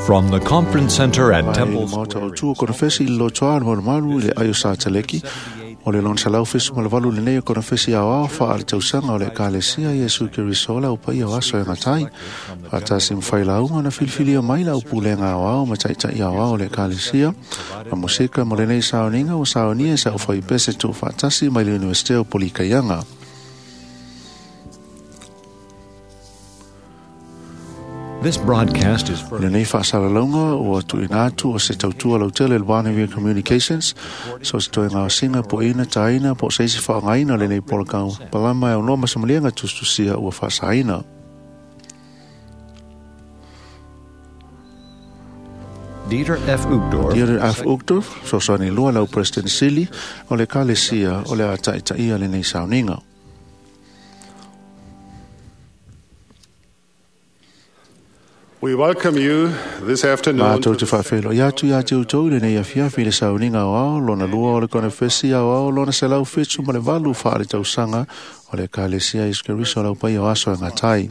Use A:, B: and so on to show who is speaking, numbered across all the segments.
A: From the Conference Center at
B: Mai
A: Temple
B: le maota
A: Square
B: o tua konofesi i le lotoa le malumalu i le aio sa taleki. O le lona 178 lenei o konofesi aoao faale-tausaga o le Ekalesia Iesu Keriso o le aupaia o aso e gatai. Faatasi ma failauga na filifilia mai le aupulega aoao ma taitai aoao o le Ekalesia. Ma musika mo lenei sauniga ua saunia e se aufaipese tuufaatasi mai le Iunivesite o Polikaiaga.
A: This broadcast is
B: O
A: furnished
B: lenei faasalalauga ua tuuina atu o se tautua lautele i le Barneville Communications, so se toe gaosiga po o ina taina po o se isi faaaogaina o lenei polokau palama e aunoa ma se maliega tusitusia ua faasaina.
A: Dieter F. Uchtdorf,
B: Dieter F. Uchtdorf, fesoasoani lua lau President Sili o le Ekalesia o le a taitaia lenei sauniga.
C: We welcome you this afternoon.
B: Mātou
C: to
B: te
C: the
B: whaawhelo i atu i ate utou i lenei afiafi i le sauniga aoao, lona lua o le konofesi aoao, lona 178 whaale tausaga o le Ekalesia Iesu Keriso o le aupaia o aso e gatai.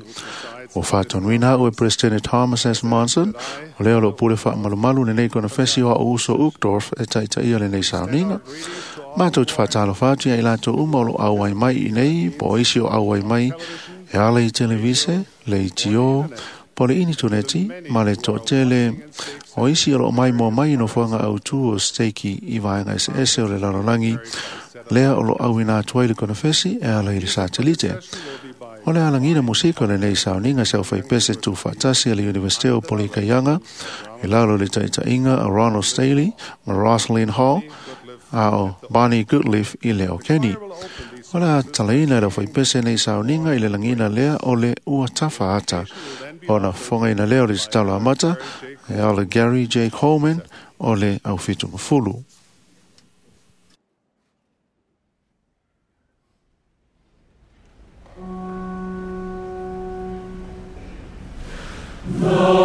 B: Ua faatonuina au e President Thomas S. Monson, o lea o loo pule faamalumalu lenei konofesi o au uso Uchtdorf e taitaia lenei sauniga. Mātou te whaatalofa atu ia i latou uma o lo auai mai i nei, po o isi o auai mai, e ala i televise, le itio, po le initoneti, ma le toatele, o isi o loo mai moa mai i nofoaga autū o steiki i vaega eseese o le lalolagi, lea o lo auina atu ai le konofesi e ala i le satelite. O le alagina musika o lenei sauniga se aufaipese tuufaatasi a le Iunivesite o Polikaiaga, i lalo i le taitaiga a Ronald Staley ma Rosaline Hall, a o Barney Goodleaf i le o Kenny. O le a talaina e le aufaipese nei sauniga i le lagina lea o le ua tafa ata. Ona fofogaina lea o le tatalo amata e ala Gary J. Coleman o le aufitugafulu.
C: The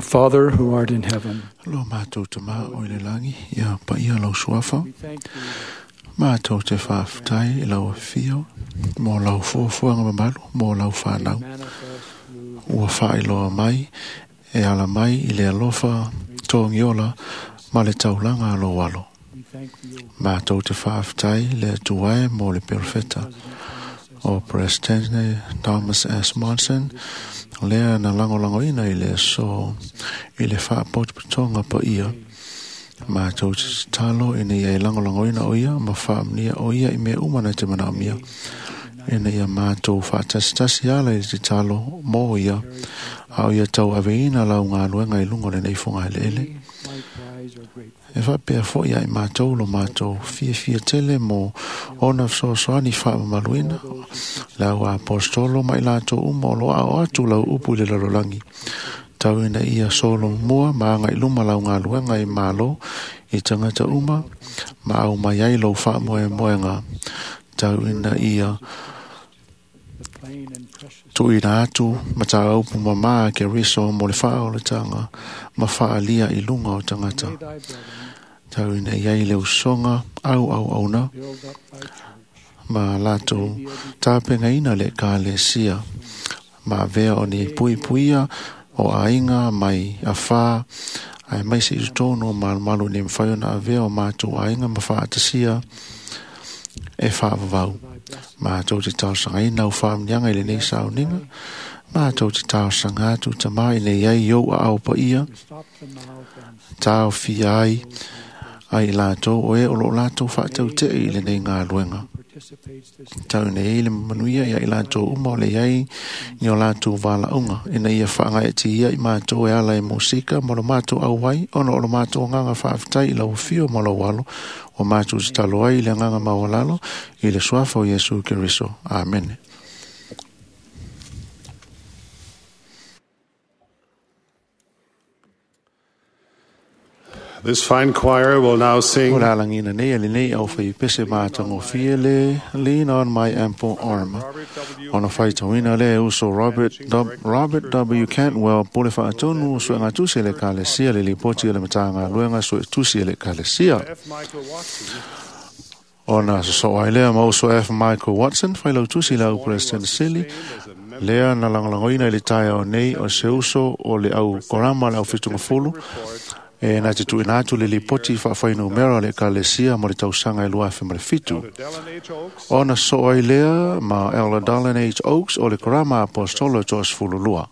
D: Our Father who art in heaven,
B: Lo mātou te mā o i le langi, ia pa ia lau suafa.
D: we thank thee
B: Mātou te whaaftai i lau whio, mō lau fuafuanga mamalu, mō lau
D: that
B: whanau.
D: manifest through
B: Ua whaailoa mai, e ala mai i le alofa tōngiola ma le taulanga alo alo.
D: we thank thee, O
B: Mātou te whaaftai le tuae mō le perfeta.
D: President Thomas S.
B: O Presidente Thomas S. Monson, lea na langolangoina i le so i le whaapotopotonga pa ia. Mātou te talo ina ia e langolangoina o ia, ma whaamnia o ia i mea uma na te manaomia. Ina ia mātou whaatasitasi ala i te talo mō ia, a o ia tau aveina lau ngā luenga i lunga o lenei whonga hele ele.
D: We likewise are grateful
B: E whapea fo ia i mātou lo mātou fia fia tele mō ona fesoasoani faamamaluina lau apostolo ma i latou uma o lo ao atu lau upu i le lalolagi. Tau ina ia solo mua ma aga i luma lau galuega i malo i tagata uma ma au mai ai lou faamoemoega. Tau ina ia
D: the plain and precious
B: tuuina atu ma tāupu mamā ke riso mo le faaolataga ma faalia i luga o tagata.
D: May thy brethren
B: Tau ina iai le usoga au au auna
D: build up thy church
B: ma latou tapegaina le ekalesia ma avea o ni puipuia o aiga mai afā ae mai se i totonu o malumalu ina ia mafai ona avea o matou aiga ma faatasia e faavavau.
D: thy blessing.
B: Matou te talosagaina au faamanuiaga i lenei sauniga. Matou te talosaga atu tamā ina iai i ou aao paia
D: To stop the mouth and
B: taofia ai ai i latou o e o loo latou faatautee i lenei galuega.
D: participates this day.
B: Tau nei ai le manuia ia i latou uma o le iai ni o latou valaauga ina ia faagaeatia i matou e ala i musika ma lo matou auai ona o lo matou agaga faafetai i lau afio ma lou alo o matou tatalo ai i le agaga maualalo i le suafa o Iesu Keriso. Amene.
C: This fine choir will now
B: O
C: sing
B: le alagina nei e lenei au whaipese mātangofie le Lean on My Ample Arm.
C: Robert W.
B: Ona whaitauina le uso Robert, Robert W. Cantwell pule whaatonu sue ngā tusi le kalesia le lipoti o le matanga luenga sue tusi le kalesia.
C: F. Michael Watson
B: Ona so ai lea ma uso F. Michael Watson whailau tusi lau President Sili lea na langolangoina i le tae o nei o se uso o le au korama le au whitungafulu e na te tuina atu le lipoti whaawhainumera le kalesia mo le tausaga e 2007.
C: Elder Dallin H. Oaks
B: Ona so ai lea ma Elder Dallin H. Oaks o le korama apostolo toasefululua.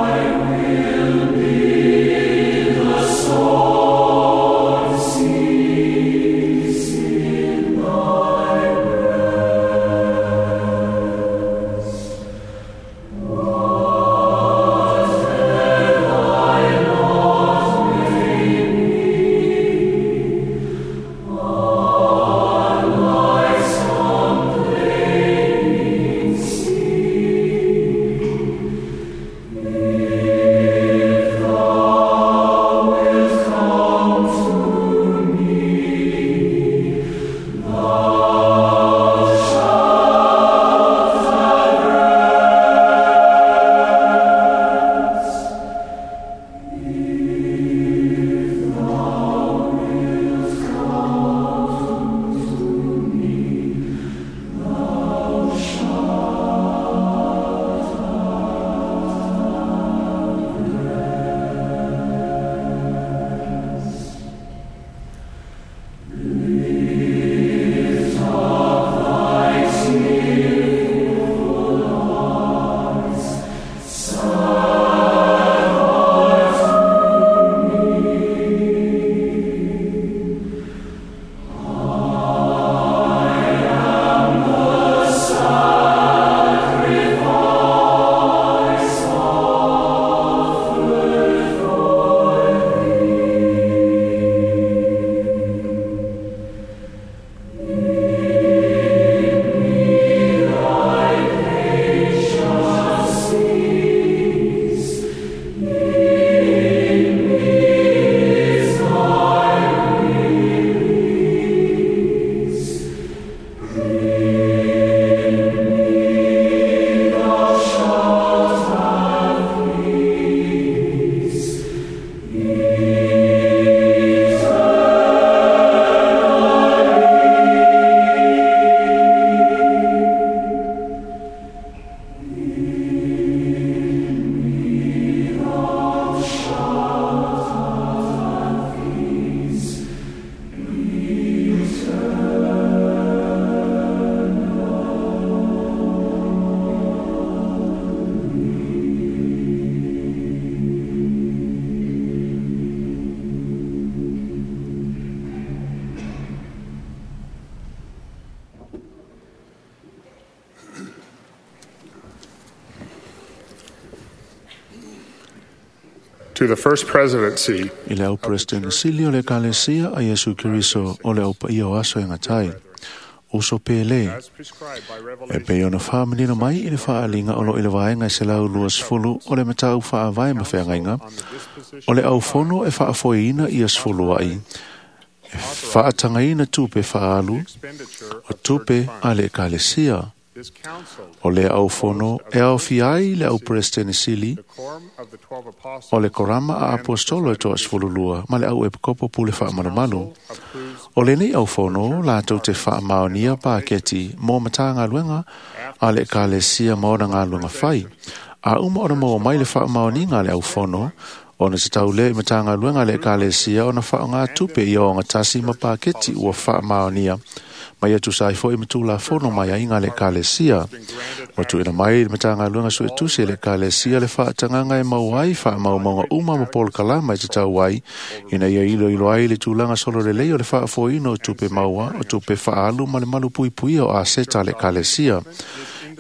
E: I will be
C: To the First Presidency
B: I le au President sili o le Ekalesia a Iesu Keriso o le au paia o aso e gatai. Uso pele.
C: as prescribed by
B: E
C: Revelation
B: pei ona whaamanino mai i le whaaliga o lo i le vaenga e 120 o le matau whaavae ma wheangaiga,
C: on the disposition
B: o le aufono e whaafoeina ia sefulu ai, e whaatangaina tupe whaalu
C: expenditure
B: o
C: of
B: tupe
C: church
B: a
C: funds.
B: le Ekalesia.
C: This council,
B: O le aufono e aofia ai le au President sili
C: the quorum of the 12 apostles,
B: o le korama a apostolo e toa 12 ma le au epikopo pule whaamalumalu.
C: approves
B: O lenei aufono lātou te whaamaonia pāketi mō matagaluega a le Ekalesia ma ona galuega fai. A uma ona maua mai le whaamaoniga a le aufono, ona te taulea i matagaluega a le Ekalesia ona whaonga tupe i o tasi ma pāketi ua whaamaonia. Mai atu sai foi ma tulafono mai aiga a le Ekalesia. Ua tuuina mai i le Matagaluega Suetusi e le Ekalesia le faatagaga e mau ai faamaumauga uma ma polokalama e tatau ai, ina ia iloilo ai le tulaga sololelei o le faafoeina o tupe maua, o tupe faaalu ma le malupuipuia o aseta a le Ekalesia.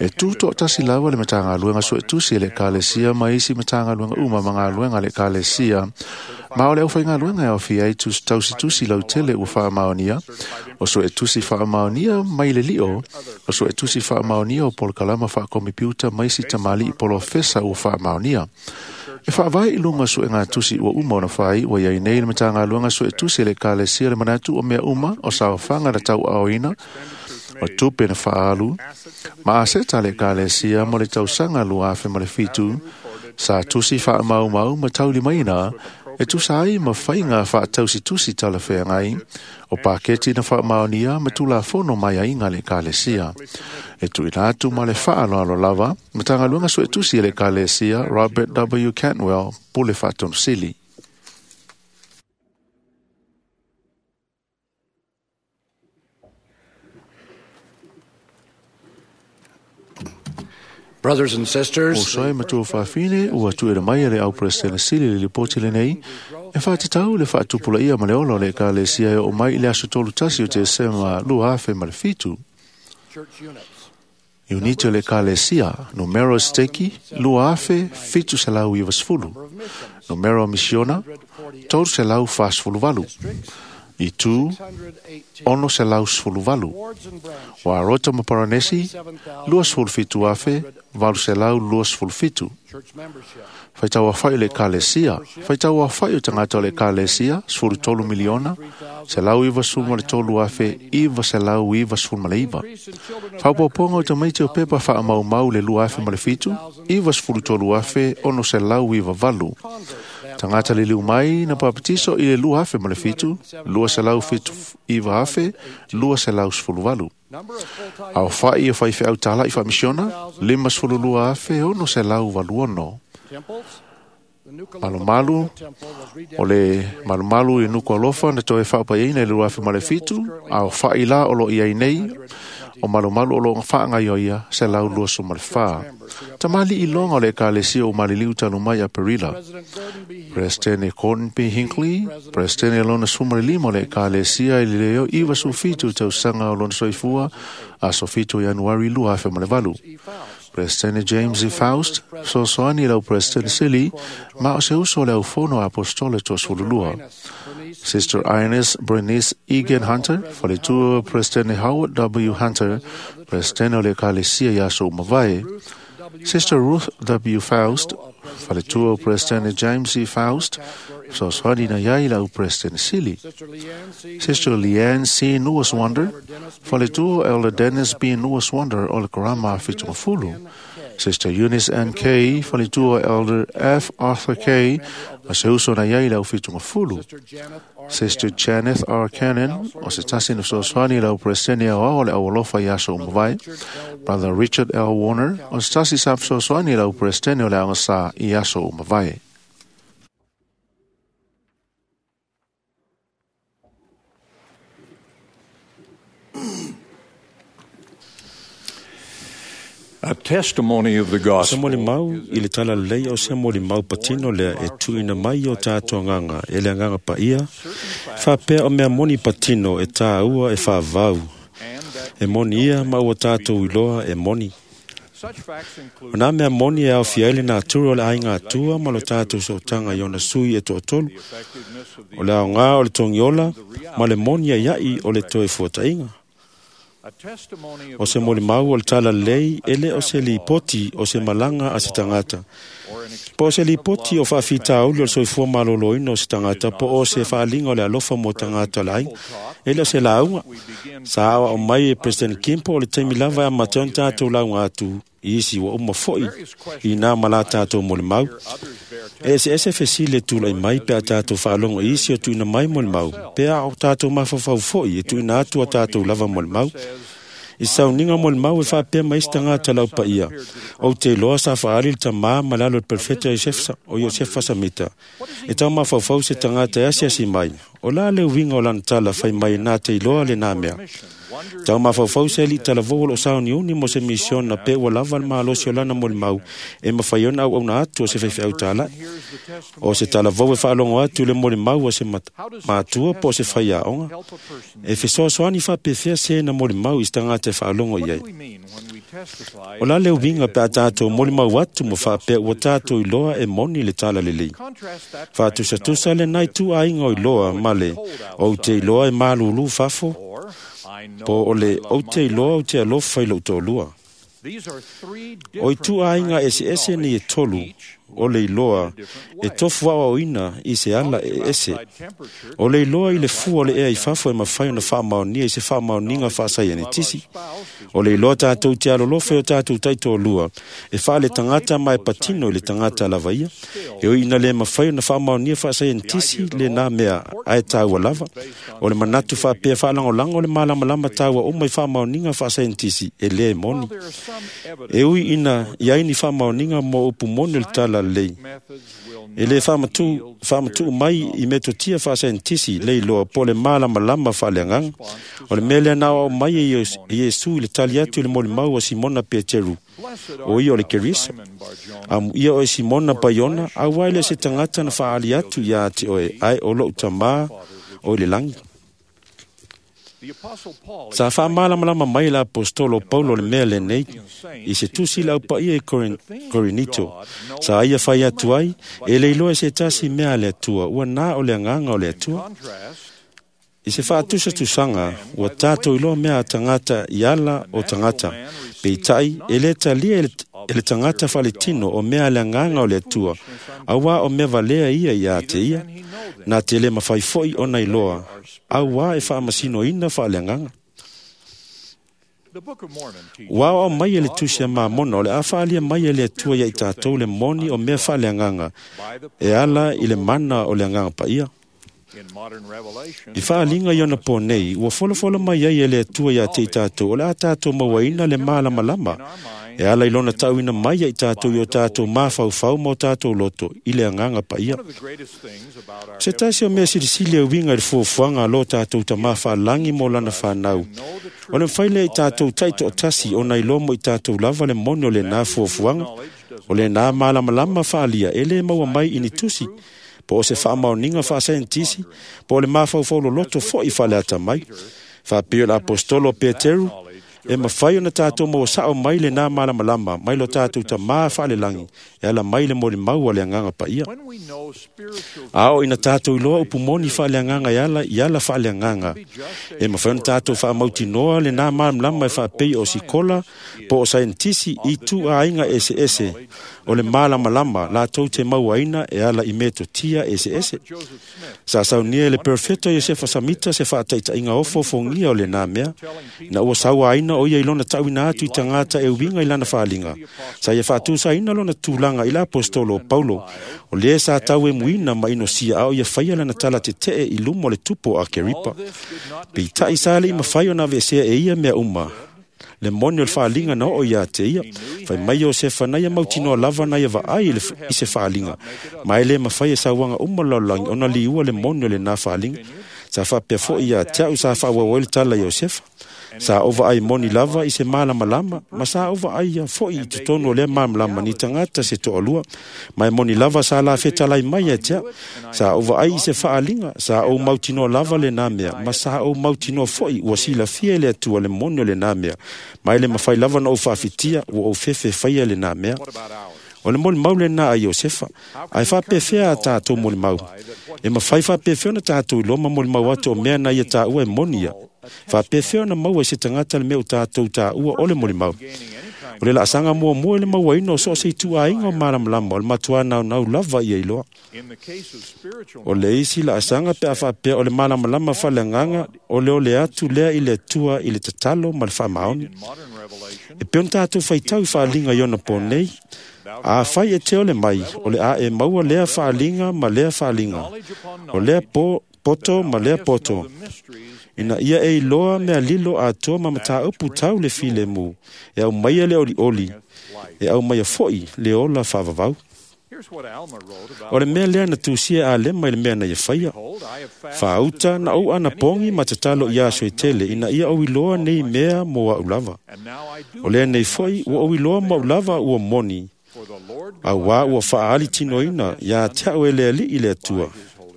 B: E tutoatasi lava le Matagaluega Suetusi e le Ekalesia ma isi Matagaluega uma ma galuega a le Ekalesia. Ma o le aufaigaluega e aofia ai tausitusi lautele ua faamaonia, o suetusi faamaonia mai le lio, o suetusi faamaonia o polokalama faakomipiuta ma isi tamalii polofesa ua faamaonia. E faavae i luga o suegatusi ua uma ona fai, ua iai nei le Matagaluega Suetusi e le Ekalesia le manatu o mea uma o saofaga na tauaaoina, o tupe na faaalu, ma aseta a le Ekalesia mo le tausaga 2007, sa tusi faamaumau ma taulimaina, e tusa ai ma faiga faatausitusi talafeagai, o paketi na faamaonia ma tulafono mai aiga a le Ekalesia. E tuuina atu ma le faaaloalo lava, Matagaluega Suetusi e le Ekalesia Robert W. Cantwell, Pule Faatonusili.
E: Brothers and sisters,
B: Uso e matua faafine ua tuuina mai e le au President sili le lipoti lenei, e whaatatau le whaatupulaia ma le ola o le Ekalesia e oo mai i le aso 31 o Tesema 2007.
E: church units,
B: Uniti o le Ekalesia, numero steki, 2790.
E: number of missions,
B: Numero misiona, 348.
E: districts,
B: Itu,
E: 618,
B: 618.
E: wards and branches,
B: Wa rota ma Paranesi, 27,827.
E: church membership,
B: Whaitau awhai o le Ekalesia, whaitau awhai o tangata o le Ekalesia, 13 miliona, 193,999.
E: increase in children of
B: Whaupaponga o tamaiti o pepa whaamaumau le 2007, 93,698.
E: converts
B: Tangata le liu mai na papatiso i le 2007, 279,218.
E: number of full-time
B: Ao whai o whai au tala i whamisiona, 52,686.
E: temples. The Nuku'alofa
B: Malumalu,
E: Temple was
B: O
E: rededicated
B: le malumalu i Nuku'alofa na toe whaapaiaina i le 2007, ao whai la o lo iai nei, o malumalu o lo whaangai o ia, 124. Tamali i longa o le Ekalesia o Maliliu talu mai a Perila.
E: President Gordon B. Hinckley,
B: Presidente Gordon B. Hinckley, Presidente lona 15 o le Ekalesia i le leo 97 tausaga o lona soifua, aso 7 Ianuari 2008.
E: E. Faust,
B: Presidente James E. Faust, fesoasoani i lau President Sili, ma o se uso o le aufono a apostolo e toasefululua.
E: Ines Bernice
B: Sister Ines Bernice Egan Hunter, faletua Presidente Howard W. Hunter, Presidente o le Ekalesia i aso uma mavae.
E: Ruth W.
B: Sister Ruth W. Faust, faletua Presidente James E. Faust, fesoasoani na iai lau President Sili.
E: Sister Leanne C.
B: Sister Leanne C. Neuwaswander, faletua Elder Dennis B. Neuwaswander o le Karama Fitungafulu. Sister Eunice N. Kay, faletua Elder F. Arthur Kay, o se uso na iai lau Fitungafulu.
E: Sister Janeth R.
B: Sister
E: Cannon,
B: Janeth R. Cannon, o se tasi na fesoasoani lau Presidente o ao le aualofa i aso uma mavae. Brother Richard L. Warner, o se tasi sa fesoasoani lau Presidente o le aogasa i aso uma mavae.
A: A testimony of the
F: O se
A: gospel
F: molimau i le tala lelei o se molimau patino lea e tuuina mai o tātou agaga e le agaga paia, faapea o mea moni patino e tāua e faavau. E moni ia ma ua tātou iloa e moni. O nā mea moni e aofia ai le natura o le aiga Atua ma lo tātou sootaga i ona sui e toatolu, o le aogā o le togiola ma le moni aiaʻi o le toe fuataʻiga. O se molimau o le talalelei e lē o se lipoti o se malaga a se tagata, po o se lipoti o faafitauli o le soifua malōlōina o se tagata, po o se faaliga o le alofa mo tagata o le aiga, e lē o se lauga. Sa aoao mai e President Kimpo o le taimi lava e amata ai ona tatou lauga atu i isi ua uma foʻi i nā ma la tatou molimau. E eseese fesili e tulaʻi mai pe a tatou faalogo i isi o tuuina mai molimau, pe a o tatou mafaufau foʻi e tuuina atu a tatou lava molimau. I sauniga molimau e faapea mai isi tagata laupaia, ou te iloa sa faaali le tamā ma le alo o le perofeta o Iosefa Samita. E taumafaufau se tagata e asiasi mai, o la le uiga o lana tala fai mai na te iloa lenā mea. Taumafaufau se alii talavou o loo sauniuni mo se misiona pe ua lava le malosi o lana molimau e mafai ona auauna atu o se faifeau tālaʻi. O se talavou e faalogo atu i le molimau a se matua po o se faiaoga. E fesoasoani faapefea se na molimau i se tagata e faalogo i ai. O la le uiga pe a tatou molimau atu ma faapea ua tatou iloa e moni le talalelei. Faatusatusa lenā itu aiga o iloa ma le ou te iloa e malūlū fafo, po o le ou te iloa ou te alofa i lou toalua. O itu aiga eseese nei e tolu o le iloa e tofu aoaoina i se ala e ese. O le iloa i le fua o le ea i fafo e mafai ona faamaonia i se faamaoniga faasaienitisi. O le iloa tatou te alolofa i o tatou taitoalua e faaletagata ma e patino i le tagata lava ia. E ui ina le mafai ona faamaonia faasaienitisi lenā mea ae taua lava. O le manatu faapea faalagolago le malamalama taua uma i faamaoniga faasaienitisi e lē moni. E ui ina i ai ni faamaoniga mo upu moni o le talalelei, e lē faamatuu mai i metotia faasaienitisi le iloa po o le malamalama faaleagaga. O le mea lea na aoao mai e Iesu i le tali atu i le molimau a Simona Peteru, o ia o le Keriso. Amuia oe Simona Paiona, auā e le o se tagata na faaali atu iā te oe, ae o loʻu Tamā o i le lagi. Sa faamalamalama mai le apostolo Paulo le mea lenei i se tusi i le aupaia i Korinito. Sa ia fai atu ai, e le iloa e se tasi mea a le Atua, ua na o le agaga o le Atua. I se faatusatusaga, ua tatou iloa mea a tagata i ala o tagata, peitai e lē talia e le tagata faaletino o mea a le agaga o le Atua, auā o mea valea ia iā te ia, na te lē mafai foʻi ona iloa, auā e faamasinoina faaleagaga. Ua aoao mai e le tusi a Mamona o le a faaalia mai e le Atua iā i tatou le moni o mea faaleagaga e ala i le mana o le Agaga Paia. I faaliga i ona pō nei, ua folafola mai ai e le Atua iā te i tatou o le a tatou mauaina le malamalama e ala i lona taʻuina mai ia i tatou i o tatou mafaufau ma o tatou loto i le Agaga Paia. O se tasi o mea silisili e uiga i le fuafuaga a lo tatou Tamā faalagi mo lana fanau, o le mafai lea i tatou taitoatasi ona iloa mo i tatou lava le moni o lenā fuafuaga, o lenā malamalama faalia e lē maua mai i ni tusi, po o se faamaoniga faasaienitisi, po o le mafaufau loloto foʻi faaleata mai. Faapei o le apostolo o Peteru, e mafai ona tatou maua saʻo mai lenā malamalama mai lo tatou Tamā faalelagi e ala mai le molimau a le Agaga Paia. A oo ina tatou iloa upu moni faaleagaga e ala i ala faaleagaga, e mafai ona tatou faamautinoa lenā malamalama e faapei o sikola po o saienitisi i itu aiga eseese o le malamalama latou te mauaina e ala i metotia eseese. Sa saunia e le perofeta Iosefa Samita se faataitaiga ofoofogia o lenā mea, ina ua sauaina o ia i lona taʻuina atu i tagata e uiga i lana faaliga. Sa ia faatusaina lona tulaga i le apostolo o Paulo, o lē sa tauemuina ma inosia a o ia faia lana tala tetee i luma o le tupu o Akeripa. Peitai sa leʻi mafai ona aveesea e ia mea uma le moni o le faaliga na oo iā te ia. Fai mai Iosefa na ia mautinoa lava na ia vaai i se faaliga, ma e lē mafai e sauaga uma o le lalolagi ona liua le moni o lenā faaliga. Sa faapea foʻi ia te aʻu sa faaauau ai le tala Iosefa. Sa ou vaai moni lava i se malamalama, ma sa ou vaaia foʻi i totonu o lea malamalama ni tagata se toalua. Ma e moni lava sa la fetalai mai ia te au. Sa ou vaai i se faaliga, sa ou mautinoa lava lenā mea, ma sa ou mautinoa foʻi ua silafia e le Atua le moni o lenā mea. Ma e le mafai lava ona ou faafitia, ua ou fefe faia lenā mea. O le molimau lenā a Iosefa, ae faapefea a tatou molimau? E mafai faapefea ona tatou iloa ma molimau atu o mea na ia taua e moni ia? Faapefea ona maua e se tagata le mea o tatou taua o le molimau? O le laasaga muamua i le mauaina o so o se ituaiga o malamalama o le matuā naunau lava ia iloa. O le isi laasaga pe a faapea o le malamalama faaleagaga o le ole atu lea i le Atua i le tatalo ma le faamaoni. E pei ona tatou faitau i faaliga i ona po nei, afai e te ole mai, o le a e maua lea faaliga ma lea faaliga, o lea poto ma lea poto, ina ia e iloa mea lilo atoa ma mataupu tau le filemu, e aumaia le olioli, e aumaia foʻi le ola faavavau. O le mea lea na tusia e Alema i le mea na ia faia. Faauta na ou anapogi ma tatalo i aso e tele ina ia ou iloa nei mea mo aʻu lava. O lea nei foʻi ua ou iloa mo aʻu lava ua moni, auā ua faaali tinoina ia te aʻu e le Alii le Atua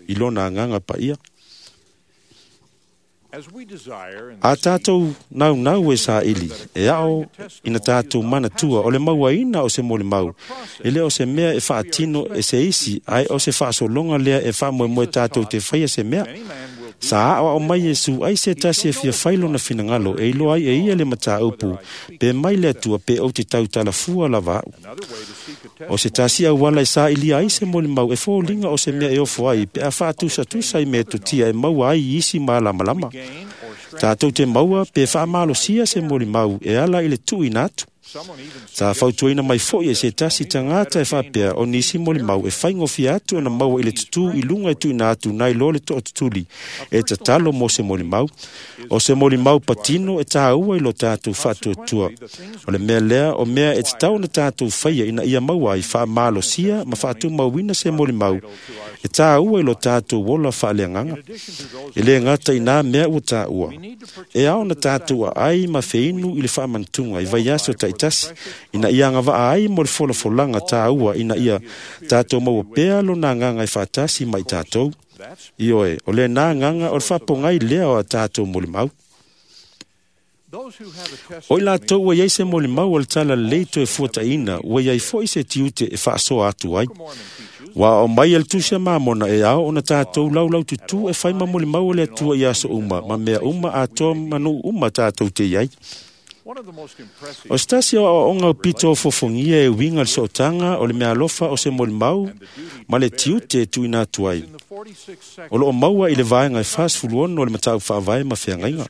F: i lona agaga paia. A tatou naunau e saili, e ao ina tatou manatua o le mauaina o se molimau, e le o se mea e faatino e se isi, ae o se faasologa lea e faamoemoe tatou te faia se mea. Sa aoao mai Iesu ai se tasi e fia fai lona finagalo e iloa ai e ia le mataupu, pe mai le Atua pe ou te tautalafua lava aʻu. O se tasi auala e sailia ai se molimau e foliga o se mea e ofo ai pe a faatusatusa i metotia e maua ai i isi malamalama. Tatou te maua pe faamalosia se molimau e ala i le tuuina atu. Sa fautuaina mai foʻi e se tasi tagata e faapea o nisi molimau e faigofie atu ona maua i le tutū i luga e tuuina atu nai lo le toatutuli e tatalo mo se molimau. O se molimau patino e tāua i lo tatou faatuatua. O le mea lea o mea e tatau ona tatou faia ina ia maua ai faamalosia ma faatumauina se molimau e tāua i lo tatou ola faaleagaga. E le gata i nā mea ua tāua. E ao ona tatou aai ma feinu i le faamanatuga i vaiaso taitasi, ina ia agavaa ai mo le folafolaga tāua ina ia tatou maua pea lona agaga e faatasi ma i tatou. Ioe, o lenā agaga o le faapogai lea o a tatou molimau. O i latou ua iai se molimau o le tala lelei toe fuataina, ua iai foʻi se tiute e faasoa atu ai. Ua aao mai e le Tusi a Mamona e ao ona tatou laulaututū e fai ma molimau o le Atua i aso uma, ma mea uma atoa ma nuu uma tatou te iai. O se tasi o aoaoga o pito o fofogia e uiga le sootaga o le meaalofa o se molimau ma le tiute e tuuina atu ai. O loo maua i le vaega e 46 o le mataupu faavae ma feagaiga.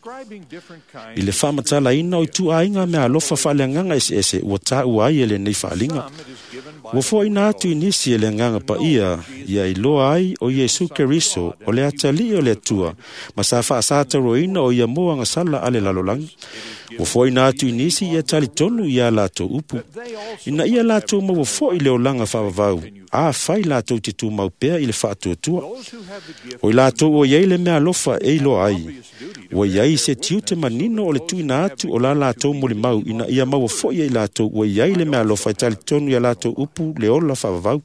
F: I le faamatalaina o ituaiga meaalofa faaleagaga eseese ua taua ai e lenei faaliga. Ua foaina atu i nisi e le agaga paia ia iloa ai o Iesu Keriso o le atalii o le Atua ma sa faasataroina o ia mo agasala a le lalolagi. Ua foaina atu i nisi ia talitonu ia latou upu. Ina ia latou maua foʻi le olaga faavavau, afai latou te tumau pea i le faatuatua. O i latou ua iai le meaalofa e iloa ai, ua iai se tiute manino o le tuuina atu o la latou molimau ina ia maua foʻi e i latou ua iai le meaalofa e talitonu ia latou upu le ola faavavau.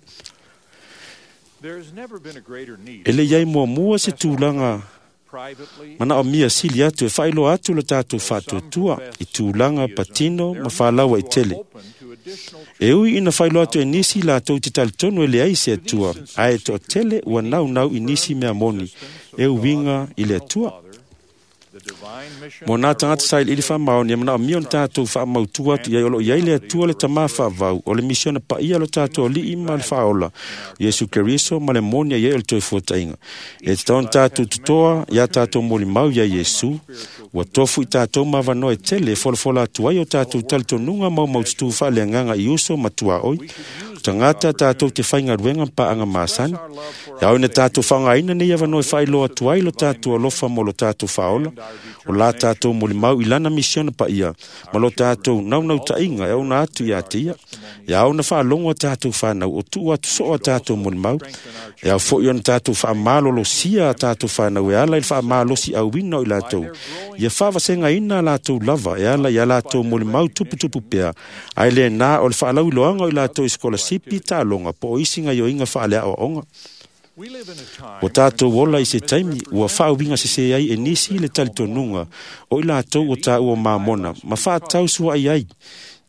F: E le iai muamua se tulaga manaomia sili atu e faailoa atu lo tatou faatuatua i tulaga patino ma falaua i tele. E ui ina faailoa atu e nisi latou te talitonu e leai se Atua, ae toatele ua naunau i nisi mea moni e uiga i le Atua. Mo nā tagata sailiili faamaoni e manaomia ona tatou faamautu atu i ai o loo iai le Atua le Tamā faavavau, o le misiona paia o lo tatou Alii ma le Faaola, Iesu Keriso ma le moni ai o le toe fuataina. E tatau ona tatou totoa ia tatou molimau ia Iesu, ua tofu i tatou ma avanoa e tele e folafola atu ai o tatou talitonuga maumaututū faaleagaga i uso ma tuaoi. tagata tātou te whaingaruenga paanga māsani. E au ina tātou whangaina nei avanoa e whailoa atu ai lo tātou alofa mo lo tātou whaola. O la tātou moli mau i lana misiona pa ia, ma lo tātou naunau tainga e ona atu ia te ia. E au na whaalongo a tātou whanau, o tuu atu so a tātou moli mau. E au foi ona tātou whaamalolo sia a tātou whanau e ala i whaamalosi au wina o i lātou. Ia whavasenga ina a lātou lava e ala i a lātou moli mau tuputupu pea. Ai le nā o le whaalauiloanga o i lātou i skolasipi tālonga po o isinga i o inga whaalea o onga. O tātou ola i se taimi, ua whaawinga se se ai e nisi le talitonuga o i lātou o tā ua māmona, ma whaatau sua ai ai,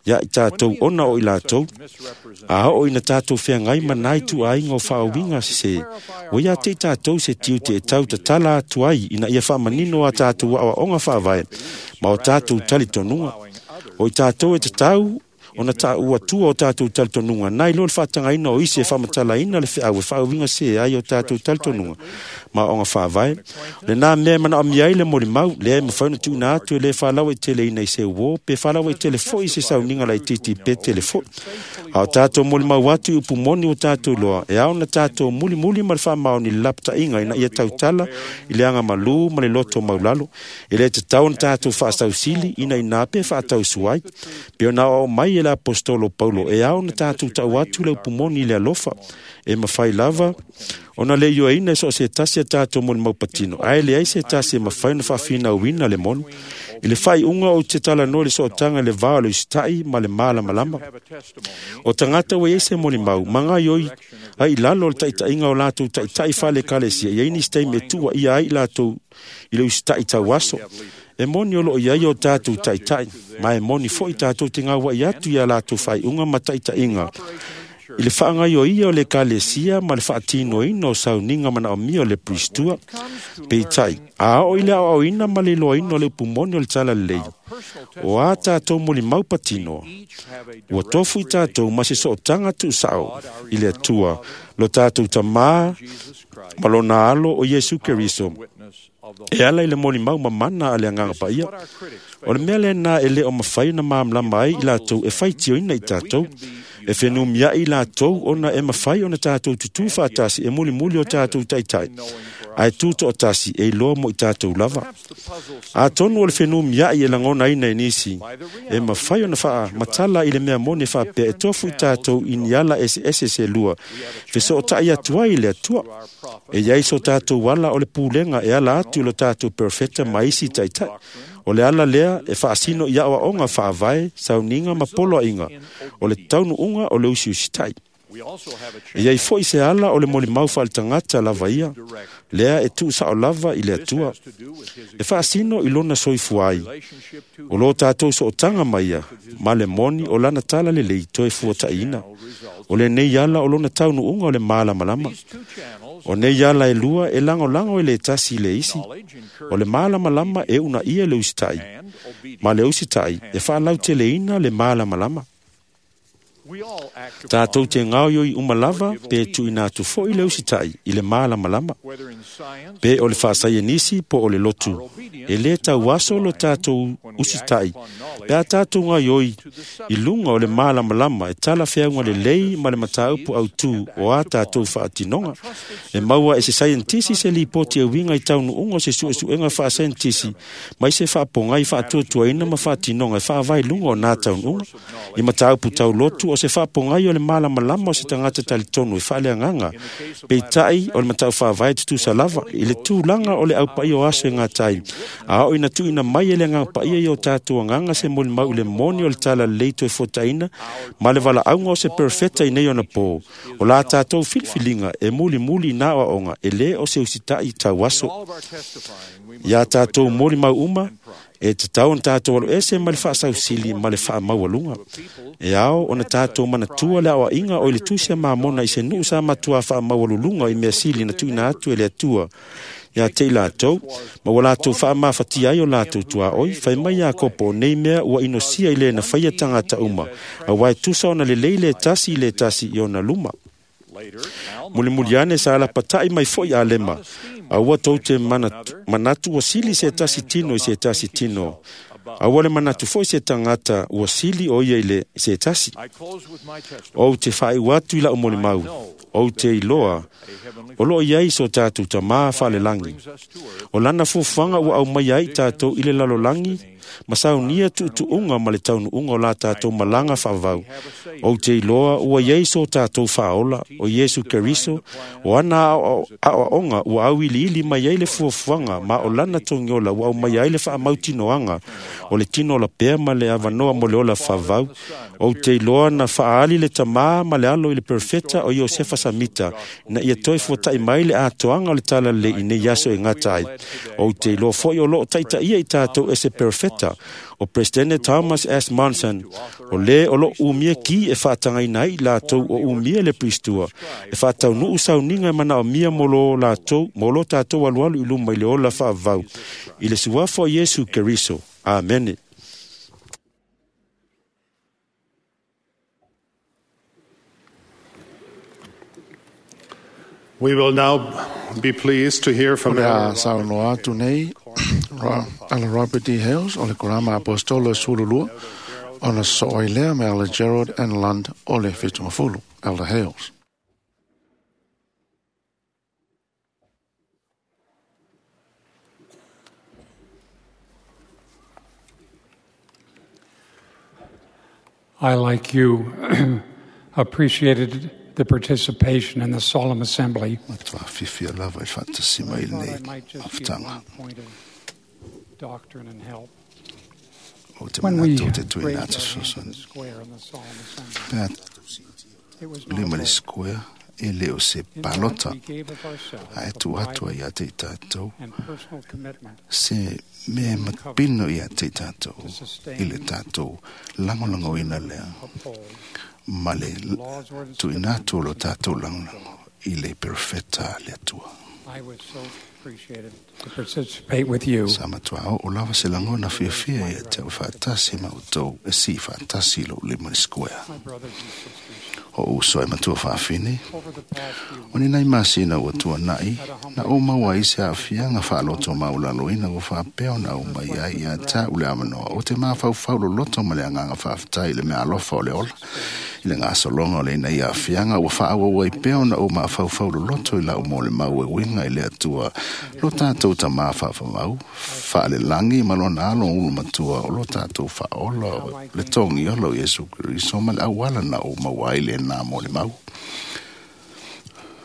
F: ia i tātou ona o i lātou, a o ina tātou wheangai manai tu ainga o whaawinga se se, o ia te tātou se tiu te e tau tatala atu ai ina ia whaamanino a tātou awa onga whaavae, ma o tātou talitonuga. O i tātou e te tau, ona tā ua tua o tātou talitonuga. Nai lo le whaatangaina o isi e whaamatalaina le whiau e whaawinga se ai o tātou talitonuga. Ma onga whaavae. Le nā mea mana o miai le mori mau, le e mawhauna tūna atu e le whalawa i tele ina i se uo, pe whalawa i tele fo i se sauninga lai titi pe tele fo. A o tātou moli mau atu i upu moni o tātou loa, e ao na tātou muli muli ma le whamao ni lapta inga ina ia tautala i le anga malu ma le loto maulalo. E le te tau na tātou whaasausili ina ina pe whaatau suai. Pe ona o mai e le apostolo Paulo, e ao na tātou tau atu le upu moni i le alofa, e mawhai lava, ona le ioa ina e so se tasi a tātou moni maupatino. Ai le ai se tasi e mawhai na whaafina uina le moni. I le whai unga o te tala no le sootanga le vā o le usita'i ma le mālamalama. O tangata ua iai se moni mau, manga ioi ai lalo o le taitainga o lātou taitai whale kalesia. Ia ini steime tua ia ai lātou i le usita'i tau aso. E moni o loo iai o tātou taitai, ma e moni foi tātou te ngā i atu ia lātou whai unga ma taitainga. I le whaangai o ia o le kalesia ma le whaatino ina o sauninga mana o mia o le pristua, peitai, a o i le ao ina ma le loa ina o le upumoni o le tala lei. O a tātou moli maupatino, ua tofu i tātou ma se sootanga tu sao i le atua, lo tātou tamā ma lona alo o Iesu Keriso. E ala i le moli mau mamana a le anganga paia. O le mea le nā e le o mawhai na maamlama ai i lātou e whaitio ina i tātou. E whenumia i lātou ona e mawhai ona tātou tutu whaatasi e muli muli o tātou taitai. Ai tūto o tasi e iloa mo i tātou lava. A tonu o le whenumia i e langona ina e nisi. E mawhai ona whaa matala i le mea mone whaapea e tofu i tātou i niala e se se lua. Feso o tai atua i le atua. E iai so tātou wala o le pūlenga e ala atu lo tātou perfecta maisi taitai. O le ala lea e whaasino i awa onga whaavae, sauninga ma poloa inga. O le taunu unga o le usi usi tai. E iai foi se ala o le moli mau whaal tangata lava ia, lea e tuu sao lava i le atua. E whaasino i lona soifuai. O lo tātou so o tanga maia, ma le moni o lana tala le lei toe fuataina. O le nei ala o lona taunu unga o le mālamalama. O nei ala e lua e lango lango e le tasi le isi. O le mālamalama e una ia le usitai. Ma le usitai e whaalau te le ina le mālamalama. Tātou te ngao ioi umalava pe tuina atu foi le usitai i le mālamalama. Pe o le whaasaianisi po o le lotu. E le tau aso lo tātou usitai. Pe a tātou ngā ioi i lunga o le mālamalama e tala whiaunga le lei ma le mataupu au tū o a tātou whaatinonga. E maua e se scientisi se lipoti e winga i taunu unga o se suesuenga whaascientisi mai se whaapongai whaatuatuaina ma whaatinonga e whaavai lunga o nā taunu unga. I mataupu tau lotu o se whaapongai o le mālamalama o se tangata talitonu e whaaleanganga. Peitai o le matau whaavae tutusa lava i le tūlanga o le aupai o aso e ngā tai. A o ina tuina mai e le ngā paia i o tātou anganga se moli mau le moni o le tala leito e fotaina ma le wala aunga o se perfecta i nei ona pō. O la tātou filfilinga e muli muli nā oaonga e le o se usitai tau aso. Ia tātou moli mau uma e te tau na tātou alo ese ma le whaasausili ma le whaamaualunga. E ao ona tātou manatua le awa inga o i le tusia mamona i se nuu sa matua whaamaualulunga i mea sili na tuina atu e le atua. Ia te i lātou, ma ua lātou whaamawhati ai o lātou tua oi, whai mai a kopo nei mea ua inosia i le na whaia tangata uma, a wai tusa ona le leile tasi i le tasi i ona luma. Muli muli ane sa ala patai mai foi a lema, a ua tau te manatu, manatu ua sili se tasi tino i se tasi tino. Aua le manatu foi se tagata ua sili o ia i le se tasi. Ou te faaiu atu i lau molimau, ou te iloa o loo i ai so tatou Tamā faalelagi. O lana fuafuaga ua aumaia ai tatou i le lalolagi ma saunia tuutuuga ma le taunuuga o la tatou malaga faavavau. Ou te iloa ua i ai so tatou Faaola, o Iesu Keriso, o ana aoaoga ua auiliili mai ai le fuafuaga ma o lana togiola ua aumaia ai le faamautinoaga o le tino lapea ma le avanoa mo le ola faavavau. Ou te iloa na faaali le Tamā ma le Alo i le perofeta o Iosefa Samita ina ia toe fuata'i mai le atoaga o le talalelei i nei aso e gata ai. Ou te iloa foi o loo taitaia i tatou e se perofeta o Presidente Thomas S. Monson, o lē o loo umia ki e faatagaina ai i latou o umia le Piristua e faataunuu sauniga e manaomia mo lo tatou alualu i luma i le ola faavavau i le suafa o Iesu Keriso. Amene.
C: We will now be pleased to hear
B: O
C: from
B: le a
C: Elder
B: saunoa atu nei ala Robert D. Hales o le Korama Apostolo e 12 ona sosoo ai lea ma Elder Gerald N. Lund o le 70, Elder Hales.
D: I, like you, appreciated the participation in the solemn assembly.
G: Matua fiafia lava i faatasi mai
D: I thought
G: lenei
D: I might just give
G: mafutaga.
D: one point of doctrine and help.
G: O te
D: When we
G: manatu o te tuina
D: raised
G: atu
D: our hand to
G: fesoasoani.
D: the square in the solemn assembly,
G: Pe a
D: it was not
G: lima
D: a
G: le
D: vote.
G: square e le o se
D: In fact,
G: palota
D: we gave of ourselves
G: ae
D: a
G: tu atu
D: private
G: ai ia te i tātou
D: and personal commitment
G: se mea mapino ia te i tātou
D: to sustain,
G: i le tātou lagolagoina lea
D: uphold
G: ma le
D: laws, ordinances,
G: tuuina atu o lo
D: and
G: tātou lagolago i le perofeta a le Atua.
D: I was so appreciated to participate with you.
G: Sa matua o lava se lagona fiafia ia te au faatasi ma outou e sii faatasi i lou lima le square.
D: My brothers and sisters,
G: O uso e matua faafine,
D: over the past few
G: o ni nai masina ua tuana'i, na ou maua ai se aafiaga faaloto maulaloina ua faapea ona au mai ai ia tā'u le avanoa o te mafaufau loloto ma le agaga faafetai i le meaalofa o le ola. I le gasologa o le ina ia aafiaga ua faaauau ai pea ona ou mafaufau loloto i la'u molimau e uiga i le Atua lo tatou Tamā faafavau faalelagi ma lona alo ulu matua o lo tatou faaola o le togi ola o Iesu Keriso ma le auala na ou maua ai lenā molimau.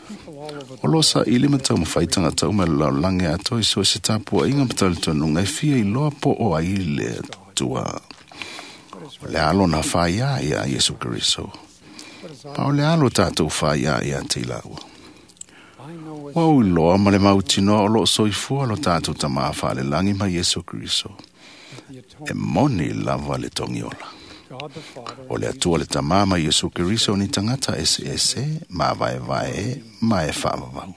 D: people all over
G: O lo saili ma taumafai tagata uma i le lalolagi atoa i so o se tapuaʻiga ma talitonuga e fia iloa po o ai le Atua. O le alo na faiā ia Iesu Keriso.
D: what is
G: Pa o le alo tatou faiā ia te i laua.
D: I know with
G: Ua ou iloa ma le mautinoa o loo soifua lo tatou Tamā faalelagi ma Iesu Keriso.
D: the
G: E
D: atonement
G: moni lava le togiola.
D: God the Father
G: O le Atua le Tamā ma Iesu Keriso ni tagata eseese, mavaevae e, ma e faavavau.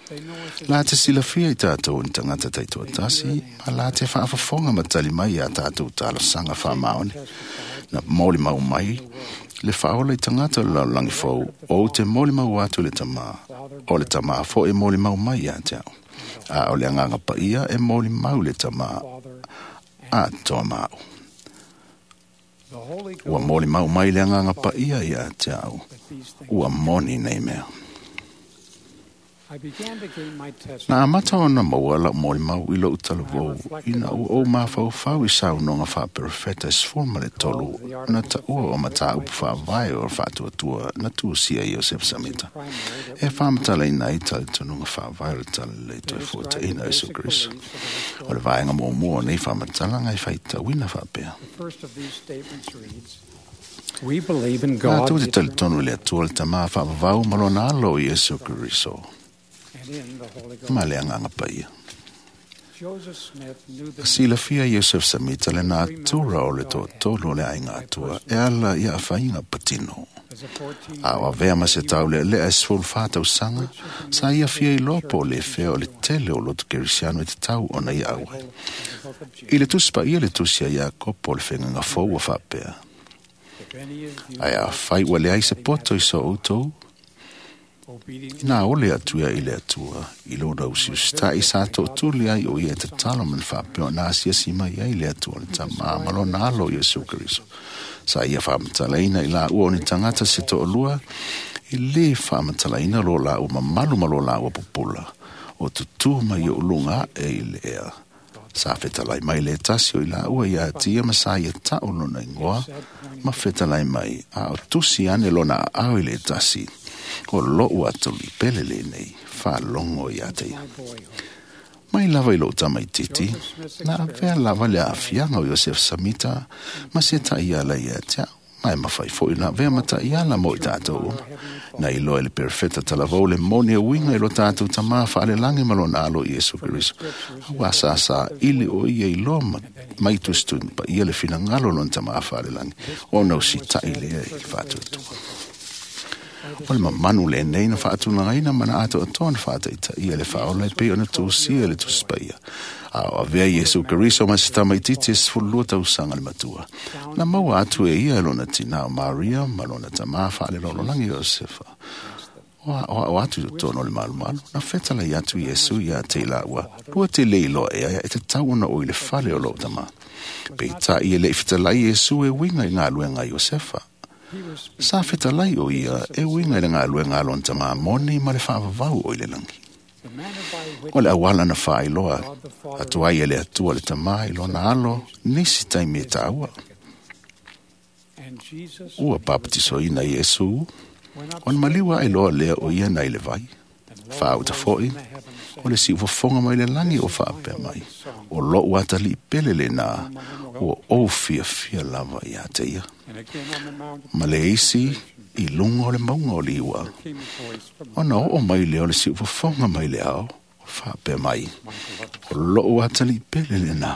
D: they know us as
G: La te silafia i tātou ni tagata taitoatasi, ma la te faafofoga ma tali mai iā tātou talosaga faamaoni.
D: testified
G: Na molimau mai, le faaola i tagata o le lalolagi fou, ou te molimau atu i le Tamā, o le Tamā foi e molimau mai iā te au. A o le agaga paia e molimau le Tamā
D: Father
G: atoa maau.
D: the Holy
G: Ua
D: Ghost
G: molimau mai le agaga paia iā te au.
D: that these things
G: Ua moni nei mea.
D: I began to gain my testimony
G: Na amata ona maua la'u molimau i lo'u talavou ina ua ou mafaufau i saunoaga faaperofeta e 13 na taʻua o matāupu faavae o le faatuatua na tusia i Iosefa Samita
D: primary that
G: e faamatalaina ai talitonuga faavae o le talalelei
D: they
G: toe
D: describe the
G: fuataʻina o Iesu
D: basic
G: Keriso.
D: beliefs of the
G: O le
D: restored.
G: vaega muamua o nei faamatalaga e faitauina faapea.
D: The first of these statements reads, We believe in
G: La
D: God
G: tou
D: the
G: te
D: eternal
G: talitonu i le Atua le Tamā faavavau ma lona alo o Iesu Keriso
D: and in the Holy Ghost.
G: ma le agaga paia.
D: Joseph Smith knew the
G: Silafia Iosef Samita le natura o le toatolu o le aiga atua e ala ia afaiga patino.
D: as a 14
G: A o avea ma se taulealea e 14 tausaga, sa ia fia iloa po o le fea o le tele o lotu kerisiano e te tau ona ia au ai.
D: in the book of
G: I le tusi paia le tusi a Iakopo o le fegaga fou ua faapea.
D: If any of you
G: Ae afai ua leai se poto i so outou, Ina ole atu ia i le Atua, i lona usiusita'i sa to'atuli ai o ia e tatalo ma le faapea ona asiasi mai ai le Atua le Tamā ma lona alo Iesu Keriso. Sa ia faamatalaina i laua o ni tagata se to'alua, e lē faamatalaina lo laua mamalu ma lo laua pupula, o tutū mai o uluga a'e i le ea. Sa fetalai mai le tasi o i laua ia atia ma sa ia ta'u lona igoa, ma fetalai mai a o tusi ane lona aao i le tasi, o lo'u atolipele lenei, faalogo ia te ia. Mai lava i lo'u tamaititi, na avea lava le aafiaga o Iosefa Samita ma se ta'iala ia te a'u, ma e mafai fo'i na avea ma ta'iala mo i tatou uma. Na iloa e le perofeta talavou le moni e uiga i lo tatou tamā fa'alelagi ma lona alo Iesu Keriso. Auā sāsā ili o ia iloa mai tusituga paia le finagalo o lona tamā fa'alelagi, ona usita'i lea i le fa'atuatua. O le mamanu lenei na fa'atulagaina ma na atoatoa na fa'ataʻitaʻia le fa'aola e pei ona tusia le Tusi Paia. A o avea Iesu Keriso ma se tamaititi e 12 tausaga le matua. Na maua atu e ia e lona tinā o Maria ma lona tamā fa'alelololagi Iosefa. O a'oa'o atu i totonu o le malumalu, na fetalai atu Iesu iā te i laua, lua te le iloa ea e tatau ona o i le fale o lo'u tamā. Peita'i e le'i fetalai Iesu e uiga i galuega a Iosefa. Sa fetalai o ia e uiga i le galuega a lona tamā moni ma le fa'avavau o i le lagi. O le auala na fa'ailoa atu ai e le Atua le tamā i lona alo nisi taimi e tāua. Ua papatisoina Iesu, ona maliu aʻe loa lea o ia nai le vai. Fāuta fo'i, o le si'ufofoga mai le lagi o fa'apea mai, o lo'u atalii pele lenā, ua ou fiafia lava iā te ia. Ma le isi i luga o le mauga o Liua, ona oo mai lea o le si'ufofoga mai le ao, o fa'apea mai, o lo'u atalii pele lenā,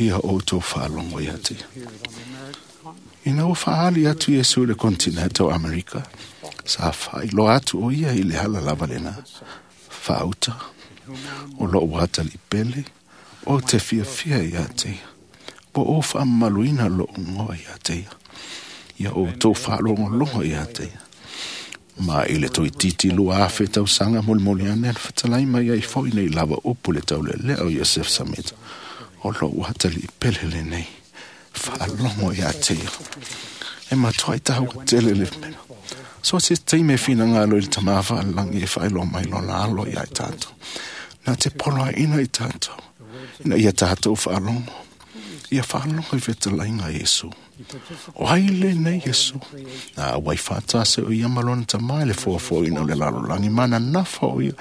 G: ia outou faalogo iā te ia. Ina ua fa'aali atu Iesu i le kontineta o Amerika, sa fa'ailoa atu o ia i le ala lava lenā. Fāuta, o lo'u atalii pele, o te fiafia iā te ia. Ua ou fa'amamaluina lo'u igoa iā te ia. Ia outou fa'alogologo iā te ia. Ma i le toeitiiti 2000 tausaga molimoli ane na fetalai mai ai fo'i nei lava upu le taulealea o Iosefa Samita. O lo'u atalii pele lenei, fa'alogo iā te ia. E matua'i taua tele le mea. So se taimi e finagalo i le tamā fa'alelagi e fa'ailoa mai lona alo iā i tatou. Na te poloaʻina i tatou, ina ia tatou fa'alogo. Ia fa'alogo i fetalaiga a Iesu. O ai lenei Iesu? Na auai fa'atasi o ia ma lona tamā i le foafoaina o le lalolagi ma na nafa o ia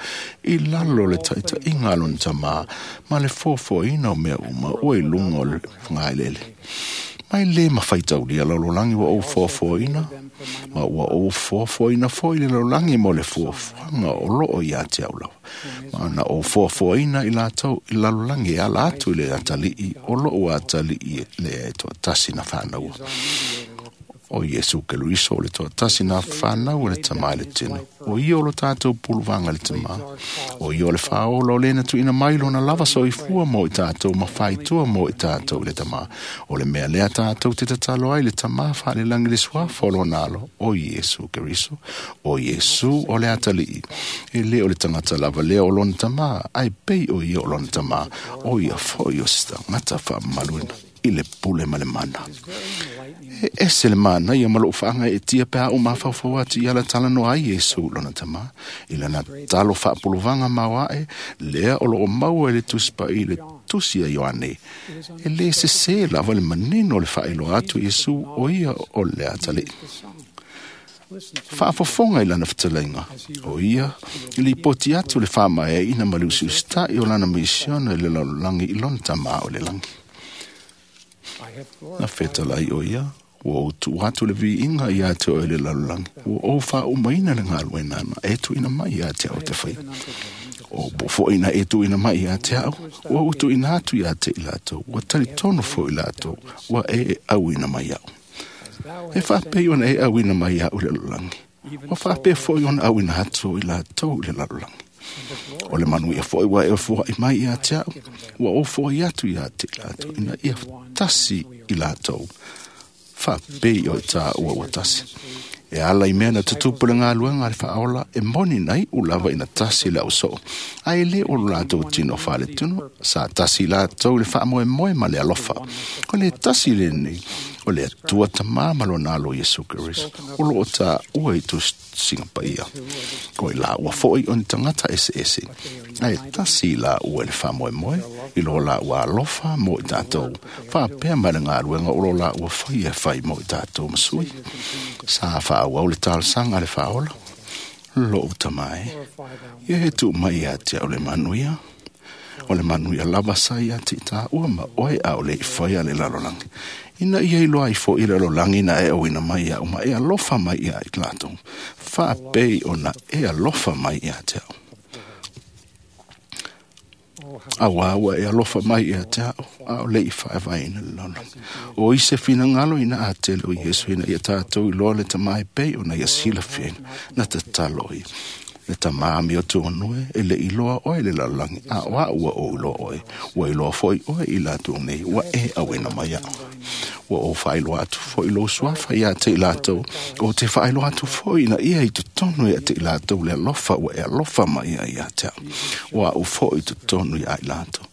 G: i lalo o le ta'ita'iga a lona tamā ma le foafoaina o mea uma ua i luga o le fagaelele. Mai lē mafaitaulia lalolagi ua ou foafoaina, ma ua ou foafoaina fo'i le lalolagi mo le fuafuaga o lo'o iā te au lava. Ma na ou foafoaina i latou i lalolagi e ala atu i le atalii o lo'u atalii lea e to'atasi na fa'anaua. O Iesu Keriso o le to'atasi na fa'anau e le tamā i le tino. O ia o lo tatou puluvaga i le tamā. O ia o le fāola o lena tuuina mai lona lava soifua mo i tatou ma faaitua mo i tatou i le tamā. O le mea lea tatou te tatalo ai le tamā fa'alelagi le suafa o lona alo, o Iesu Keriso. O Iesu o le atalii. E lē o le tagata lava lea o lona tamā, ae pei o ia o lona tamā, o ia fo'i o se tagata fa'amamaluina i le pule ma le mana. E ese le manaia ma lo'u fa'agae'etia pe a ou mafaufau atu i ala talanoa ai Iesu lona tamā, i lana talo fa'apuluvaga maoa'e lea o lo'o maua i le Tusi Pa'i i le Tusi a Ioane. E lē sesē lava le manino o le fa'ailoa atu Iesu o ia o le atalii. Fa'afofoga i lana fetalaiga, o ia i lipoti atu le fa'amaeaʻina ma le usiusita'i o lana misiona i le lalolagi i lona tamā o le lagi. Na fetalai o ia, ua ou tu'u atu le viiga iā te oe le lalolagi, ua ou fa'aumaina le galuega na e tuuina mai iā te a'u te faia. O po fo'i na e tuuina mai iā te a'u, ua ou tuuina atu iā te i latou, ua talitonu fo'i latou, ua e auina mai a'u. E fa'apei ona e auina mai a'u i le lalolagi, ua fa'apea fo'i ona auina atu i latou i le lalolagi. O le manuia fo'i ua e foa'i mai iā te a'u, ua ou fo'i atu iā te i latou, ina ia tasi i latou, fa'apei o i tāua ua tasi. E ala i mea na tutupu le galuega a le faaola e moni na iʻu lava ina tasi le ausoo, ae lē o lo latou tino faaletunu, sa tasi latou i le faamoemoe ma le alofa. O le tasi lenei o le Atua Tamā ma lona Alo Iesu Keriso o loo taua i tusiga paia. O i laua foʻi o ni tagata eseese, ae tasi i laua i le faamoemoe i lo laua alofa mo i tatou, faapea ma le galuega o lo laua faia e fai mo i tatou ma sui. Sa faaauau le talosaga a le faaola, loʻu tamā e, ia e tuu mai ia te au le manuia, o le manuia lava sa ia te i tāua ma oe a o le i faia le lalolagi. Ina ia iloa ai foʻi le lalolagi na e auina mai iaʻu ma e alofa mai ia i latou, faapei ona e alofa mai ia te au. Auā ua e alofa mai ia te au, a o le i faevaeina le lalolagi. O i se finagalo ina a tele o Iesu ina ia tātou iloa le tamā e pei ona ia silafiaina, na tatalo ia. Le tamā me o tuanue e le iloa oe le lalolagi, a o au ua ou iloa oe, ua iloa foʻi oe i latou nei, ua e auina mai iaʻu. Ua ou faailoa atu foʻi lou suafa ia te i latou, o te faailoa atu foʻi ina ia i totonu ia te i latou le alofa ua e alofa mai ai ia te au. Ua au foʻi i totonu ia i latou.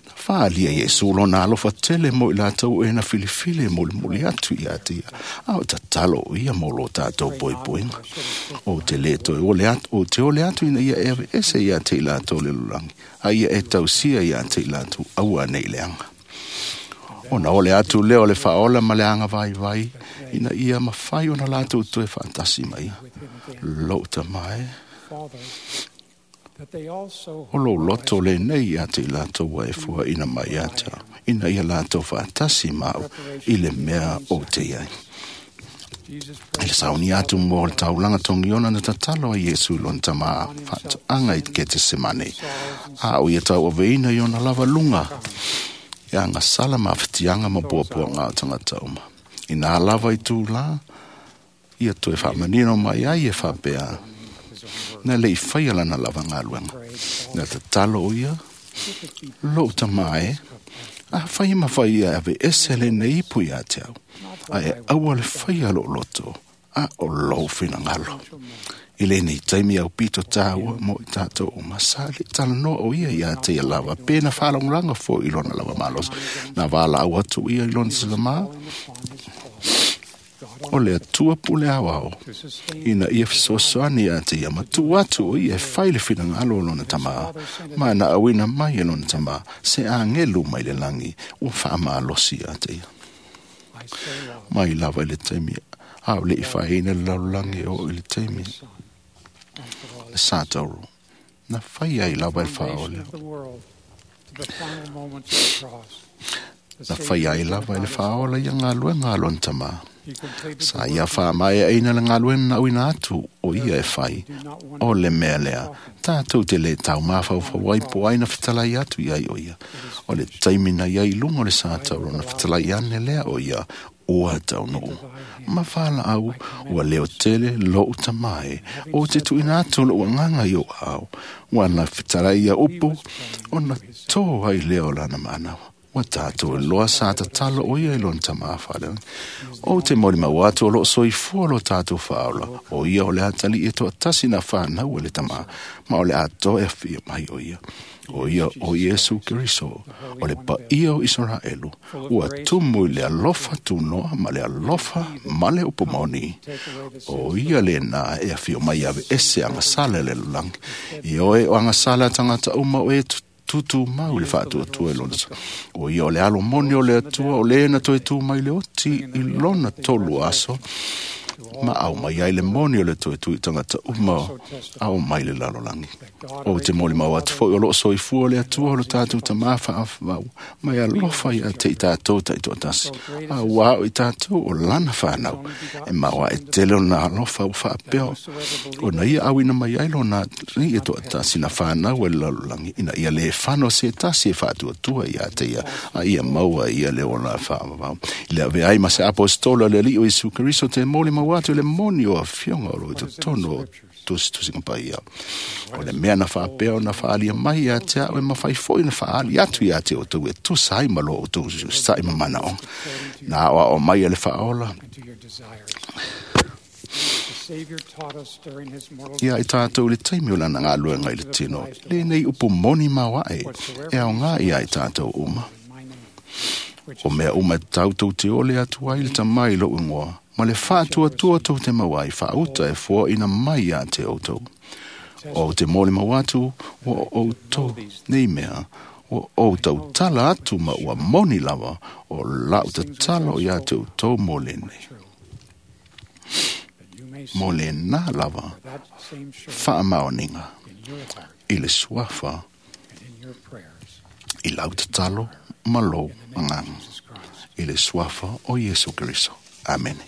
G: Na faalia Iesu lona alofa tele mo i latou e na filifili e molimoli atu ia te ia, a o tatalo o ia mo lo tātou poipoiga. O te lē toe ole atu, o te ole atu ina ia e aveese ia te i latou le lalolagi, a ia e tausia ia te i latou aua nei leaga. Ona ole atu lea o le faaola ma le aga vaivai, ina ia mafai ona latou toe faatasi ma ia. Lou tamā e, o lou loto lenei ia te i latou ua e fuaina mai ia te au, ina ia latou faatasi ma au i le mea o te iai. I le saunia atu mo le taulaga togiona na tatalo ai Iesu i lona tamā faatoaga i Ketesemane, a o ia tauaveina i ona lava luga, e agasala ma afetiaga ma puapuaga o tagata uma. Inā lava i tūlā, ia toe faamanino mai ai e faapea, na le i faia lana lava galuega. Na tatalo o ia, lou tamā e, a fai ma fai ia aveese lenei ipu ia te au, ae aua le faia lou loto, a o lou finagalo. I lenei taimi au pito tāua mo i tātou o masa le talanoa o ia ia te ia lava, pe na whaalongolanga fo i lona lava malosi. Na wāla au atu ia i lona salama, o le Atua pule awao, ina ia fesoasoani ia te ia matu atu o ia e fai le finagalo o lona tamā, ma na auina mai e lona tamā, se agelu mai le lagi, ua faamalosi ia te ia. Mai lava i le taimi, a o le i faeina le lalolagi e oo i le taimi, le satauro, na fai ai lava i le faaola. Na fai ai lava i le faaola ia galuega a lona tamā. Sa ia faamaeaina le galuega na auina atu o ia e fai, o le mea lea, tātou te lē taumafaufau ai po ai na fetalai atu i ai o ia. O le taimi na iai i luga o le satauro na fetalai ane lea o ia, ua taunuu. Ma whālaau, ua leo tele lou tamā e, o te tuuina atu lou agaga i ou aao, ua na fetalai ia upu, ona tō ai lea o lana manawa. Ua tātou e loa sa tatalo o ia i lona tamā faalelagi. O te molimau atu o loo soifua lo tātou faaola, o ia o le atalii e toatasi na whānau e le tamā, ma o le atoa e awhia mai o ia. O ia o Iesu Keriso, o le paia o Israelu, ua tumu i le alofa tunoa ma le alofa ma le upu moni. O ia le nā e awhio mai aveese agasala le lalolagi. I oe o agasala a tagata uma o e tutu mau i le faatuatua i lona. O ia o le alo moni o le Atua, o le na toe tu mai le oti i lona tolu aso, ma au mai ai le moni o le toe tui tagata uma au mai le lalolagi. O te molimau atu foʻi o loo soifua le Atua o lo tatou tamā faavavau, ma e alofa ia te i tātou taitoatasi, a ua ao i tātou o lana whānau, e maua e tele ona alofa ua faapea ona ia auina mai ai lona alii e toatasi na whānau e le lalolagi, ina ia le fano se tasi e faatuatua ia te ia, a ia maua ia le ola faavavau. I le ave ai ma se apostolo le Alii o Iesu Keriso te molimau atu i le moni o afioga o lo i totonu o tusitusiga paia. O le mea na faapea ona faalia mai ia te au e mafai foʻi na faaali atu ia te outou e tusa ai ma lo outou saʻi ma manaoga. Na aoao mai e le faaola, Ia i tātou le taimi o lana ngā luenga i le tino, le nei upu moni mawae, e au ngā ia i tātou uma. O mea uma e tautou te ole atu ai le tamai lo ingoa, ma le whātua tua tau te mawai whaauta e fua ina mai a te outou. O te mole mawatu o outou nei mea, o outou tala atu ma ua moni lava o lau te talo ia te outou mo le nei. Mo le nā lava whaamaoninga i le suafa i lau te talo ma lou anganga i le suafa o Iesu Keriso. Amene.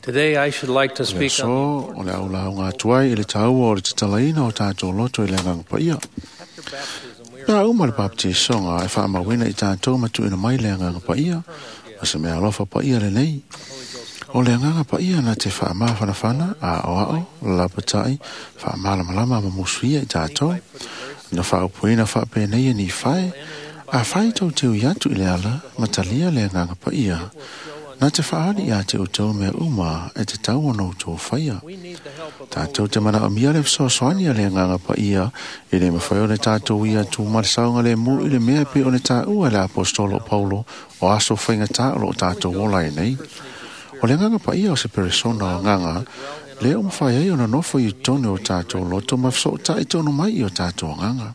H: Today I should like to speak
B: on o le aula o ngā tuai i le taua o le tatalaina o tātou loto i le nganga paia. Pea uma le baptisonga e whaamawina i tātou matuina mai le nganga paia, ma se mea alofa paia le nei. O le nganga paia na te whaamawhanawhana a oao, lapatai, whaamalamalama ma musuia i tātou. Na whaopuina whaapenei ni whae, a whai tau teu iatu i le ala, matalia le nganga paia. Nā te whaari a te utou mea uma e te tau ono tō whaia. Tātou te mana o mia le whasoasoani a le nganga paia i le mawhai o le tātou ia tū marisaunga le mū i le mea pe o le tā ua le apostolo Paulo o aso whainga tā o lo tātou ola e nei. O le nganga paia o se peresona o nganga, le o mawhai ai o na nofo i tonu o tātou loto ma whaso i tonu mai i o tātou nganga.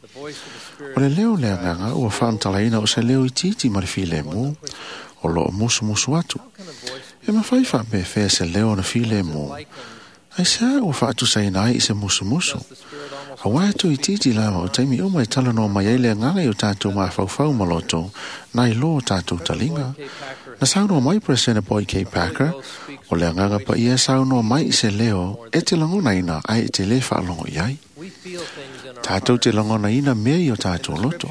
B: O le leo le nganga ua whaamtalaina o se leo i titi ma le file mū, o lo musu musu atu. E mawhai wha me se leo na file mō. Ai se a ua whaatu saina ai i se musu musu. A wai atu i titi lava o taimi uma i tala no mai ai le nganga i o tātou mawhauwhau maloto, nai lo o tātou talinga. Na saunoa mai President Boyd K. Packer, o le nganga pa ia saunoa mai i se leo e te langona ina ai e te le whaalongo i ai. Tātou te langona ina mea i o tātou loto.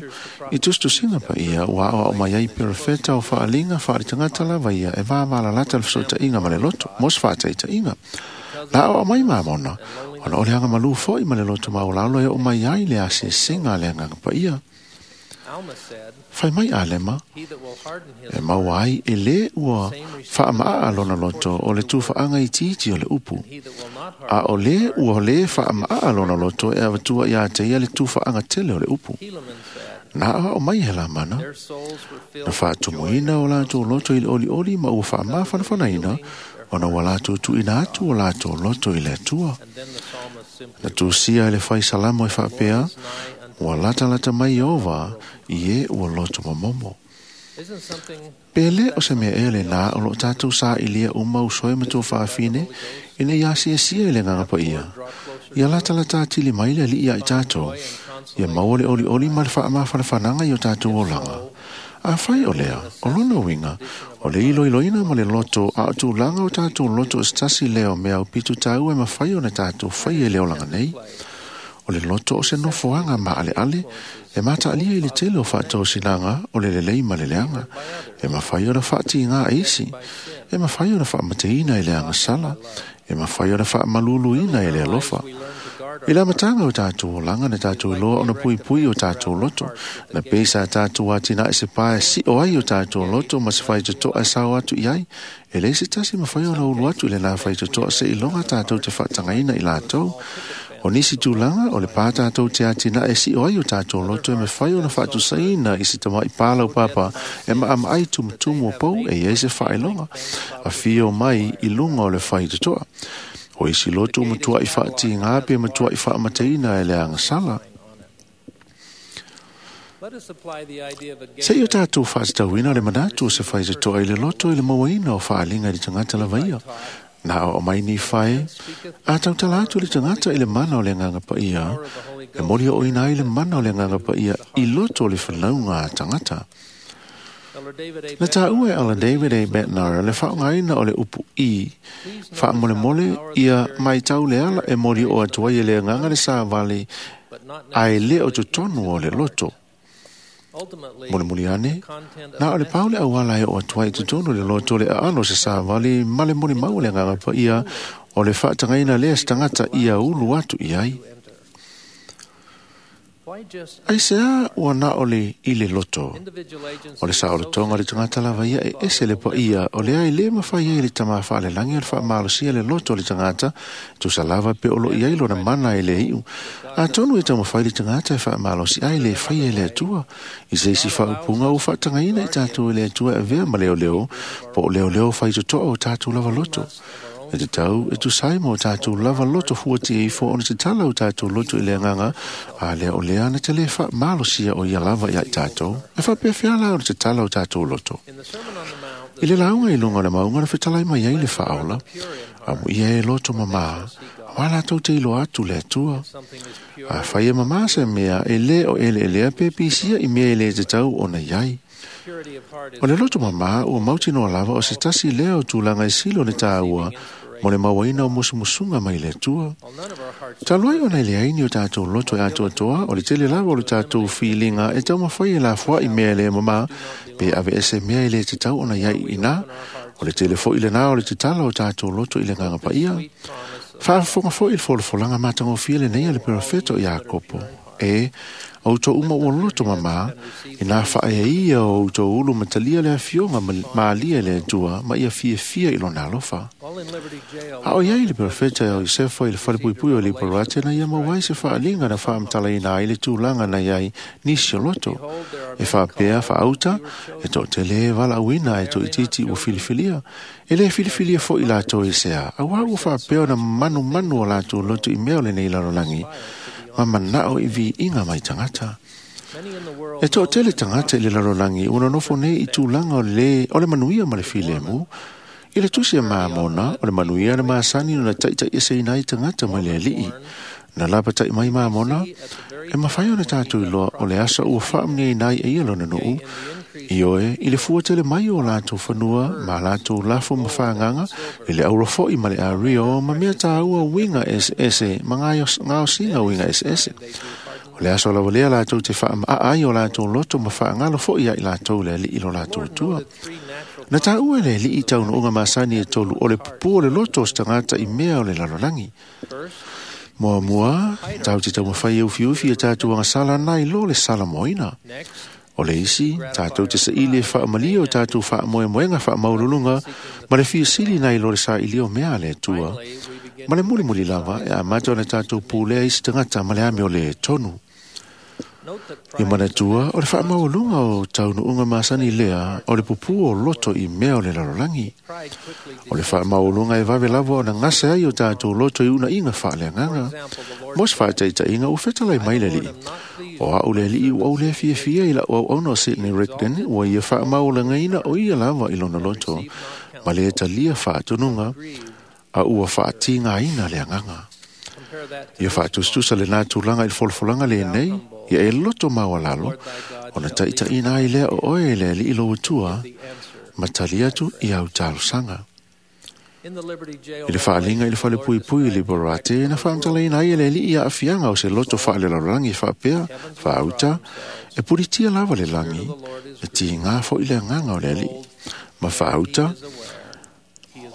B: I tustusinga pa ia ua o mai ai perefeta o whaalinga whaaritangata lava ia e wāwala lata le whasota inga ma le loto, mos whaataita inga. La o mai mamona, ona o le anga malu foi ma le loto maulalo e o mai ai le asesenga le anganga pa ia. Whai mai alema, e maua ai e le ua whaamaa lona loto o le tūwhaanga i titi o le upu. A o le ua le whaamaa lona loto e awatua i a te ia le tūwhaanga tele o le upu. Nā o mai he la mana, na whaatumuina o lātou loto i le oli oli ma ua whaamawhanawhanaina ona ua lātou tuina atu o lātou loto i le atua. Na tūsia e le whai salamo e whaapea, ua lata lata mai ova i e ua loto mamomo. Pele o se mea e le nā o lo tātou sā i lia uma usoe matua whaafine i nei asia sia i le nganga pa ia. Ia lata lata tili mai le li ia i tātou. Ia maua le oli oli ma le whaamawhanawhananga i o tātou olanga. A whai o lea, o lona winga, o le ilo iloina ma le loto a o tūlanga o tātou loto o stasi leo mea o pitu tāu e mawhai o na tātou whai e le olanga nei. O le loto o se nofoanga ma ale ale, e mata alia i le tele o whaatau sinanga o le lelei ma le leanga, e mawhai o na whaati ngā eisi, e mawhai o na whaamateina i le anga sala, e mawhai o na whaamaluluina i le alofa. I la matanga o tātou olanga na tātou loa ona pui pui o tātou loto, na pesa tātou atina e se pae si o ai o tātou loto ma se whai totoa e sao atu i ai, e le se tasi mawhai o na ulu atu i le nā whai totoa se ilonga tātou te whaatangaina i lātou. O nisi tūlanga o le pā tātou te atina e si o ai o tātou loto e me whai o na whaatusaina i si tamai pālau papa e maama ai tumutumu o pau e iei se whaelonga a whio mai i lunga o le whai totoa. O isi loto matua i whaati ngā pe matua i whaamateina e le anga sala. Se i o tātou whaatawina le manatu o se whai totoa i le loto i le mauaina o whaalinga i le tangata lavaia. Nā o mai ni whae, a tautala atu le tangata i le mana o le nganga paia, e mori o ina i le mana o le nganga paia i loto o le whanaunga a tangata. Na tā ua e ala David A. Bednar le whaongaina o le upu i, whaamolemole ia mai tau le ala e mori o atua i le nganga le sāvali ai le o totonu o le loto. Mole muli ane, nā o le paule au ala e o atua i totonu le loto le aano se sāvali male moli mau le nganga pa ia o le whaatangaina le stangata ia ulu atu i ai. Aisea ua na o le i le loto. O le saolotoga o le tagata lava ia e ese le paia o lea e lē mafai ai le tamā faalelagi o le faamalosia le loto o le tagata, tusa lava pe o loo i ai lona mana e le iu. Atonu e taumafai le tagata e faamalosi ai le faia e le Atua. I se isi faaupuga ua faatagaina i tatou e le Atua e avea ma leoleo, po o leoleo faitotoa o tatou lava loto. E tatau e tusai ma o tatou lava loto fuatia ifo ona tatala o tatou loto i le agaga, a lea o lea na te lē faamalosia o ia lava ia i tatou. E faapefea la ona tatala o tatou loto. I le lauga i luga o le mauga na fetalai mai ai le faaola, amuia e loto mamā, auā latou te iloa atu le Atua. Afai e mamā se mea e lē o eleelea pe pisia i mea e lē tatau ona i ai. O le loto mamā ua mautinoa lava o se tasi lea o tulaga e sili o le tāua mo le mauaina o musumusuga mai le Atua. Talu ai ona e leai ni o tatou loto e atoatoa, o le tele lava o le tatou filiga e taumafai e lafoai mea e le mamā, pe aveese mea e lē tatau ona i ai i ina. O le tele foi lenā o le tatala o tatou loto i le agaga paia. Faafofoga foi i le folafolaga matagofie lenei a le perofeta o Iakopo. E, o outou uma ua loto mamā, ina faaea ia o outou ulu ma talia le afioga malia i le Atua ma ia fiafia i lona alofa. A o iai le perofeta o Iosefa i le falepuipui o Liparate na ia maua ai se faaliga na faamatalaina ai le tulaga na iai nisi o loto. E faapea faauta, e toatele e valaauina e toaitiiti ua filifilia. E lē filifilia foi latou i sea, auā ua faapea ona manumanu o latou loto i mea o lenei lalolagi, ma manao i viiga mai tagata. E toatele tagata i le lalolagi ua nonofo nei i tulaga o le o le manuia ma le filemu. I le tusi a Mamona, o le manuia na masani ona taitaieseina ai tagata mai le alii. Na lapatai mai Mamona, e mafai ona tatou iloa o le asa ua faamanuiaina ai e ia lona nuu, ioe i le fua tele mai o latou fanua ma latou lafo ma fagaga, i le auro foi ma le ario ma mea tāua uiga eseese ma gaosiga uiga eseese. O le aso lava lea latou te faamaa ai o latou loto ma faagalo foi ia i latou le alii lo latou Atua. Na tāua e le alii taunuuga masani e tolu o le pupū o le loto o se tagata i mea o le lalolagi. Muamua, tatou te taumafai e ufiufi e tatou agasala nai lo le salamoina. O le isi, tatou te saili e faamalie o tatou faamoemoega faamaualuluga ma le fiasili nai lo le sailia o mea a le Atua. Ma le mulimuli lava e amata ona tatou pulea i se tagata ma le ame o le tonu. Ia manatua, o le faamaualuga o taunuuga masani lea o le pupū o loto i mea o le lalolagi. O le faamaualuga e vave lava ona gase ai o tatou loto i unaiga faaleagaga. Mo se faataitaiga ua fetalai mai le alii. O au le alii ua ou lē fiafia i lau auauna o Sidney Rigdon ua ia faamaualagaina o ia lava i lona loto ma le talia faatonuga a ua faatigaina le agaga. Ia faatusatusa lenā tulaga i le folafolaga lenei, ia e loto maualalo, ona taitaiina ai lea o oe e le alii lou Atua, ma tali atu i au talosaga. I le faaliga i le falepuipui i Liberate, na faamatalaina ai e le alii aafiaga o se loto faalelalolagi faapea, faauta, e pulitia lava le lagi, e tigā foi le agaga o le alii. Ma faauta,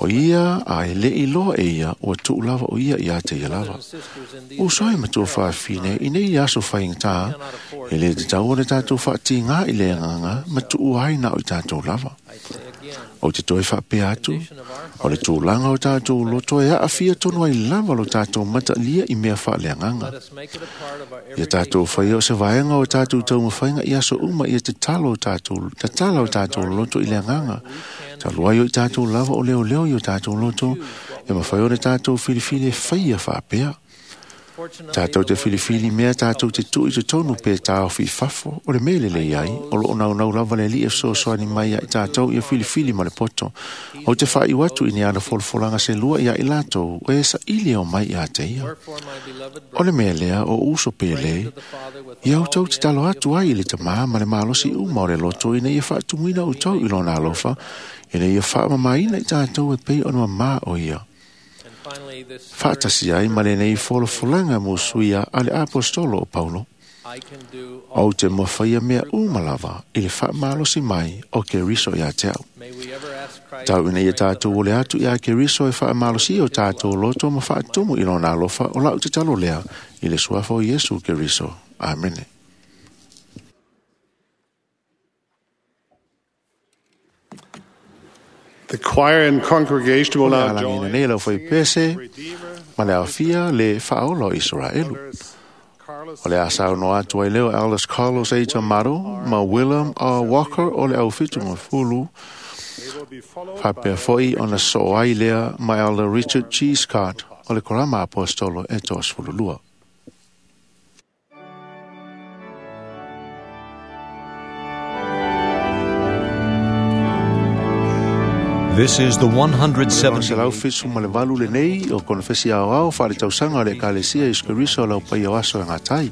B: o ia a e le iloa e ia, ua tuu lava o ia ia te ia lava. Uso ai matua faafine, i nei aso faigata, e le tatau ona tatou faatigā i le agaga, ma tuu ai na o i tatou lava. O te toe faapea atu, o le tulaga o tatou loto e aafia tonu ai lava lo tatou matalia i mea faaleagaga. Ia tatou faia o se vaega o tatou taumafaiga i aso uma ia tatala o tatou, tatala o tatou loto i le agaga. Talu ai o i tatou lava o leoleo i o tatou loto, e mafai ona tatou filifili e faia faapea. Tatou te filifili mea tatou te tuu i totonu pe taofi i fafo, o le mea lelei ai, o loo naunau lava le alii e fesoasoani mai ia i tatou ia filifili ma le poto. Ou te faaiu atu i ni ana folafolaga se lua ia i latou, e saili o mai ia te ia. O le mea lea o uso pele, ia outou tatalo atu ai i le tamā ma le malosi uma o le loto ina ia faatumuina outou i lona alofa, ina ia faamamaina i tatou e pei ona mamā o ia. Faatasi ai ma lenei folafolaga musuia a le apostolo o Paulo. Ou te mafaia mea uma lava i le faamalosi mai o Keriso ia te au. Tau ina ia tatou ole atu ia Keriso e faamalosi o tatou loto ma faatumu i lona alofa o lau tatalo lea i le suafa o Iesu Keriso. Amene.
C: The choir and congregation will now
B: Alagina
C: join
B: nei lau faipese ma le aofia le faaola o Iseraelu. O le asa no atu ai leo Alice Carlos A. Tamaro ma Willem R. Walker o le aufitu ma fulu faapea foi ona soo ai lea ma Elder Richard G. Scott o le Korama Apostolo e 32.
I: This is the 170.
B: Selau fitu ma le valu lenei o konefesi ao ao whaare tausaga o le Ekalesia Iesu Keriso o lau pai o aso e ngā tai.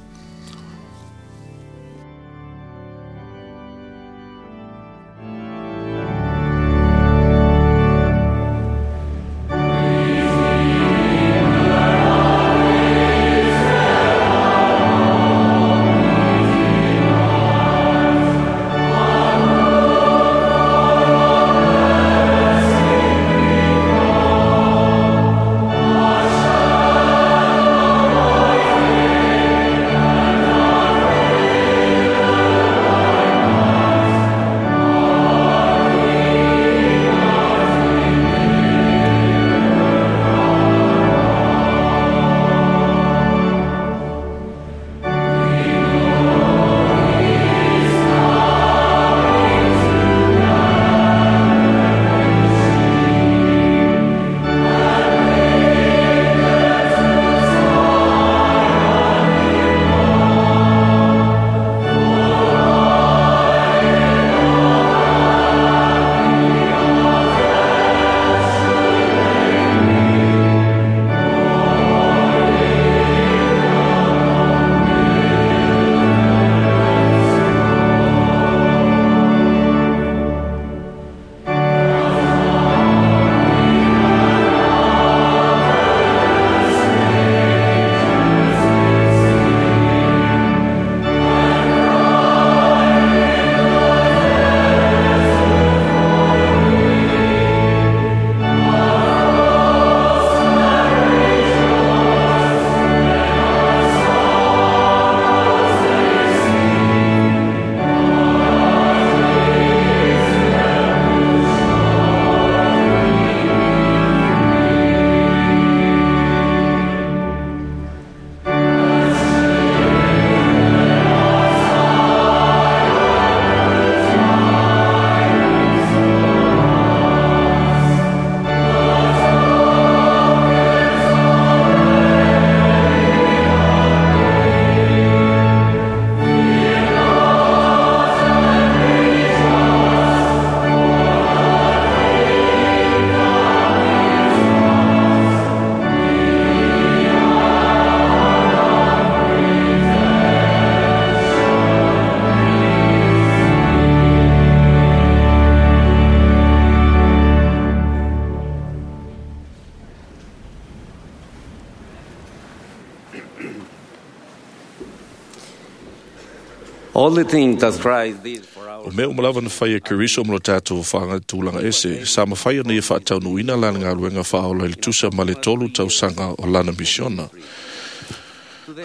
H: All the things that Christ did for our
J: O mea umalava na whai e Keriso mo lo tātou whaanga tūlanga ese, sa mawhai o nei whaataunuina lana ngā whaola i le tusa ma le tolu tausaga o lana misiona.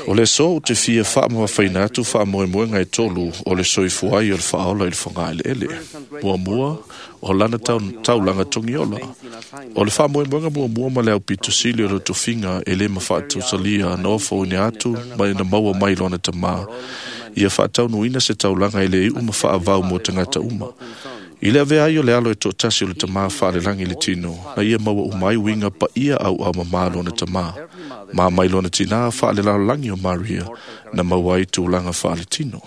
J: O le so o te fia whaamawa whaina atu whaamoemoenga e tolu o le soifua ai o le whaola i le whangaele ele. Mua mua o lana taulanga tongiola. O le whaamoemoenga mua mua ma le au pito sili o le tofinga e le mawhaatausalia na ofo ine atu ma ina maua mai lona tamā. Ia whaataunuina se taulanga e le iu ma whaavau mō tangata uma. I le avea ai o le alo e tōtasi o le tamā whaalelangi le tino, na ia maua umai winga pa ia au au mamā lona tamā. Mā mai lona tina whaalelalangi o Maria, na maua ai tūlanga whaale tino.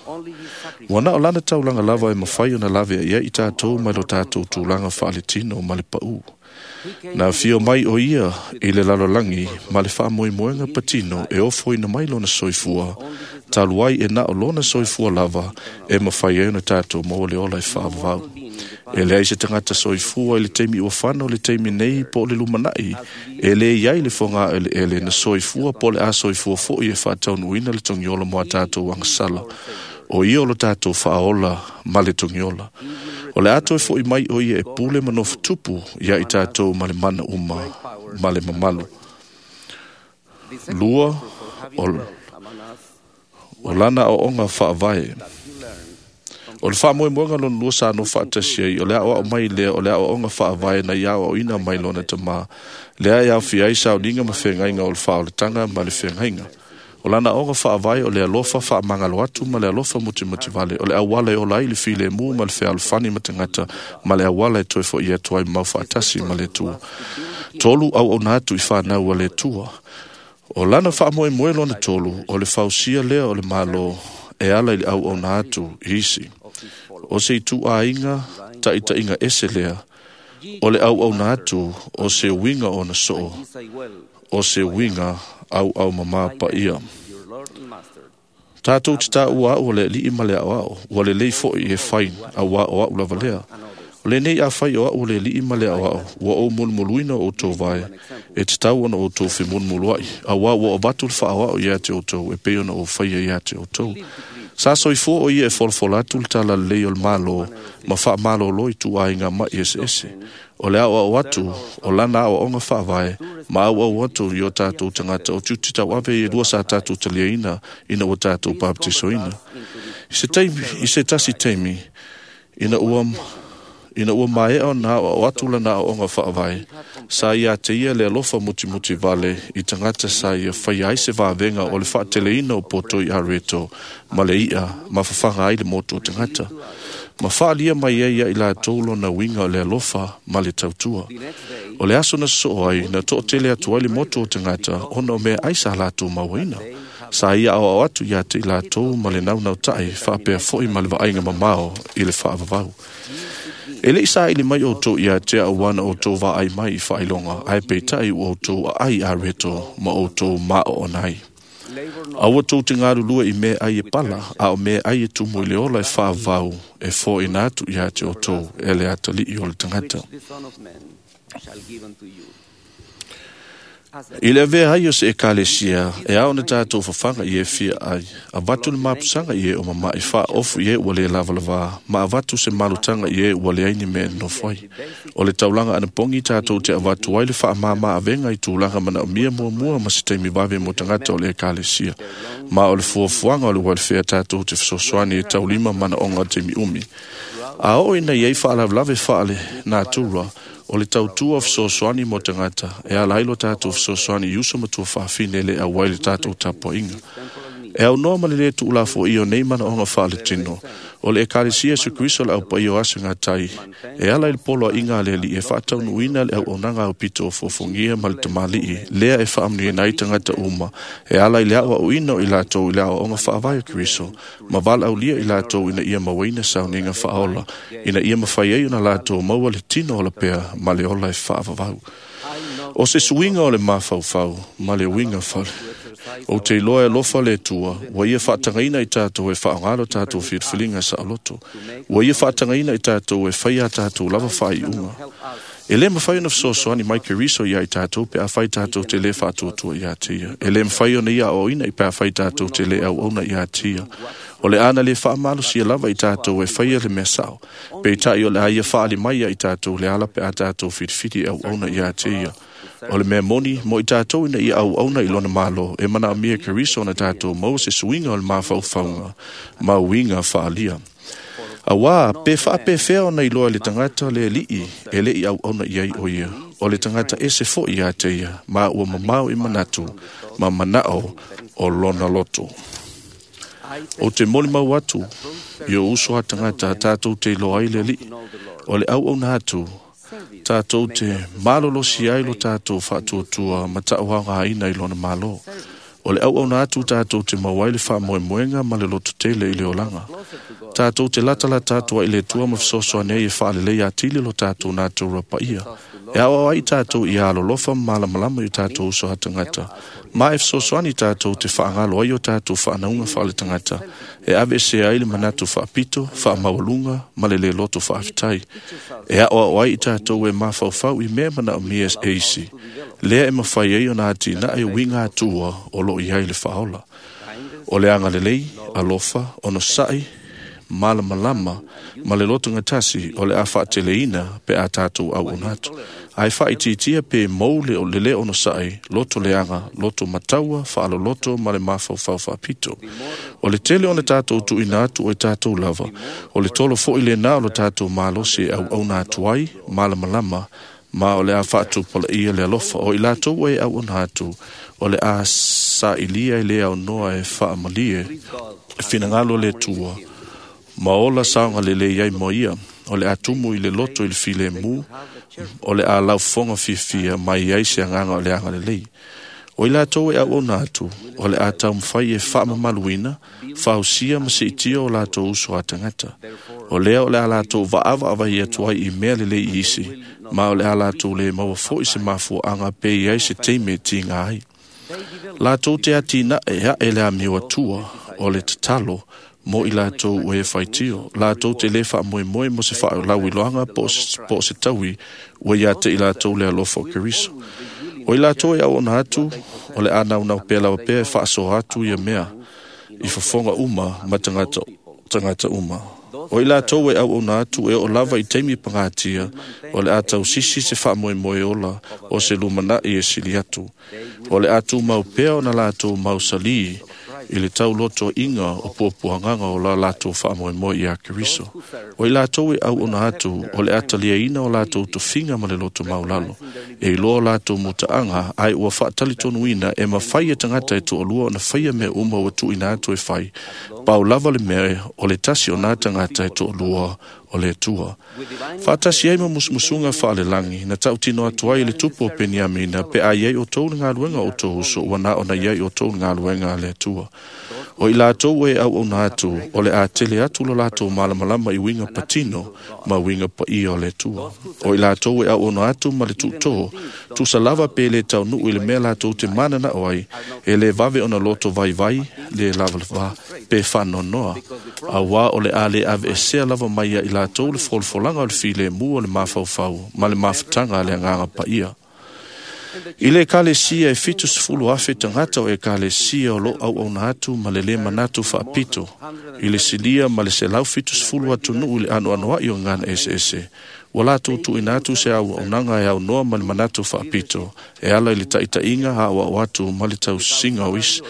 J: Wana o lana taulanga lava e mawhai o na lave a ia i tātou mai lo tātou tūlanga whaale tino ma le pau. Na fio mai o ia i le lalolangi ma le whaamoemoenga patino e ofo ina mai lona soifua, talu ai e na o lona soifua lava e mawhai ai ona tātou mō le ola e whaavau. E le ai se tangata soifua i le teimi ua whana o le teimi nei po le lumanai, e le iai le whanga ele ele na soifua po le a soifua fo i e whaataunuina le tongiola mo a tātou angasala. O ia o lo tātou whaola ma le tongiola. O le ato e fo i mai o ia e pule manofu tupu ia i tātou ma le mana uma ma le mamalu. Lua, O lana aoaoga faavae. O le faamoemoega lona lua sa nofo faatasi ai, o le aoao mai lea o le aoaoga faavae na ia aoaoina mai lona tamā, lea e aofia ai sauniga ma feagaiga o le faaolataga ma le feagaiga. O lana aoga faavae o le alofa faamagalo atu ma le alofa mutimutivale, o le auala e ola ai le filemu ma le fealofani ma tagata, ma le auala e toe fo'i atu ai mau faatasi ma le Atua. 3, auauna atu i fanau a le Atua. O lana faamoemoe lona tolu, o le fausia lea o le Malo e ala i le auauna atu i isi. O se ituaiga taitaiga ese lea, o le auauna atu o se uiga ona soo, o se uiga auaumamā paia. Tātou te tāua au o le alii ma le aoao, ua lelei foi e fai auā o au lava lea. O lenei a fai o au o le alii ma le aoao, ua ou mulumuluina o outou vae, e tatau ona outou femulumuluai, auā ua avatu le faaoao ia te outou, e pei ona ou faia ia te outou. Sa soifua o ia e folafola atu le tala lelei o le Malo, ma faamalōlō i tuaiga ma'i eseese. O le aoao atu, o lana aoaoga faavae, ma auau atu i o tātou tagata o tiute tauave i e lua sa tātou taliaina ina ua tātou baptisoina. I se tasi taimi, ina ua maea ona aoao atu lana aoaoga faavae, sa ia te ia le alofa mutimutivale i tagata sa ia faia ai se vavega o le faateleina o poto i areto ma le i'a ma fafaga ai le motu o tagata. Ma faalia mai ai ia i latou lona uiga o le alofa ma le tautua. O le aso na sosoo ai, na toatele atu ai le motu o tagata ona o mea ai sa latou mauaina. Sa ia aoao atu ia te i latou ma le naunautai faapea foi ma le vaaiga mamao i le faavavau. E lei saili mai outou ia te au ana outou vaai mai i faailoga, ae peitai ua outou aai areto ma outou maoona ai. Aua tou te galulue i mea ai e pala, a o mea ai e tumu i le ola e faavavau, e fo'oina atu ia te outou e le atalii o le tagata. I le avea ai o se ekalesia, e ao na tātou fafaga i e fia ai, avatu le mapusaga i e o mama'i faaofu i e ua lē lavalavā, ma avatu se malutaga i e ua leai ni mea e nonofo ai. O le taulaga anapogi tātou te avatu ai le faamāmā avega i tulaga manaomia muamua ma se taimi vave mo tagata o le ekalesia. Ma o le fuafuaga o le welfare tātou te fesoasoani e taulima manaoga o le taimi umi. A oo ina iai faalavelave faale natura, o le tautua o fesoasoani mo tagata, e ala ai lo tātou fesoasoani i uso ma tuafafine le auai le tātou tapuaiga. E aunoa ma le lē tuulafoia o nei manaoga faaletino, o le ekalesia Iesu Keriso le aupaia o aso gatai, e ala i le poloaiga a le Alii e faataunuuina le auaunaga aupito o fofogia ma le tamalii, lea e faamanuiaina ai tagata uma, e ala i le aoaoina o i latou i le aoaoga faavae o Keriso, ma valaaulia i latou ina ia mauaina sauniga faaola, ina ia mafai ai ona latou maua le tino ola pea ma le ola e faavavau. O se suiga o le mafaufau ma le uiga fale. O te iloa e alofa le Atua, ua ia faatagaina i tātou e faaogā lo tātou filifiliga saoloto. Ua ia faatagaina i tātou e faia a tātou lava faaiuga. E lē mafai ona fesoasoani mai Keriso ia i tātou pe afai tātou te lē faatuatua ia te ia. E lē mafai ona ia aoaoina i pe afai tātou te lē auauna ia te ia. O le ana lē faamalosia lava i tātou e faia le mea sao. Peitai o le a ia faali mai ia i tātou le ala pe a tātou filifili e auauna ia te ia. O le mea moni, mo i tātou ina ia auauna i lona Malo, e manaomia e Keriso ona tātou maua se suiga o le mafaufauga ma uiga faalia. Auā, pe faapefea ona iloa e le tagata le alii e lei auauna i ai o ia, o le tagata ese fo'i ia te ia, ma ua mamao i manatu, ma manao o lona loto. O te molimau atu, i o uso a tagata tātou te iloa ai le alii, o le auauna atu, tātou te malolosi ai lo tātou faatuatua ma taʻauaogaina i lona Malo. O le auauna atu tātou te maua ai le faamoemoega ma le lototele i le olaga. Tātou te latalata atu ai i le Atua ma fesoasoani ai e faalelei atili lo tātou natura paia. E aoao ai tātou ia alolofa ma malamalama i o tātou uso a tagata. Ma e fesoasoani tātou te faagalo ai o tātou faanauga faaletagata. E aveesea ai le manatu faapito, faamaualuga ma le lē loto faafetai. E aoao ai i tātou e mafaufau i mea manaomia e isi. Lea e mafai ai ona atinae uiga atua o loo i ai le faaola. O le agalelei, alofa, onosa'i, malamalama ma le lotogatasi o le a faateleina pe a tātou auauna atu. Ae faaitiitia pe mou le le lē onosa'i, loto leaga, loto mataua, faaloloto ma le mafaufau faapito. O le tele ona tātou tuuina atu o i tātou lava, o le tolo fo'i lenā o lo tātou malosi e auauna atu ai, malamalama, ma o le a faatupulaia le alofa o i latou e auauna atu, o le a sailia e le aunoa e faamalie e finagalo le Atua, ma ola saogalelei ai mo ia. O le a tumu i le loto i le filemu, o le a laufofoga fiafia mai ai se agaga o le agalelei. O i latou e auauna atu, o le a taumafai e faamamaluina, fausia ma siitia o latou uso a tagata. O lea o le a latou vaavaavaai atu ai i mea lelei i isi, ma o le a latou le maua foi se mafuaaga pe i ai se taimi e tiga ai. Latou te atinae ae le amio atua o le tatalo mo i latou ua e faitio. Latou te le faamoemoe mo se faalauiloaga po o se taui ua ia te i latou le alofa o Keriso. O i latou e auauna atu, o le a naunau pea lava pea e faasoa atu ia mea i fofoga uma ma tagata uma. O i latou e auauna atu e oo lava i taimi pagatia, o le a tausisi se faamoemoe ola o se lumanai e sili atu. O le a tumau pea ona latou mausalī i le taulotoiga o puapuagaga o la latou faamoemoe iā Keriso. O i latou e auauna atu, o le a taliaina o latou tofiga ma le loto maulalo, e iloa o latou mutaaga, ae ua faatalitonuina e mafai e tagata e toalua ona faia mea uma ua tuuina atu e fai, pau lava le mea o le tasi o nā tagata e toalua o le Atua. Faatasi ai ma musumusuga faalelagi, na tautino atu ai i le tupu o Peniamina, pe a iai outou le galuega o outou uso, ua na ona iai outou le galuega a le Atua. O i latou e auauna atu, o le a tele atu lo latou malamalama i uiga patino ma uiga paia o le Atua. O i latou e auauna atu ma le tuutō, tusa lava pe le taunuu i le mea latou te mananao ai, e le vave ona loto vaivai, le lavalava, pe faanoanoa. Auā o le a le aveesea lava mai ia i latou le folafolaga o le filemu o le mafaufau ma le mafutaga a le agaga paia. I le ekalesia e 70,000 tagata o ekalesia o lo auauna atu ma le lē manatu faapito, i le silia ma le 170 atunuu i le anoanoai o gagana eseese, ua latou tuuina atu se auaunaga e aunoa ma le manatu faapito, e ala i le taitaiga aoao atu ma le tausiga o isi,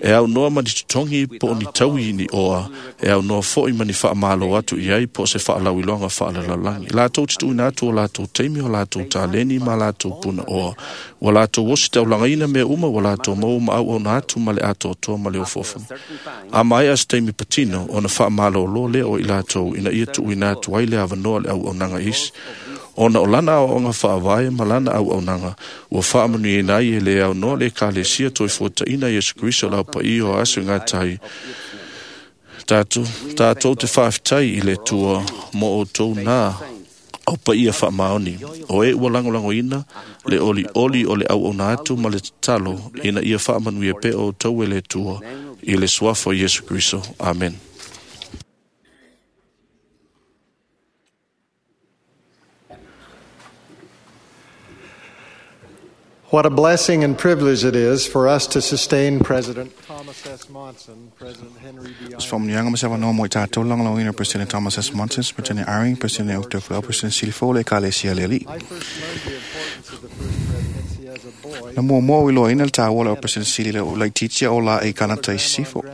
J: e aunoa ma ni totogi po o ni taui ni oa, e aunoa foi ma ni faamalo atu i ai po o se faalauiloaga faalelalolagi. Latou te tuuina atu o latou taimi o latou taleni ma latou punaoa, ua latou ositaulagaina mea uma ua latou maua ma auauna atu ma le atoatoa ma le ofoofoni. A maea se taimi patino, ona faamalōlō lea o i latou ina ia tuuina atu ai le avanoa i le auaunaga i isi. Ona o lana aoaoga faavae ma lana auaunaga, ua faamanuiaina ai e le aunoa le ekalesia toefuataina Iesu Keriso o le Aupaia o aso e gatai. Tatou te faafetai i le Atua mo outou nā aupaia faamaoni, o e ua lagolagoina le olioli o le auauna atu ma le tatalo ina ia faamanuia pea outou e le Atua i le suafa o Iesu Keriso. Amen.
K: What a blessing and privilege it is for us to sustain President Thomas S. Monson, President Henry B.
G: Os faamanuiaga ma se avanoa mo i tatou lagolagoina President Thomas S. Monson, President Eyring, President Uchtdorf, President Silifo le Ekalesia le Alii. Na muamua o iloaina le tāua le o President Sili le o laitiiti o la e Kanata i Sisifo,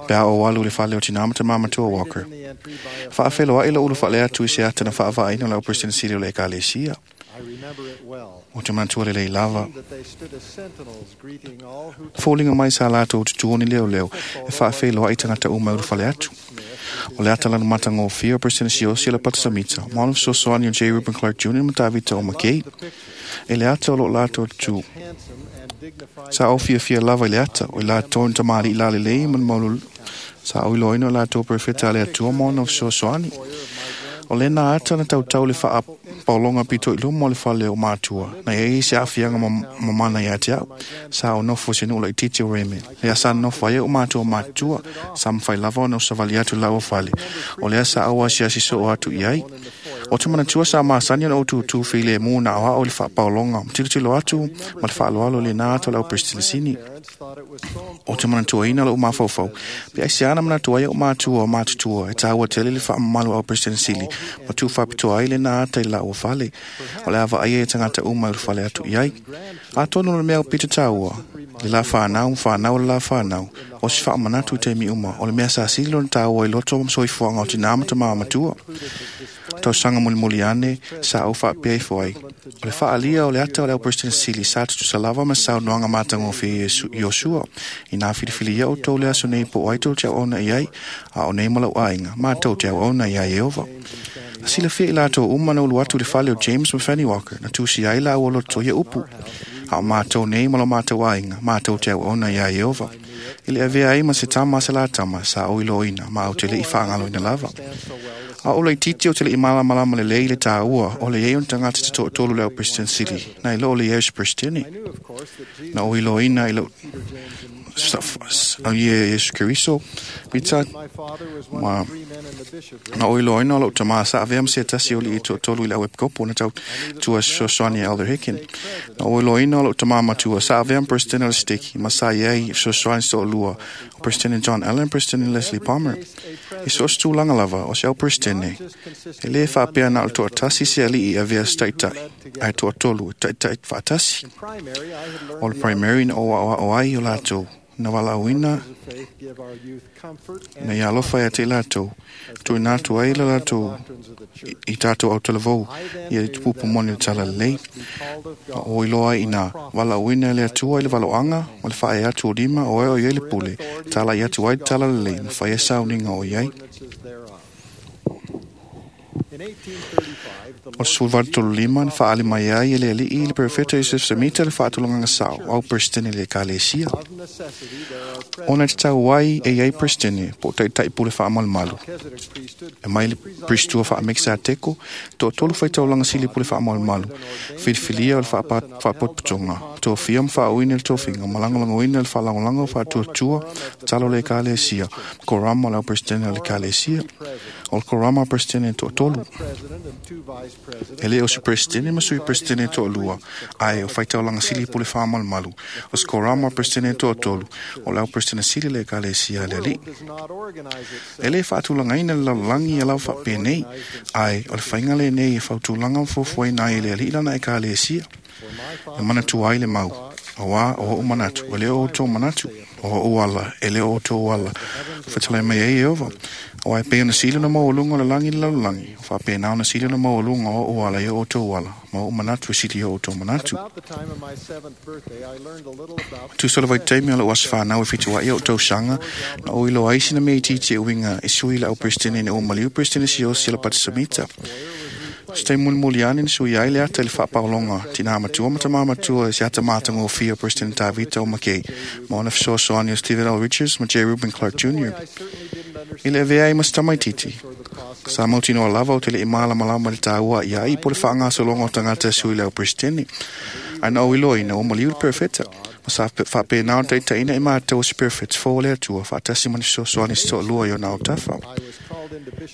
G: pe a o alu le fale o tinā ma tamā matua Walker. Faafeloai lo ulu whaalea atu i se ata na faavaaina o le o President Sili o le Ekalesia. O te manatua lelei lava. Foliga mai sa latou tutuoni leo leo e faafeiloai i tagata uma e ulufale atu. O le ata lanu matagofie o President Siaosi le Pata Samita, ma ona fesoasoani o J. Reuben Clark Jr. ma Tavita o McKay. E le ata o loo latou tutu. Sa o fiafia lava i le ata, o i latou ni tamalii lalelei ma le maululu. Sa o iloaina o latou perofeta a le Atua ma ona fesoasoani. O lena ata na tautau le faapaologa pito i luma o le fale o matua. Na iai se aafiaga mamana ia te au. Sa o nofo i se nuu laitiiti o Raymond. Lea sa nofo ai o matua matutua. Sa mafai lava ona usavali atu i laua fale. O lea sa ou asiasi soo atu i ai. O te manatua sa masani ona ou tutū filemu na aoao i le faapaologa. Ma tilotilo atu ma le faaaloalo i lena ata o le au Peresetene. O te manatuaina lou mafaufau. Pe aiseā na manatu ai o matua o matutua e tāua tele le faamamalu au President Sili ma tū faapitoa ai lena ata i laua fale. O le a vaaia e tagata uma i ulufale atu i ai. Atonu o le mea o pito tāua.
B: Le la whanau, whanau le la whanau. O si whaamanatu i te mi uma. O le mea sa sili lona tāua i loto ma soifuaga o tinā ma tamā matua. Tausaga mulimuli ane sa ou faapea ifo ai. O le faaalia o le ata o le au Peresetene sili sa tutusa lava ma saunoaga matagofie Iosua. Inā filifilia outou le aso nei po o ai tou te auauna i ai, a o nei ma lau aiga, matou te auauna iā Ieova. Na silafia i latou uma na ulu atu i le fale o James ma Fanny Walker, na tusi ai lāua loto ia upu. A o matou nei ma lo matou aiga, matou te auauna iā Ieova. I le avea ai ma se tama a se la tama, sa ou iloaina, ma ou te le'i faagaloina lava. A o laitiiti ou te le'i malamalama lelei i le tāua o le iai o ni tagata te toatolu le au Peresetene sili, nai lo o le iai o se Peresetene. Na ou iloaina i lou ia Iesu Keriso, pita ma na ou iloaina o lou tamā sa avea ma se tasi o alii toatolu i le au epikopo na tautua fesoasoani e Elder Hicken. Na ou iloaina o lou tamā matua sa avea ma Peresetene o le Siteki ma sa i ai fesoasoani se toalua o Peresetene John Allen, Peresetene Leslie Palmer. I so o se tulaga lava o se au Peresetene, e lē faapea na o le toatasi se alii e avea se taitai, ae toatolu e taitai faatasi. O le primary na ou aoao ai o latou na valaauina ina ia alofa ia te i latou, tuuina atu ai le latou i tatou autalavou ia i tupupu moni o le talalelei. Ma o iloa ai ina valaauina e le Atua i le valoaga ma le faaee atu o lima o e o i ai le pule, talai atu ai le talalelei ma fai ai sauniga o i ai. O le 1835 na faaali mai ai e le alii i le perofeta Iosef Semita le faatulagaga sao au Peresetene i le Ekalesia. Ona e tatau ai e i ai Peresetene po o taitai pule faamalumalu. E mai le Priestua faa-Mekisateko, toatolu faitaulaga sili pule faamalumalu, filifilia o le faapotopotoga, tofia ma faauuina le tofiga, ma lagolagoina le faalagolago o faatuatua talo o le Ekalesia, ma korama o le au Peresetene o le Ekalesia. O le korama o Peresetene e toatolu. E le o se Peresetene ma sui Peresetene e toalua, ae o faitaulaga sili pule faamalumalu. O se korama o Peresetene e toatolu, o le au Peresetene sili le Ekalesia a le Alii. E le faatulagaina le lalolagi ia lava faapenei, ae o le faiga lenei e fautulaga ma fuafuaina ai e le Alii lana Ekalesia. E manatua ai le mau, auā o ou manatu, e le o outou manatu, o ou ala, e le o outou ala. Fetalai mai ai Ieova, auā e pei ona sili ona maualuga o le lagi i le lalolagi, o faapena ona sili ona maualuga o ou ala i o outou ala, ma ou manatu e sili i o outou manatu. Tusa o le vaitaimi o lou aso fanau e fituaʻi ou tausaga, na ou iloa ai sina mea itiiti e uiga e sui le au Peresetene ina ua maliu Peresetene Siaosi o le Patasamita. O se taimi mulimuli ane na sui ai le ata i le faapaologa tinā matua ma tamā matua i se ata matagofie o Peresetene Tavita o Makei ma ona fesoasoani o Stephen L. Richards ma J. Reuben Clark Jr. I le avea ai ma se tamaitiiti, sa mautinoa lava ou te le'i malamalama i le tāua ia ai po o le faagasologa o tagata e sui le au Peresetene. Ae na ou iloaina ua maliu le perofeta, ma sa faapena ona taitaiina i matou o se perofeta fou a le Atua faatasi ma ni fesoasoani se toalua i ona autafa.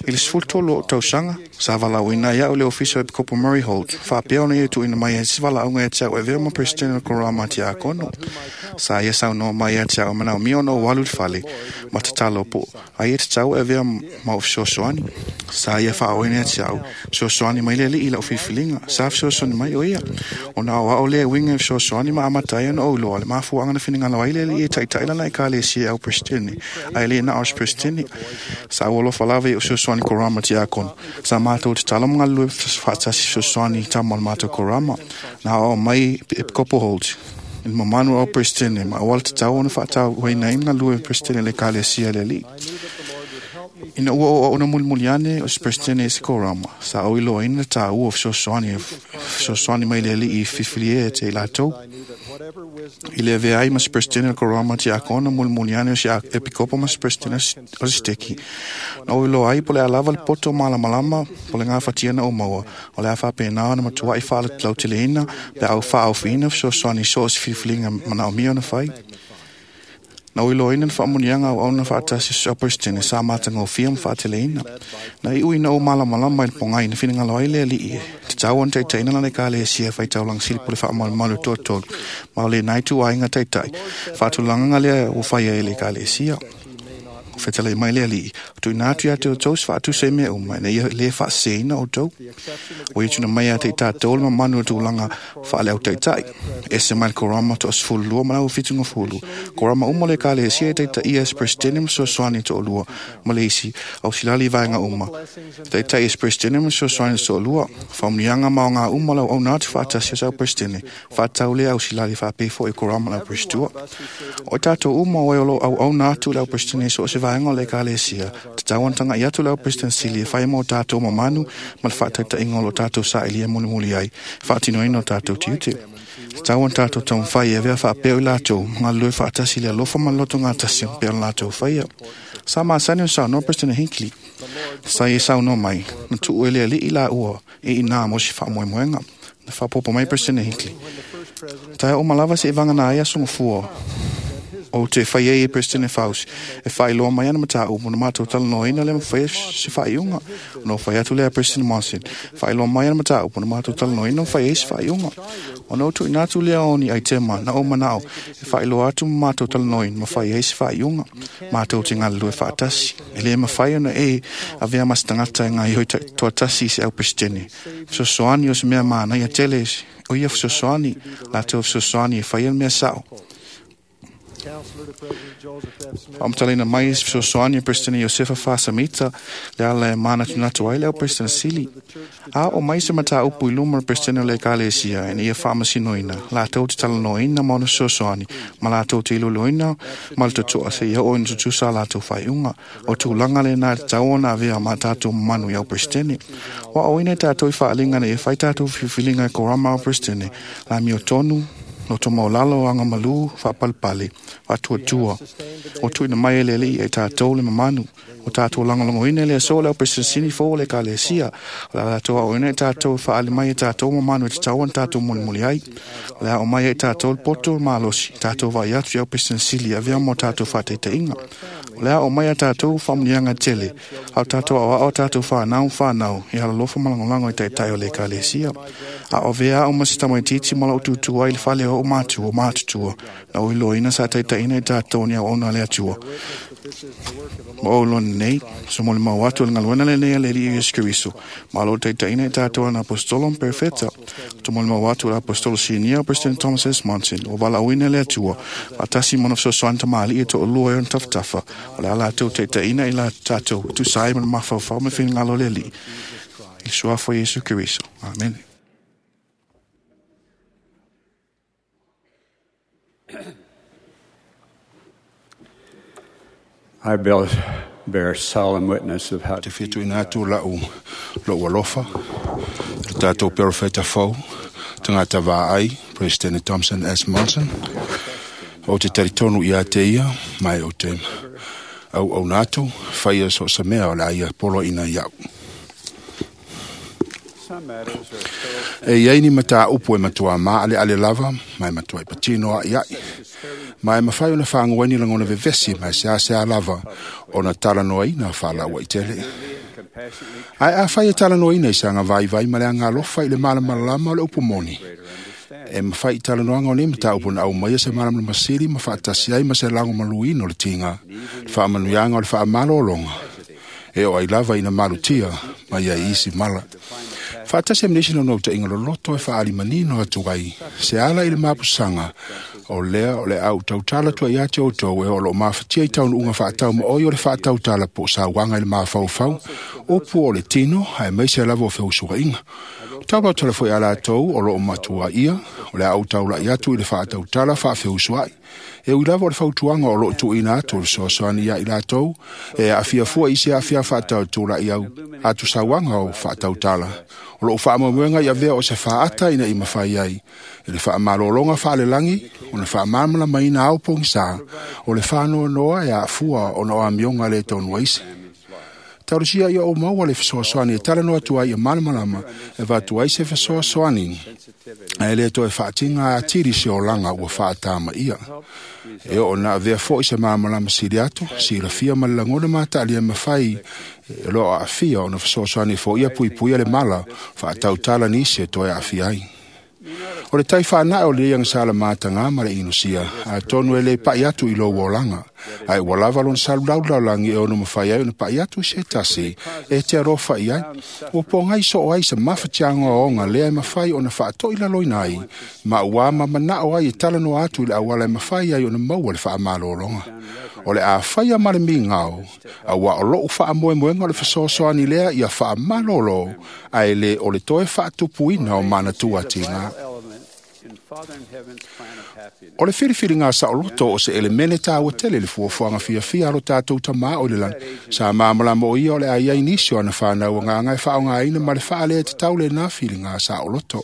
B: I le 13 o ou tausaga, sa valaauina ai a'u i le ofisa o Epikopo Murray Holt, faapea ona ia tuuina mai ai se valaauga ia te a'u e avea ma Peresetene o le Korama Tiakono. Sa ia saunoa mai ia te a'u e manaomia ona ou alu i le fale ma tatalo po o ai e tatau e avea ma ou fesoasoani. Sa ia faaoina ia te a'u, fesoasoani mai le Alii i la'u filifiliga. Sa fesoasoani mai o ia. Ona aoao lea e uiga i fesoasoani ma amata ai ona ou iloa le mafuaaga na finagalo ai le Alii e taitai lana Ekalesia e au Peresetene, ae le na o se Peresetene. Sa ou alofa lava i ou fesoasoani korama tiakono. Sa matou tatalo ma galulue faatasi fesoasoani i tama o le matou korama. Na aoao mai Epikopo Holt i le mamalu o au Peresetene ma auala tatau ona faatauaina ai ma galulue Peresetene i le Ekalesia a le Alii. Ina ua oo ona mulimuli ane o se Peresetene i se korama, sa ou iloaina le tāua o fesoasoani, fesoasoani mai le Alii i filifilia e te i latou. I le avea ai ma se Peresetene o le korama tiakono mulimuli ane o se epikopo ma se Peresetene o se siteki. Na ou iloa ai po o le a lava le poto malamalama po o le gafatia na ou maua, o le a faapena ona matuai faalauteleina pe a ou faaofiina fesoasoani i so o se filifiliga manaomia ona fai. Na ou iloaina le faamuniaga auauna faatasi o se au Peresetene sa matagofie ma faateleina. Na iu ina ou malamalama i le pogai na finagalo ai le Alii e tatau ona taitaiina lana Ekalesia e faitaulaga sili po o le faamalumalu e toatolu, ma o lenā ituaiga taitai faatulagaga lea ua faia e le Ekalesia. Fetalai mai le Alii, tuuina atu ia te outou se faatusa i mea uma, ina ia lē faaseseina outou. Ua ia tuuina mai ia te i tatou le mamanu o tulaga faale-autaitai. Ese mai le korama 12 ma le 70. Korama uma o le Ekalesia e taitaia e se Peresetene ma fesoasoani e toalua ma le isi ausilali i vaega uma. Taitai e se Peresetene ma fesoasoani e toalua. Faamanuiaga ma aoga uma o le auauna atu faatasi o se au Peresetene, faatatau lea ausilali faapea foi i korama o le au Peresetua. O i tatou uma o e o lo o auauna atu i le au Peresetene i so o se vaega o le Ekalesia, tatau ona taga'i atu le au Peresetene sili e fai mo tatou mamanu ma le faataitaiga o lo tatou sailia mulimuli ai, e faatinoina o tatou tiute. Tatau ona tatou taumafai e avea faapea o i latou ma galulue faatasi i le alofa ma le lotogatasi pei ona latou faia. Sa masani ona saunoa Peresetene Hinckley. Sa ia saunoa mai, na tuu e le Alii laua e inā mo se faamoemoega. Na faaopoopo mai Peresetene Hinckley. Taea uma lava seʻi vagana ai aso gafua ou te fai ai e Peresetene Faust e faailoa mai ana mataupu na matou talanoaina lea ma faia se faaiuga. Ona ou fai atu lea President Monson, faailoa mai ana mataupu na matou talanoaina ma fai ai se faaiuga. Ona ou tuuina atu lea o ni aitema na ou manao e faailoa atu ma matou talanoaina ma fai ai se faaiuga. Matou te galulue faatasi. E lē mafai ona e avea ma se tagata e gaoioi toatasi i se au Peresetene. Fesoasoani o se mea manaia tele o ia fesoasoani, latou fesoasoani e faia le mea sao. Faamatalaina mai se fesoasoani a Peresetene Iosefa Faasamita le ala e manatunatu ai le au Peresetene sili. A oo mai se mataupu i luma o le Peresetene o le Ekalesia ina ia faamasinoina, latou te talanoaina ma ona fesoasoani ma latou te iloiloina ma le totoa seia oo ina tutusa a latou faaiuga. O tulaga lena e tatau ona avea ma tatou mamanu i au Peresetene. Ua aoina i tatou i faaaliga ina ia fai tatou filifiliga e korama au Peresetene, le amiotonu, loto maualalo, agamalu, faapalepale, faatuatua. O tuuina mai e le Alii ia i tatou le mamanu. O tatou lagolagoina i le aso o le au Peresetene fou o le Ekalesia. O le a latou aoina i tatou e faaali mai e tatou mamanu e tatau ona tatou mulimuli ai. O le a oo mai ia i tatou le poto malosi, tatou vaai atu i au Peresetene sili e avea mo tatou faataitaiga. O le a oo mai ia tatou faamanuiaga tele, a o tatou aoao a tatou fanau ma fanau i alalofa ma lagolago i taitai o le Ekalesia. A o avea au ma se tamaitiiti ma lou tutu ai i le fale o o'u matua o matutua, na ou iloaina sa taitaiina i tatou ni auauna a le Atua. Ma ou iloa nei, so molimau atu o le galuega lenei a le Alii Iesu Keriso, ma o loo taitaiina i tatou ana aposetolo ma perofeta. O molimau atu o le aposetolo sinia o President Thomas S. Monson, ua valaauina e le Atua, faatasi ma ona fesoasoani tamalii e toalua e ona tafatafa, o le a latou taitaiina i la tatou tusa ai ma le mafaufau ma le finagalo o le Alii. I le suafa o Iesu Keriso. Amene.
D: I bear solemn witness of how
G: Te whituina atu lau lou alofa, le tātou perofeta fou, tangata vaai, President Thompson S. Monson, o te taritonu i a te ia, mai o te au au natu, whaia so sa mea o la ia polo ina iau.
D: some matters are so
G: E iai ni mata upu e matua ma ale ale lava, mai matua i patino a iai. Mai mawhai ona whangueni langona vevesi, mai se ase a lava, ona talanoa ina whalaua i tele.
D: compassionately
G: Ai a whai e talanoa ina i sanga vai vai ma le anga alofa i le malamalama o le upu moni. E mawhai i talanoanga o nei mata upu na au mai e se malamalama sili ma whaatasi ai ma se lango maluino le tinga, le whaamanuianga o le whaamalolonga. E o ai lava ina malutia, mai ai isi mala. Whaatasi amnesi no ta inga loloto e whaali manino atu ai. Se ala i le mapusanga, o lea o le au tautala tua ia te outou e o lo mafatia i taunu unga whaatau ma oi o le whaatautala po sa wanga i le mafaufau, o pu o le tino, ae maise lava o feusua inga. Tau tala foi ala tou o lo o matua ia, o le au taula i atu i le whaatautala whaafeusua ai. E ui lava o le fautuanga o lo o tuuina atu o le soasoani ia i latou, e aafia fua i se aafia whaatautula i au atu sauanga o whaatautala. O lo o whaamoemoega i avea o se whaata ina i mawhai ai. E le whaamalolonga whaalelangi, o le whaamalamalamaina au pongisa, o le whanoanoa e aafua ona o amionga le tonu aise. Taurusia ia o maua le fesoasoani e talanoa atu ai ia malamalama e vatu ai se fesoasoani. Ae le toe whaatinga a tiri se olanga ua whaatama ia. E o na avea foi se malamalama sili atu, silafia ma le lagona matalia e mawhai e loa aafia ona fesoasoani fo ia puipuia le mala whaatautala nisi e toe aafia ai. O le tai whanau o le ianga sala mātanga ma le inusia, a tonu e le pai atu i lou olanga. Ae ua lava lona salulaulaulalagi e ono mafai ai ona pa'i atu i se tasi e te alofa i ai. Ua pogai soo ai se mafatiaga oaoga lea e mafai ona faatoilaloina ai, ma ua mamanao ai e talanoa atu i le auala e mafai ai ona maua le faamalologa. O le a faia ma le migao, auā o lo'u faamoemoega o le fesoasoani lea ia faamalolo, ae lē o le toe faatupuina o manatua tigā. O le filifiliga saoloto o se elemene tāua tele i le fuafuaga fiafia a lo tatou Tamā o i le lagi. Sa malamalama o ia o le a i ai nisi o ana fanau agaga e faaaogaina ma le faalē tatau lenā filiga saoloto.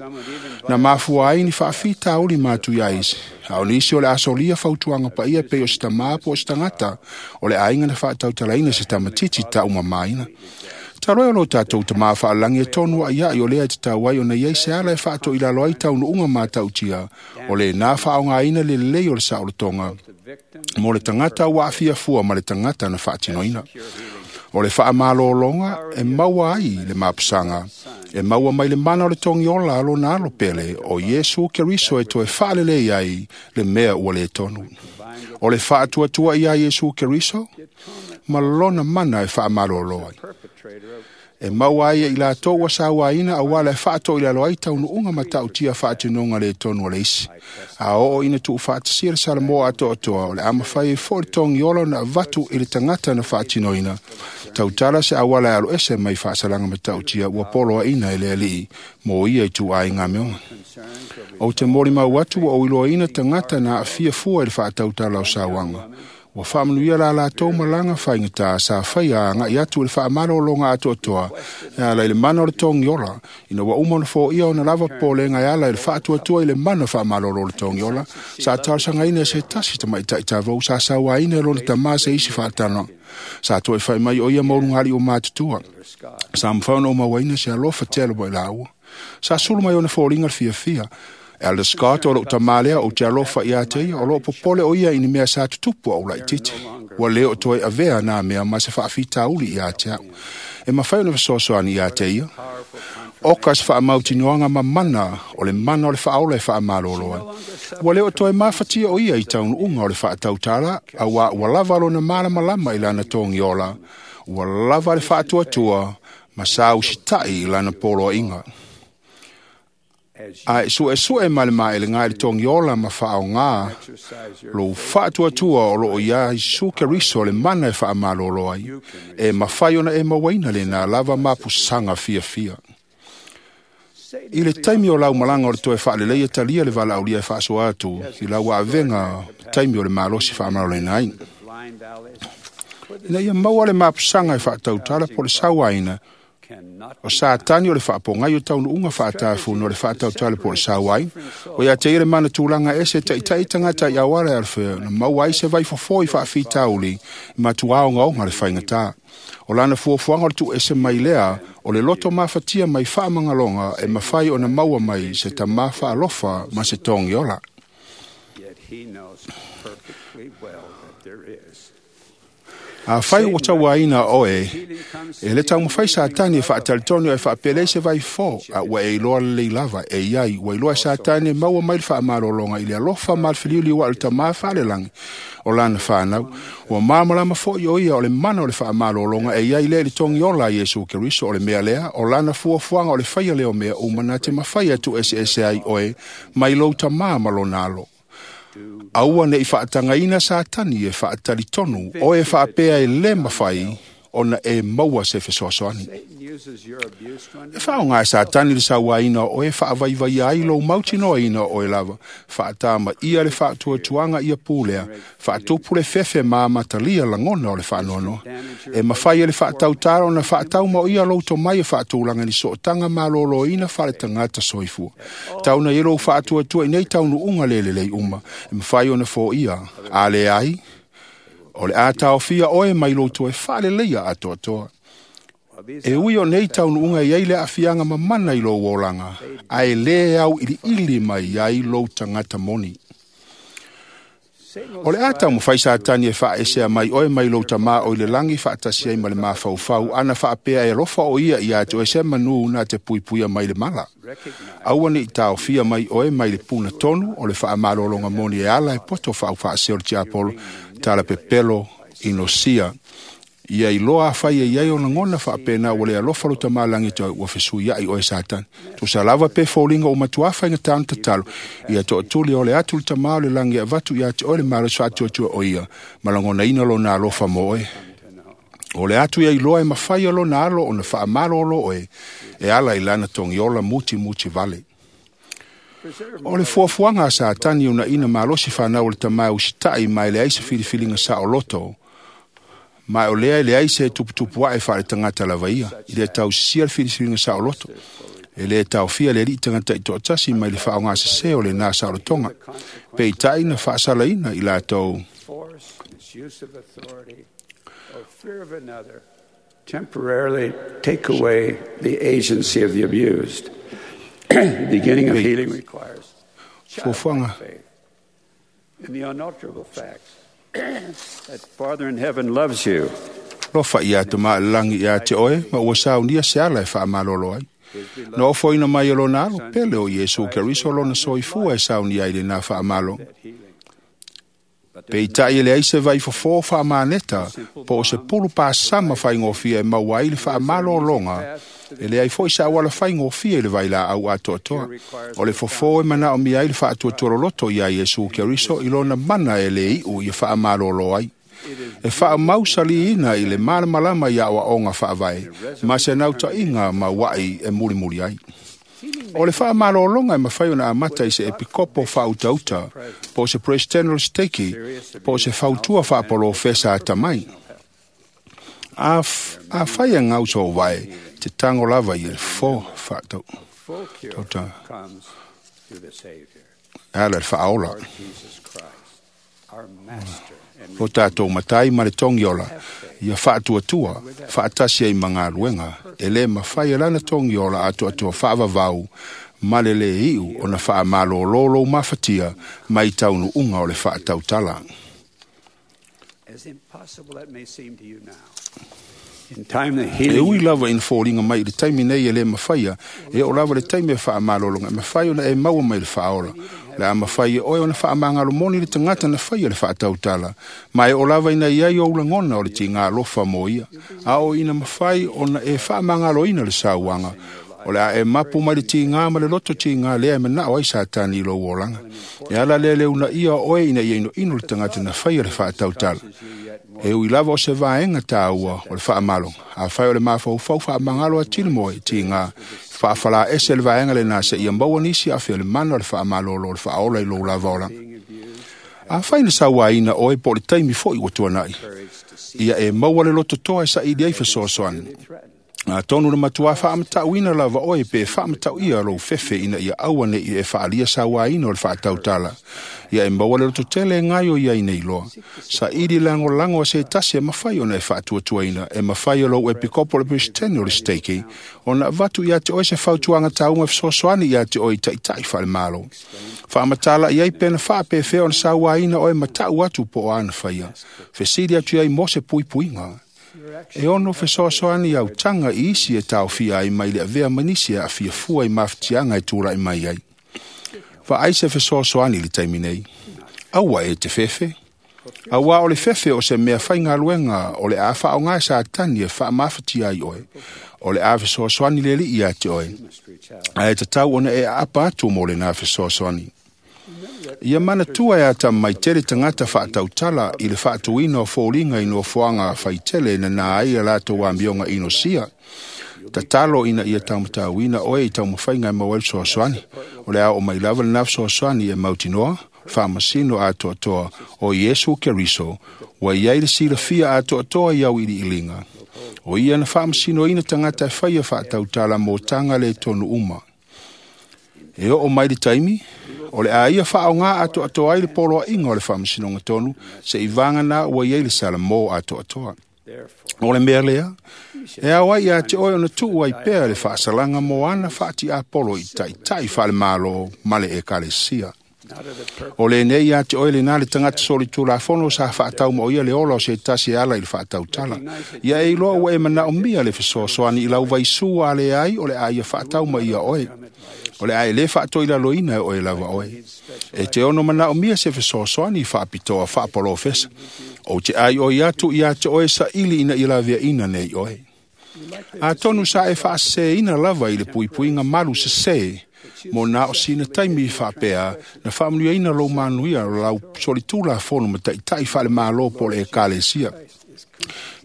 G: Na mafua ai ni faafitauli matuia isi, a o nisi o le a solia fautuaga paia pei o se tamā po o se tagata o le aiga na faatautalaina se tamatiti taumamāina. Talu ai o lo tatou Tamā faalelagi e tonu a'ia'i o lea e tatau ai ona iai se ala e faato'ilalo ai taunu'uga mata'utia, o lenā faaaogaina le lelei o le saolotoga mo le tagata ua aafia fua ma le tagata na faatinoina. O le faamalologa e maua ai le mapusaga, e maua mai le mana o le togiola a lona alo pele o Iesu Keriso e toe faalelei ai le mea ua lē tonu. O le faatuatua iā Iesu Keriso ma lona mana e faamalolo ai. E maua ai e i latou ua sauaina auā le faatoilalo ai taunuuga matautia faatinoga lē tonu a le isi. A oo ina tuufaatasia le Salamoa atoatoa, o le a mafai ai fo'i le togiola ona avatu i le tagata na faatinoina, tautala se auala e aloese mai faasalaga matautia ua poloaina e le Alii mo ia ituaiga meoga. Ou te molimau atu ua ou iloaina tagata na aafia fua i le faatautala o sauaga. Ua faamanuia la latou malaga faigata sa faia aga'i atu i le faamalologa atoatoa e ala i le mana o le togiola, ina ua uma ona foia ona lava popolega e ala i le faatuatua i le mana faamalolo o le togiola. Sa talosagaina e se tasi tamaita'i tavou sa sauaina e lona tamā se isi faatanoaga. Sa toe fai mai o ia maulugalii o matutua. Sa mafai ona ou mauaina se alofa tele mai laua. Sa sulu mai ona foliga le fiafia. Elder Scott o lou tamā lea ou te alofa iā te ia, o loo popole o ia i ni mea sa tutupu au laititi. Ua lē o toe avea nā mea ma se faafitauli iā te au. E mafai ona fesoasoani iā te ia. Oka se faamautinoaga ma mana o le mana o le faaola e faamalolo ai. Ua lē o toe mafatia o ia i taunuuga o le faatautala, auā ua lava lona malamalama i lana togiola, ua lava le faatuatua ma sa usita'i i lana poloaiga. Ae su'esu'e ma le maelega i le togiola ma faaaogā lou faatuatua o loo iā Iesu Keriso le mana e faamalolo ai, e mafai ona e mauaina lenā lava mapusaga fiafia. I le taimi o lau malaga o le toe faaleleia talia le valaaulia e faasoa atu i lau avega taimi o le malosi faamaloloina ai. Ina ia maua le mapusaga e faatautala po o le sauaina, o Satani o le faapogai o taunuuga faatafuno o le faatautala po o le sauaina. O ia te ia le mana tulaga ese taʻitaʻi tagata i auala e alofea na maua ai se vaifofo i faafitauli e matuā ogaoga le faigatā. O lana fuafuaga o le tuuese mai lea o le loto mafatia mai faamagaloga e mafai ona maua mai se tamā faalofa ma se togiola. Afai ua tauaina oe, e le taumafai Satani e faatalitonu e faapelei se vaifo, a ua e iloa lelei lava e iai, ua iloa e Satani e maua mai le faamalologa i le alofa ma le feliuliua'i o le Tamā faalelagi o lana fanau. Ua malamalama fo'i o ia o le mana o le faamalologa e iai lea i le togiola a Iesu Keriso. O le mea lea, o lana fuafuaga o le faia lea o mea uma na te mafai e tuueseese ai oe mai lou tamā ma lona alo. Aua ne'i faatagaina Satani e faatalitonu oe faapea e lē mafai ona e maua se fesoasoani. E faaaogā e Satani le sauaina o oe e faavaivaia ai lou mautinoaina o oe lava, faatamaia le faatuatuaga ia pulea, faatupu le fefe ma amatalia lagona o le faanoanoa. E mafai e le faatautala ona faataumaoia lou tomai e faatulaga i ni sootaga maloloina faaletagata soifua. Tauna i lou faatuatua i nei taunuuga le lelei uma, e mafai ona foia, a leai, o le a taofia oe mai lou toe faaleleia atoatoa. E ui o nei taunuuga e iai le aafiaga mamana i lou olaga, ae lē auiliili mai ai lou tagata moni. O le a taumafai Satani e faaesea mai oe mai lou tamā o i le lagi faatasi ai ma le mafaufau ana faapea e alofa o ia iā te oe se manū na te puipuia mai le mala. Aua ne'i taofia mai oe mai le puna tonu o le faamalologa moni e ala e poto faaufaasea o le tiapolo.
L: Talapepelo inosia. Ia iloa afai e iai o lagona faapena ua le alofa lo tamalagi te ua fesuiai oe Satani. Tusa lava pe foliga ua matuā faigata ona tatalo, ia toatuli o le atu le tamā o le lagi e avatu ia te oe le malosi faatuatua o ia, ma lagonaina lona alofa mo oe. O le atu ia iloa e mafai e lona alo ona faamalolo oe, e ala i lana togiola mutimuti vale. O le fuafuaga a Satani unaina malosi fanau o le tamā e usitai ma e leai se filifiliga saoloto, ma o lea e leai se tuputupu ae faaletagata lava ia, i le tausisia le filifiliga saoloto. E le taofia le alii tagata i toatasi mai le faaaogasesē o lenā saolotoga. Peitai na faasalaina i latou
D: temporarily take away the agency of the abused. The beginning of healing requires
L: fuafuaga
D: faith in the unalterable facts that Father in heaven loves you.
L: Lofa ia te maa lagi ia te oe, ma ua saunia se ala e faamalolo ai. Na ofoina mai e lona alo, pele o Iesu Keriso lona soifua e saunia ai lenā faamalo. Peitai e leai se vaifofō faamaneta, po o se pulu pasama faigofie e maua ai le faamalologa, e leai foi sa auala faigofie i le vailaau atoatoa. O le fofō e manaomia ai le faatuatualoloto iā Iesu Keriso i lona mana e lē iʻu ia faamalolo ai. E faamausaliina i le malamalama i aoaoga faavae, ma se nautaʻiga mauaʻi e mulimuli ai. O le faamalologa e mafai ona amata i se epikopo faautauta, po o se presidente o le steiki, po o se fautua faapolofesa atamai. Afai e gau sou vae, te tago lava i le fofo faatau.
D: Full cure
L: Tauta.
D: comes through the Savior,
L: E ala i le faaola.
D: Lord Jesus Christ, our Master and
L: Lo tatou matai ma le togiola, ia faatuatua, faatasi ai ma galuega, e lē mafai e lana togiola atoatoa faavavau, ma le lē iʻu ona faamalōlō lou mafatia mai taunuuga o le faatautala.
D: as impossible that may seem to you now. In time, the
L: E
D: healing
L: ui lava ina foliga mai i le taimi nei e lē mafaia, e oo lava le taimi e faamalologa, e mafai ona e maua mai le faaola. Le a mafai e oe ona faamagalomoni le tagata na faia le faatautala, ma e oo lava ina iai ou lagona o le tigā alofa mo ia. A o ina mafai ona e faamagaloina le sauaga, o le a e mapu mai le tigā ma le loto tigā lea e manao ai Satani i lou olaga. E ala lea le unaia o oe ina ia inoino le tagata na faia le faatautala. E ui lava o se vaega tāua o le faamaloga. Afai o le mafaufau faamagalo atili mo e tigā, faafalaese le vaega lenā seia maua nisi afe o le mana o le faamalolo o le faaola i lou lava olaga. Afai na sauaina oe po o le taimi foi ua tuanaʻi, ia e maua le lototoa e saili ai fesoasoani. Atonu le matuā faamataʻuina lava oe pe faamatauia lou fefe ina ia aua neʻi e faaalia sauaina o le faatautala. Ia e maua le lototele e gaio i ai nei loa. Saili lagolago a se tasi e mafai ona e faatuatuaina, e mafai e lou epikopo le peresetene o le steiki, ona avatu ia te oe se fautuaga tauga e fesoasoani ia te oe i taʻitaʻi faalemalo. Faamatalaʻi ai pena faapefea ona sauaina oe ma taʻu atu po o ana faia. Fesili atu ai mo se puipuiga. E ono fesoasoani autaga i isi e taofia ai mai le avea ma nisi e aafia fua i mafatiaga e tulaʻi mai ai. Vaai se fesoasoani i le taimi nei. Aua e te fefe. Auā o le fefe o se mea faigaluega o le a faaaogā e Satani e faamafatia ai oe. O le a fesoasoani le alii ia te oe. Ae tatau ona e aapa atu mo lenā fesoasoani. Ia manatua e ata mai tele tagata faatautala i le faatuina o foliga i nofoaga faitele na nā ai a latou amioga inosia. Tatalo ina ia taumatauina oe i taumafaiga e maua ai le fesoasoani. O le a oo mai lava lenā fesoasoani e mautinoa, faamasino atoatoa o Iesu Keriso, ua iai le silafia atoatoa i au iliiliga. O ia na faamasinoina tagata e faia faatautala mo taga le tonu uma. E oo mai le taimi, o le a ia faaogā atoatoa ai le poloaiga o le faamasinoga tonu, seʻi vaganā ua iai le salamō atoatoa. O le mea lea, e ao ai ia te oe ona tuu ai pea le faasalaga mo ana faatiapolo i taʻitaʻi faalemālō ma le ekalesia. O lenei ia te oe lena le tagata solitulafono sa faatau ma o ia le ola o se tasi e ala i le faatautala. Ia e iloa ua e manaomia le fesoasoani i lau vaisū a leai o le a ia faatau ma ia oe. O le a e lē faatoilaloina e oe lava oe. E te ono manaomia se fesoasoani faapitoa faapolofesa. Ou te aioi atu ia te oe saili ina ia laveaina nei oe. Atonu sa e faaseseina lava i le puipuiga malu sesē mo na o sina taimi faapea na faamanuiaina lou manuia o lau solitulafono ma taʻitaʻi faale-Mālō po o le Ekalesia.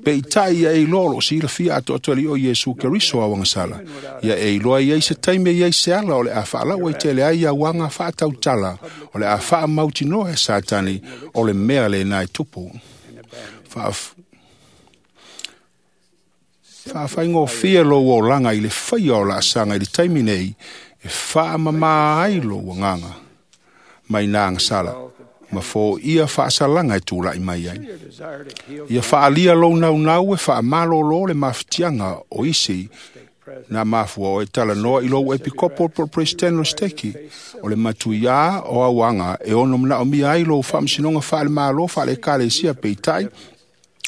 L: Peitai ia e iloa o loo silafia atoatoa e le Alii o Iesu Keriso auagasala. Ia e iloa i ai se taimi e i ai se ala o le a faalaua i tele ai auaga faatautala o le a faamautinoa e Satani o le mea lena e tupu. Faafaigofie lou olaga i le faia o laasaga i le taimi nei e faamamā ai lou agaga mai na agasala ma foia faasalaga e tulaʻi mai ai. Ia faaalia lou naunau e faamalōlō le mafatiaga o isi na mafua o e talanoa i lou epikopo po o le Peresetene o le Seteki o le matuiā o auaga e ono manaomia ai lou faamasinoga faale-Mālō faale-Ekalesia. Peitai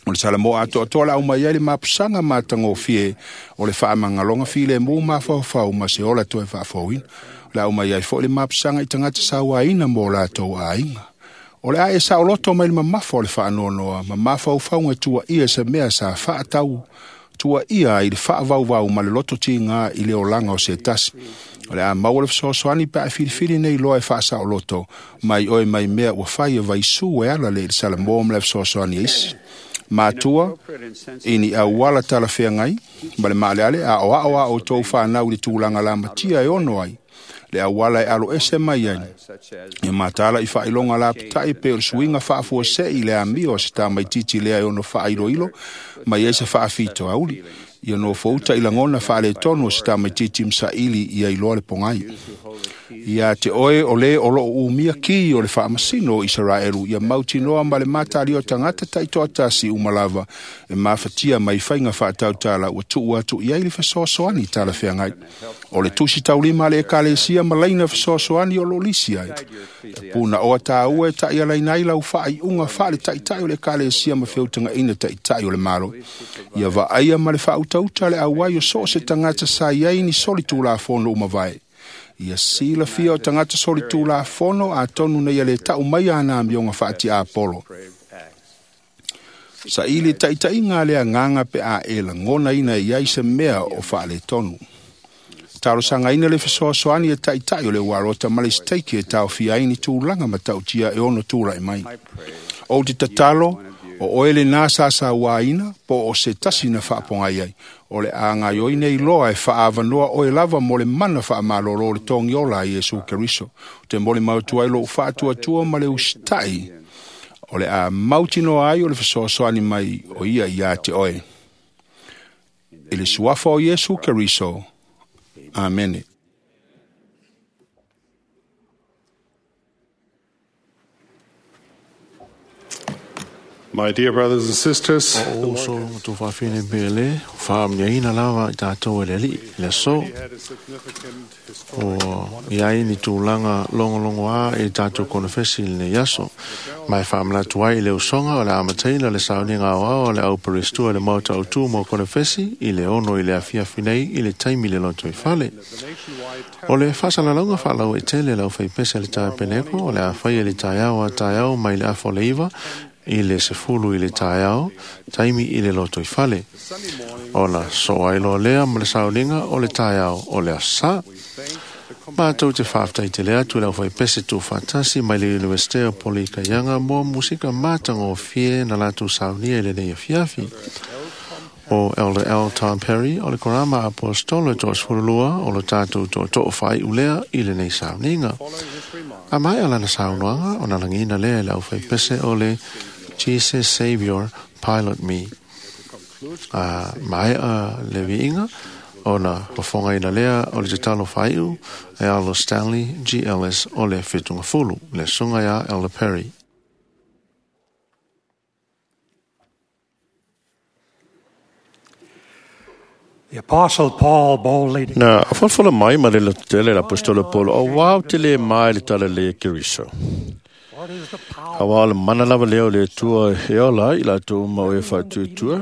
L: o le Salamo atoatoa le au mai ai le mapusaga matagofie o le faamagaloga filemu mafaufau ma se ola toe faafouina. O le au mai ai foʻi le mapusaga i tagata sauaina mo latou aiga. O le a e saoloto mai le mamafa o le faanoanoa ma mafaufauga tuaia se mea sa faatau tuaia ai le faavauvau ma le loto tigā i le olaga o se tasi. O le a maua le fesoasoani pe a e filifili nei loa e faasaoloto mai oe mai mea ua fai e vaisū e ala le i le Salamo ma le fesoasoani a isi. Matua, i ni auala talafeagai ma le maaleale a o ao a outou fanau i le tulaga lamatia e ono ai le auala e alo ese mai ai. Ia mataala i faailoga lapataʻi pe o le suiga faafuaseʻi i le amio o se tamaititi lea e ono faailoilo mai ai se faafitoauli. Ia nofouta i lagona faaletonu o se tamaititi ma saili ia iloa le pogai. Ia te oe o lē o loo umia ki o le faamasino o Isaraelu ia mautinoa ma le matalia o tagata taitoatasi uma lava e mafatia mai faiga faatautala ua tuu atu i ai le fesoasoani talafeagai. O le tusi taulima a le Ekalesia ma laina fesoasoani o loo lisi ai. E punaoa tāua e taʻialaina ai lau faaiuga faale-taʻitaʻi o le Ekalesia ma feutagaina taʻitaʻi o le Malo. Ia vaaia ma le faautauta le auai o so o se tagata sa i ai ni solitulafono uma vae. Ia silafia o tagata solitulafono atonu nei ia lē taʻu mai ana amioga faatiapolo. Saili taʻitaʻiga a le agaga pe a e lagonaina i ai se mea o faaletonu. Talosagaina le fesoasoani e taʻitaʻi o le ualota ma le siteiki e taofia ai ni tulaga matautia e ono tulaʻi mai. Ou te tatalo o oe lenā sasauāina po o se tasi na faapogai ai. O le a gaioi nei loa e faaavanoa oe lava mo le mana faamalōlō o le togiola a Iesu Keriso. O te molimau atu ai lou faatuatua ma le usitaʻi o le a mautinoa ai o le fesoasoani mai o ia iā te oe. I le suafa o Iesu Keriso. Amene.
C: My dear brothers and sisters,
B: O uso tu faafine pele, faamanuiaina lava i tatou e le Alii, le aso. O i ai ni tulaga logologoā i tatou konefesi i lenei aso. Ma e faamanatu ai i le usoga o le amataina le sauniga aoao a le au perestua i le maota autū mo konefesi i le 6 i le afiafi nei i le taimi le lotoifale. O le faasalalauga faalauaitele e le aufaipese a le taepeneko o le a faia i le taeao a taeao mai le afa o le 9 i le 10 i le taeao, taimi i le lotoifale. Ona soo ai loa lea ma le sauniga o le taeao o le aso Sā. Matou te faafetai tele atu i le aufaipese tuufaatasi mai le Iunivesite o Polikaiaga mo musika matagofie na latou saunia i lenei afiafi. O Elder L. Tom Perry o le Korama Apostolo e 32 o lo tatou tootoo faaiu lea i lenei sauniga. A maea lana saunoaga ona lagiina lea e le aufaipese o le Jesus Savior Pilot Me. A maea le viiga ona fofogaina lea o le tatalo faaiu e Alo Stanley G. Ellis o le Fetugafulu, le susuga ia Elder Perry.
E: The Apostle Paul boldly
F: Na folafola mai ma le lototele le Aposetolo Polo, auā ou te lē ma i le talalelei a Keriso. Auā o le mana lava lea o le Atua e ola ai i latou uma o e faatuatua.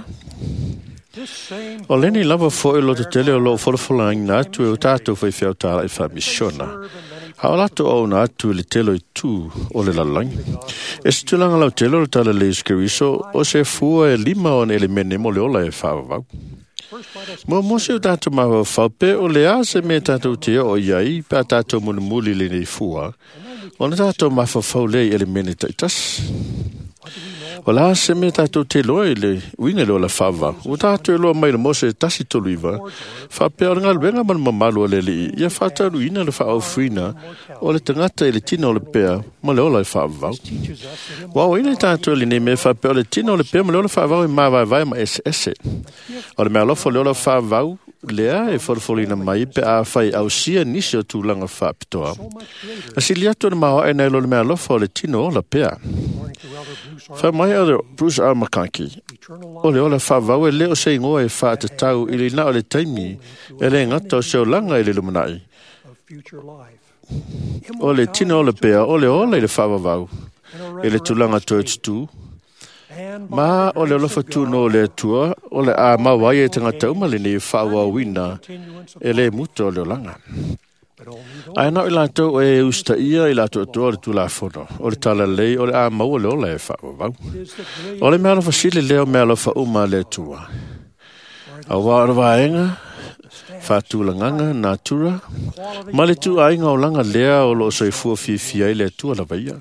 F: O lenei lava fo'i lototele o loo folafolaina atu e o tatou faifeau tāla'i faamisiona. A o latou auauna atu i le tele o itu o le lalolagi. E se tulaga lautele o le talalelei o Iesu Keriso o se fua e 5 ona elemene mo le ola e faavavau. Muamua se o tatou mafaufau pe o le a se mea tatou te oo i ai pe a tatou mulimuli i lenei fua, ona tatou mafaufau lea i elemene taitasi. O le a se mea tatou te iloa i le uiga i le ola faavavau. Ua tatou iloa mai le Mose 1:39, faapea o le galuega ma le mamalu o le Alii, ia faataunuuina le faaofuina o le tagata i le tino o le pea ma le ola e faavavau. Ua aoaina i tatou i lenei mea faapea o le tino o le pea ma le ola faavavau e mavaevae ma eseese. O le meaalofa o le ola faavavau lea e folafolaina mai pe afai ausia nisi o tulaga faapitoa. Asili atu o le maoae nai lo le meaalofa o le tino ola pea. Fai mai Elder Bruce R. McConkie, o le ola faavavau e le o se igoa e faatatau i le na o le taimi e le gata o se olaga i le lumanai. O le tino o le pea, o le ola i le faavavau, i le tulaga toe tutū, ma o le alofa tūnō o le Atua, o le a mau ai e tagata uma lenei faaauauina e le muta o le olaga. Ae na o i latou e usitaia i latou atoa o le Tulafono, o le talalelei o le a maua le ola e faavavau. O le meaalofa sili lea o meaalofa uma a le Atua. Auā o le vaega, faatulagaga, natura, ma le tuaiga olaga lea o loo soifua fiafia ai le Atua lava ia.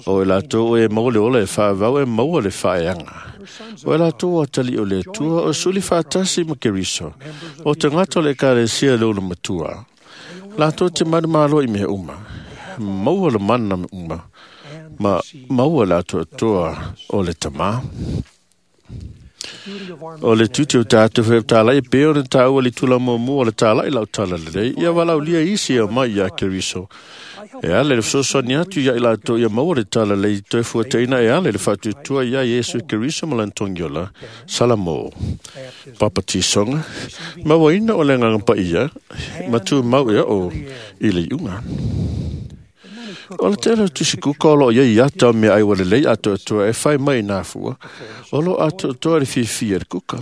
F: O i latou e maua le ola e faavavau e maua le faaeaga. O i latou o atalii o le Atua o suli faatasi ma Keriso, o tagata o le Ekalesia le ulumatua. Latou te manumalo i mea uma, maua le mana uma, ma maua le atoatoa o le Tamā. O le tiute o tatou faifeau e pei ona taua i le tula muamua o le tāla'i lau talalelei, ia valaaulia isi e omai ia Keriso. E ala i le fesoasoani atu ia i latou ia maua le talalelei toe fuataina e ala i le faatuatua ia Iesu Keriso ma lana togiola, Salamo. Papatisoga, mauaina o le Agaga Paia, ma tumau e oo i le iuga. O le tele o tusikuka o loo iai ata o meaai ua lelei atoatoa e fai mai i nā fua, o loo atoatoa le fiafia i le kuka.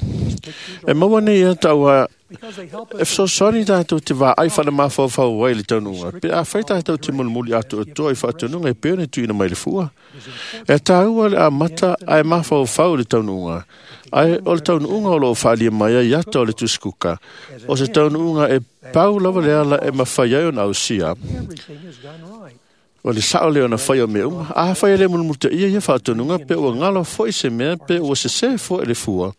F: E maua nei ata auā e fesoasoani tatou te vaai faale-mafaufau ai i le taunuuga, pe afai tatou te mulimuli atoatoa i faatonuga e pei ona tuuina mai le fua. E taua le amata ae mafaufau i le taunuuga, ae o le taunuuga o loo faaalia mai ai ata o le tusikuka, o se taunuuga e pau lava le ala e mafai ai ona ausia. O le sao lea ona fai o mea uma. Afai e le mulimulitaia ia faatonuga, pe ua galo foi se mea, pe ua sesē foi le fua,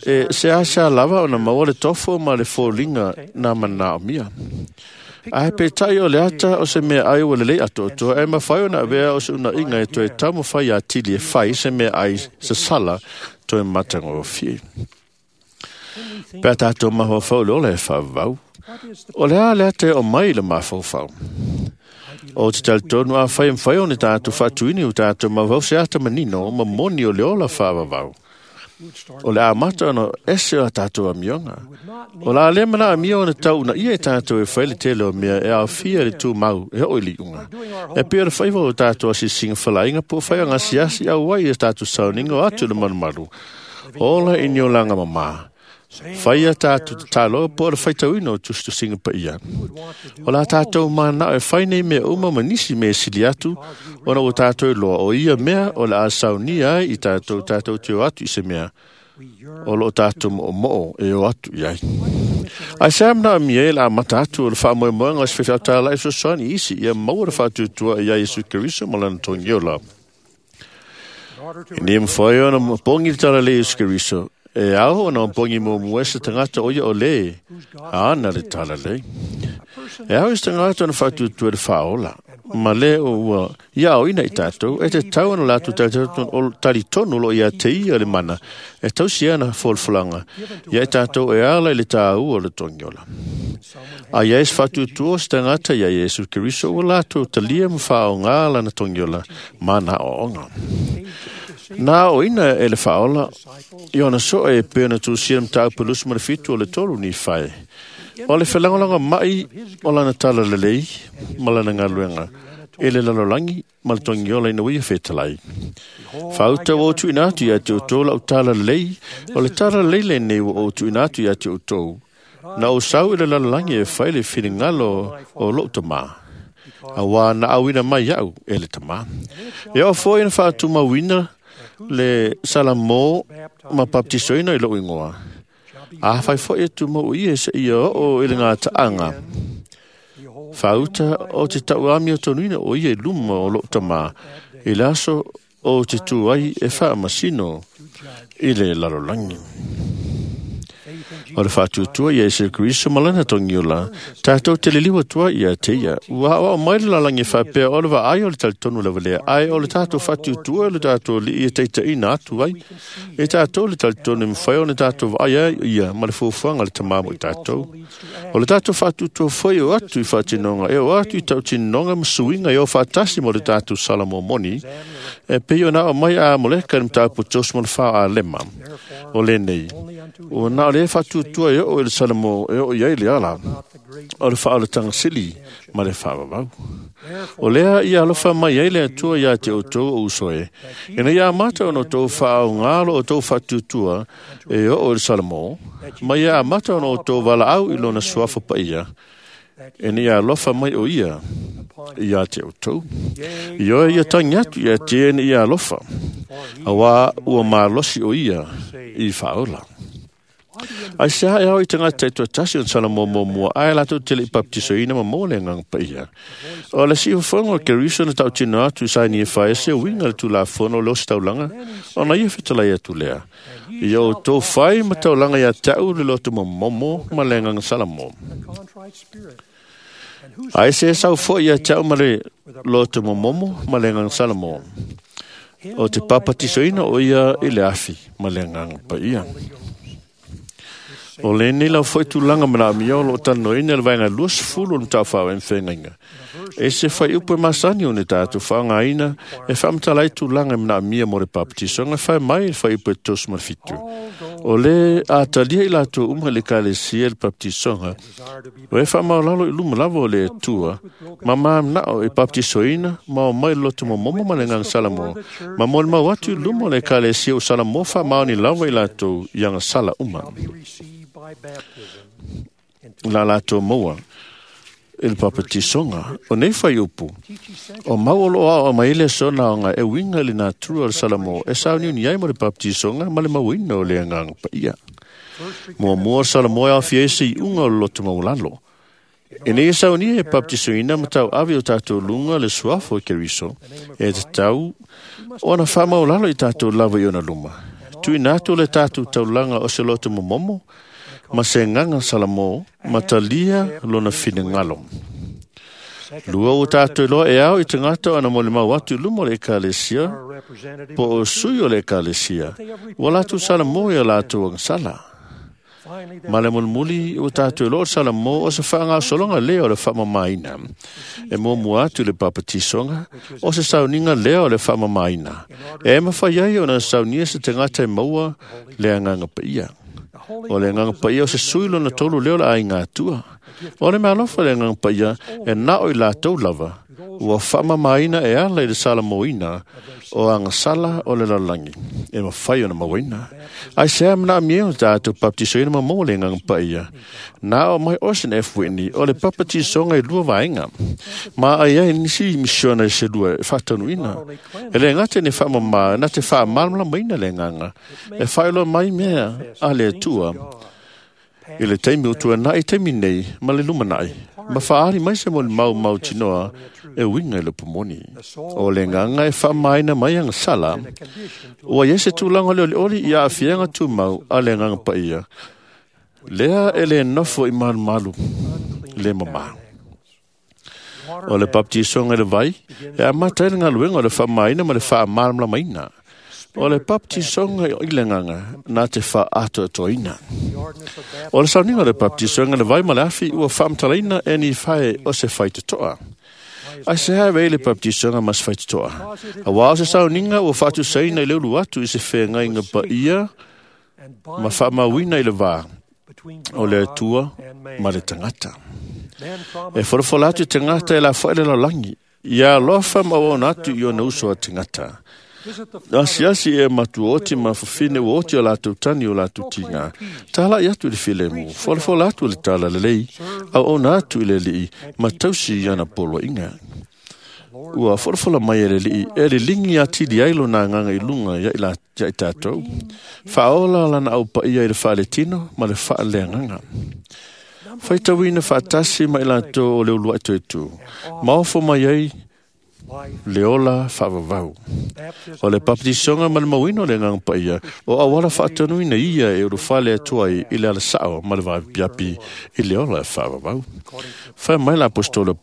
F: e seasea lava ona maua le tofo ma le foliga na manaomia. Ae peitai o le ata o se meaai ua lelei atoatoa, e mafai ona avea o se unaiga e toe taumafai atili e fai se meaai sasala toe matagofie. Pe a tatou mafaufau i le ola e faavavau, o le a le ata e oo mai i le mafaufau. O te talitonu afai e mafai ona tatou faatuina i o tatou mafaufau se ata manino ma moni o le ola faavavau. O le amata ona ese o a tatou amioga. O le a le manaomia ona tau uunaia i tatou e fai le tele o mea e aofia i le tumau e oo i le iuga. E pei o le faiva o tatou asiasiga falaaiga po o fai o gasiasi auai i a tatou sauniga o atu i le malumalu. Ola i ni olaga mamā. Fai a tatou tatalo po o le faitauina o tusitusiga paia. O le a tatou manao e fai nei mea uma ma nisi mea e sili atu, ona ua tatou iloa o ia mea o le a saunia ai i tatou tatou te o atu i se mea o loo tatou moomoo e o atu i ai. Ae se a manaomia ai le amata atu o le faamoemoega o se faifeau tāla'i fesoasoani i isi ia maua le faatuatua ia Iesu Keriso ma lana togiola. E le mafai ona pogi le talalelei o Iesu Keriso, e ao ona pogi muamua e se tagata o ia o le ana le talalelei. E ao i se tagata ona faatuatua i le faaola, ma le o ua ia aoina i tatou, e tatau ona latou talitonu o loo ia te ia le mana, e tausi ana folafolaga ia i tatou e ala i le tāua o le togiola. A ia e se faatuatua o se tagata ia Iesu Keriso ua latou talia ma faaoga lana togiola ma na aoaoga.
B: Na o ina e le whaola, i ona soe e pēna tūsia mtāupu 27 o le tolu ni whai. O le whelangolanga mai o lana tala lelei ma lana ngaluenga. E le lalolangi ma le tongiola ina wia whetalai. Whauta o tu ina atu ia te utou lau tala lelei, o le tala lelei le nei o tu ina atu ia te utou. Na o sau i le lalolangi e whai le whiringalo o lou tamā. A wā na awina mai au e le tamā. E o fo ina whaatumawina le salamo ma baptisoina i lou ingoa. A whai fo e tumo i e se ia o i le ngā taanga. Whauta o te tauami o tonuina o ia i luma o lou tamā. I le aso o te tūai e whaamasino i le lalolangi. O le whaatutua ia Iesu Kristo malana tongiola, tātou te liliwa tua ia te ia. Ua o mai le lalangi whapea o le vaai o le talitonu lava lea, ai o le tātou whaatutua o le tātou li ia teita ina atu ai. E tātou le talitonu mwhai o le tātou vaai ai ia ma le fuafuaga le tamamu i tātou. O le tātou whaatutua foi o atu i whaatinonga, e o atu i tautinonga masuinga e o whaatasi mo le tātou Salamo moni, e pei o nā o mai a moleka ni mtāpu tos mo le wha a lema. O le nei. O nā o le whatutua e o e le Salamo e o iai le ala. O le whaolatanga sili ma le whaawawau. O lea ia alofa mai ai le atua ia te o tō o usoe. Ina ia mata ono tō whaau ngālo o tō whatutua e o o le Salamo, ma ia mata ono tō walaau i lona suafa pa ia. Ina ia alofa mai o ia ia te o tō. I oe ia tangi atu ia te ene ia alofa. A wā ua mālosi o ia i whaola. Ai se hae au i te ngā te tasi o Salamo mō mua, ai lātou te le i baptisoina ma mō le nganga pa ia. O le si uwhango ke riso na tau tino atu sai ni e whae se winga le tū la fono le o se taulanga, o na ia whitalai atu lea. I o tō whai ma taulanga ia tau le loto mo momo ma le nganga Salamo. Ai se sau fo ia tau ma le loto mo momo ma le nganga Salamo. O te papatisoina o ia i le afi ma le nganga pa ia. O le nei lau foi tūlanga mana amia o lo tano ina le vaenga 20 o le tau whao e mwhengainga. E se whai upu e masani o ne tātou whaanga ina e whaamtala i tūlanga mana amia mo le papatisonga whai mai e whai upu e tosu ma fitu. O le atalia i lātou uma le kalesia le papatisonga o e whaamaolalo i luma lava o le atua ma maamnao e papatisoina ma o mai loto mo momo ma le nganga Salamo ma mo le mau atu i luma o le kalesia o Salamo whaamaoni lava i lātou i anga sala uma. La lātou maua i le papatisonga o nei whai upu o mau o loa o mai le sona o ngā e winga le nātura o le Salamo e sauniuni ai mo le papatisonga ma le mauina o le anganga pa ia. Mua mua Salamo e awhia ese i unga o le loto maulalo. E nei e saunia e baptisoina ma tau ave o tātou lunga le suafo e Keriso e te tau o ana whamaulalo i tātou lava i ona luma. Tuina atu le tātou taulanga o se loto momomo ma se nganga Salamo ma talia lona whinengalo. Lua o tātou loa e au i te ngata ana mo le mau atu luma o le ekalesia, po o sui o le ekalesia, ua lātou Salamo ia lātou ang sala. Ma le mulmuli o tātou loa o Salamo o se whaangasolonga lea o le whaamamaina. E mua atu le papatisonga o se sauninga lea o le whaamamaina. E mawhai ai o na saunia se te ngata e maua le anganga pa ia. O le nganga pa ia o se sui lona tolu leo la ai ngā tua. O le mealofa le nganga pa ia e nao i lātou lava. Ua whaamamaina e ala i le Salamoina o anga sala o le lalangi. E mawhai o na mawaina. Ai se amna amia o tātou baptisoina ma mō le nganga pa ia. Nā o mai osen e fuini o le papatisonga i lua vaenga. Ma ai ai nisi misiona i se lua e whatanuina. E le ngate ne whaamama, na te whaamalmala maina le nganga. E whailo mai mea a le atua. I le taimi o tua nai taimi nei ma le lumanai. Ma whaari mai se mo le mau mau tinoa e winga i le pumoni. O le nganga e whaamaina mai anga sala. Ua iese tūlanga le oli i a awhianga tūmau a le nganga pa ia. Lea e le nofo i malu malu le mama. O le baptisonga le vai e amata e le ngaluenga o le whaamaina ma le whaamalamlamaina. O le baptisonga i le nganga nā te whaatoatoina. O le sauninga o le baptisonga le vai ma le afi ua whaamtalaina e ni whae o se whai te toa.
J: Aisea e avea ai le papatisoga ma se faitotoa? Auā o se sauniga ua faatusaina i le ulu atu i se feagaiga paia ma faamauina i le vā o le Atua ma le tagata. E folafola atu i tagata e lafoai le lalolagi, ia alofa ma auauna atu i ona uso a tagata. Asiasi e matuaoti ma fafine ua oti o latou tani o latou tiga. Tala'i atu i le filemu, folafola atu i le talalelei, auauna atu i le Alii, ma tausi i ana poloaiga. Ua folafola mai e le Alii e liligi atili ai lona agaga i luga ia i tatou. Faaola lana aupaia i le faaletino ma le faaleagaga. Faitauina faatasi ma i latou o le uluai toetu, ma ofo mai ai le ola faavavau. O le papatisoga ma le mauina o le agaga paia, o auala faatanuina ia e ulufale atu ai i le alasao ma le vaapiapi i le ola faavavau. Fai mai le aposetolo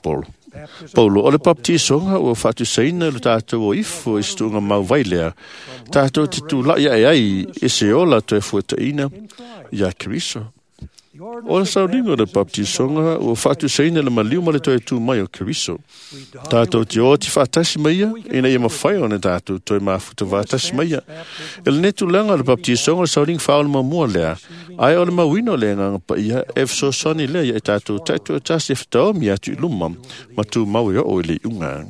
J: Paulo, o le papatisoga ua faatusaina le tatou o ifo i se tuuga mauvai lea, tatou te tula'i ae ai i se ola toe fuataʻina iā Keriso. O le sauniga o le papatisoga ua faatusaina le maliu ma le toe tu mai o Keriso. Tatou te oti faatasi mai ia, ina ia mafai ona tatou toe mafuta vaatasi mai ia. E lenei tulaga o le papatisoga o le sauniga faaola muamua lea, ae o le mauina o le agaga paia e fesoasoani lea ia i tatou taitoatasi e fetaomi atu i luma ma tumau e oo i le iuga.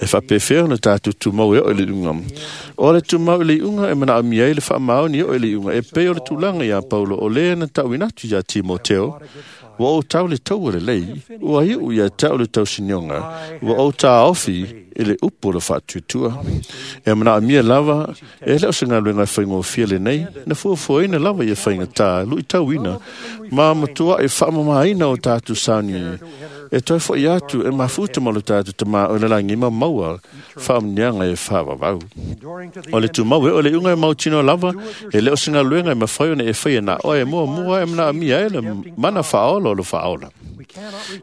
J: E faapefea ona tatou tumau e oo i le iuga. O le tumau i le iuga e manaomia ai le faamaoni e oo i le iuga e pei o le tulaga iā Paulo o lē na tauina atu iā Timoteo, ua ou tau le taua lelei, ua iu ia te au le tausinioga, ua ou tāofi i le upu o le faatuatua. E manaomia lava, e le o se galuega e faigofie lenei, na fuafuaina lava ia faigatā, luitauina, ma matuaʻi faamamāina o tatou sauni e toe foʻi atu e mafuta ma lo tatou tamā o le lagi ma maua faamuniaga e faavavau. O le tumau e o le iuga e mautino lava, e le o se galuega e mafai ona e faia na oe e muamua e manaomia ai le mana faaola o le faaola.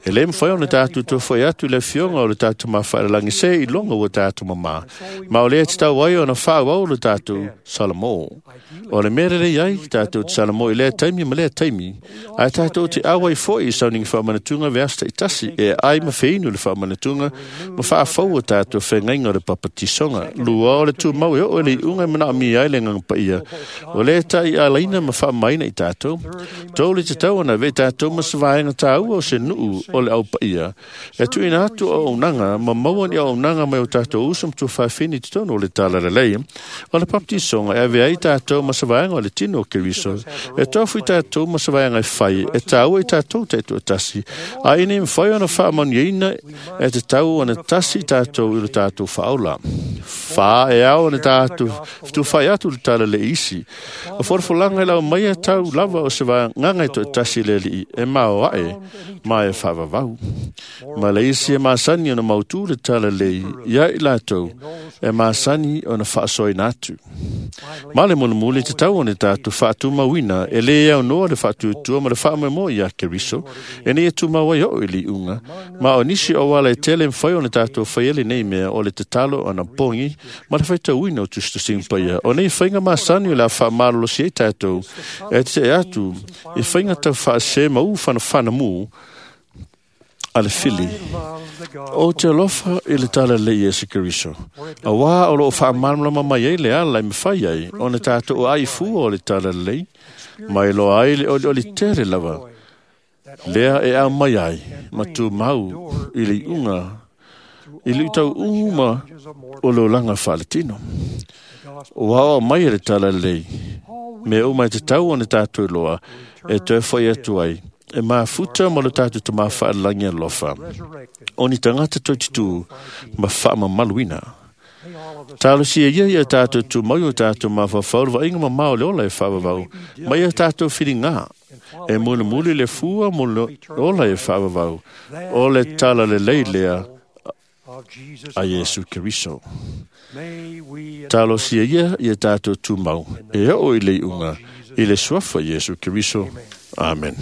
J: E lē mafai ona tatou toe foʻi atu i le afioga o le tatou mafaalelagi se i loga ua tatou mamā, ma o lea e tatau ai ona faaauau le tatou Salamo. O le mea lelei ai tatou te Salamo i lea taimi ma lea taimi, ae tatou te auai foi i sauniga faamanatuga vaiaso taitasi e ai ma feinu le faamanatuga ma faafaua tatou feagaiga o le papatisoga. Lua o le tumau e oo i le iuga e manaomia ai le agaga paia, o lea e taialaina ma faamamaina i tatou. Tou le tatau ona avea i tatou ma se vaega tāua o se nuu o le aupaia, e tuuina atu auaunaga ma maua ni auaunaga mai o tatou uso ma tuafafine i totonu o le talalelei. O le papatisoga e avea ai tatou ma se vaega o le tino o Keriso, e tofu i tatou ma se vaega e fai, e tāua i tatou taitoatasi, a ina ia mafai ona faamanuiaina e tatau ona tasi i tatou i le tatou faaola. Whā e ao na tātou fetufai atu le tala le isi. O folafolaga e lau mai e tau lava o se vagaga e toatasi le Alii e mao ae ma e faavavau. Ma le isi e masani ona mautū le tala lei ia i latou e masani ona faasoaina atu. Ma le mulimuli tatau ona tatou faatumauina e lē aunoa le faatuatua ma le faamoemoe iā Keriso ina ia tumau ai oo i le iuga. Ma o nisi o auala e tele mafai ona tatou faia lenei mea o le tatalo ona pogi ma le faitauina o tusitusiga paia. O nei faiga masani o le a faamalolosi ai tatou e tetee atu i faiga taufaasē ma u fanafanamu a le fili. O te alofa i le talalelei Iesu Keriso. Auā o loo faamalamalama mai ai le ala e mafai ai ona tatou aaifua o le talalelei, ma e loa ai le olioli tele lava lea e aumai ai ma tumau i le iuga i le utauʻu ma o le olaga faaletino. Ua aoao mai e le talalelei mea uma e tatau ona tatou iloa e toe foʻi atu ai e mafuta ma lo tatou tamā faalelagi alofa o ni tagata toititū ma faamamaluina. Talosia ia ia tatou tumau i o tatou mafaufau le vaaiga mamao o le ola e faavavau mai ia tatou filigā e mulimuli le fua mo le ola e faavavau o le talalelei lea a Iesu Keriso. Talosia ia ia tatou tumau e oo i le iuga i le suafa Iesu Keriso. Amen.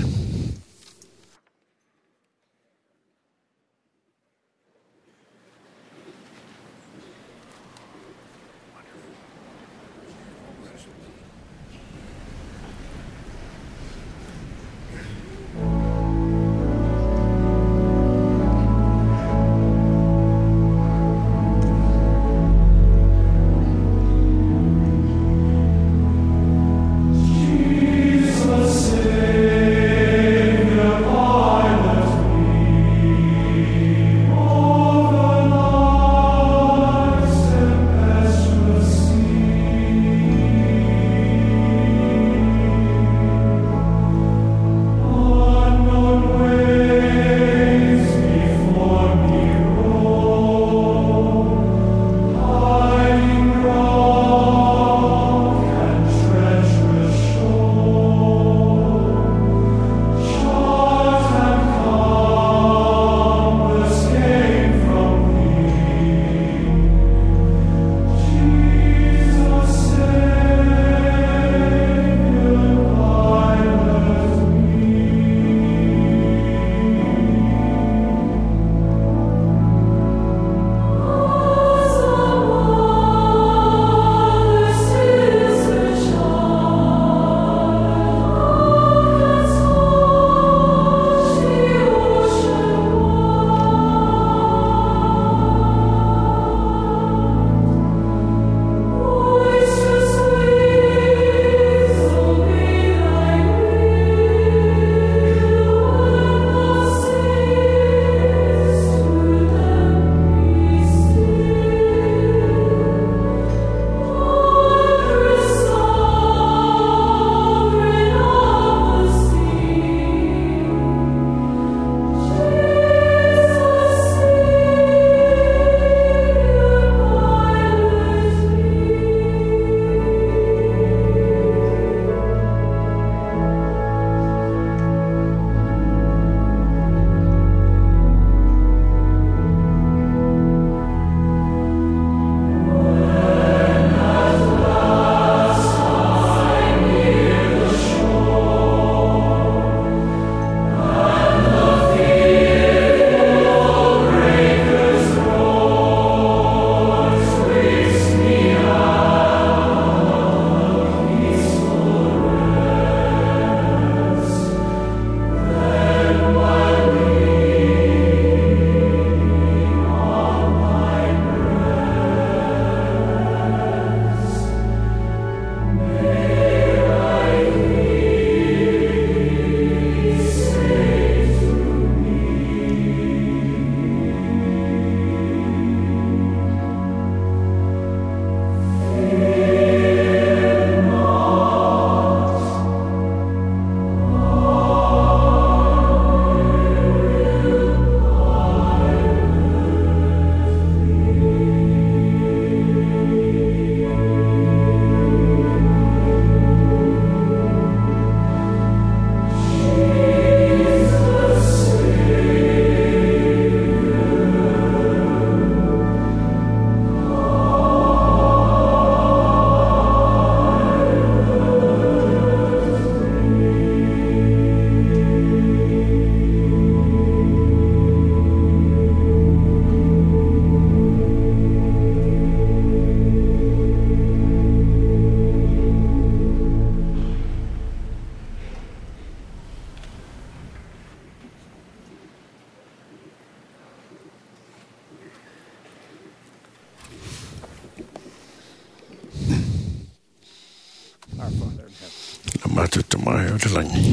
F: tamae o le langi.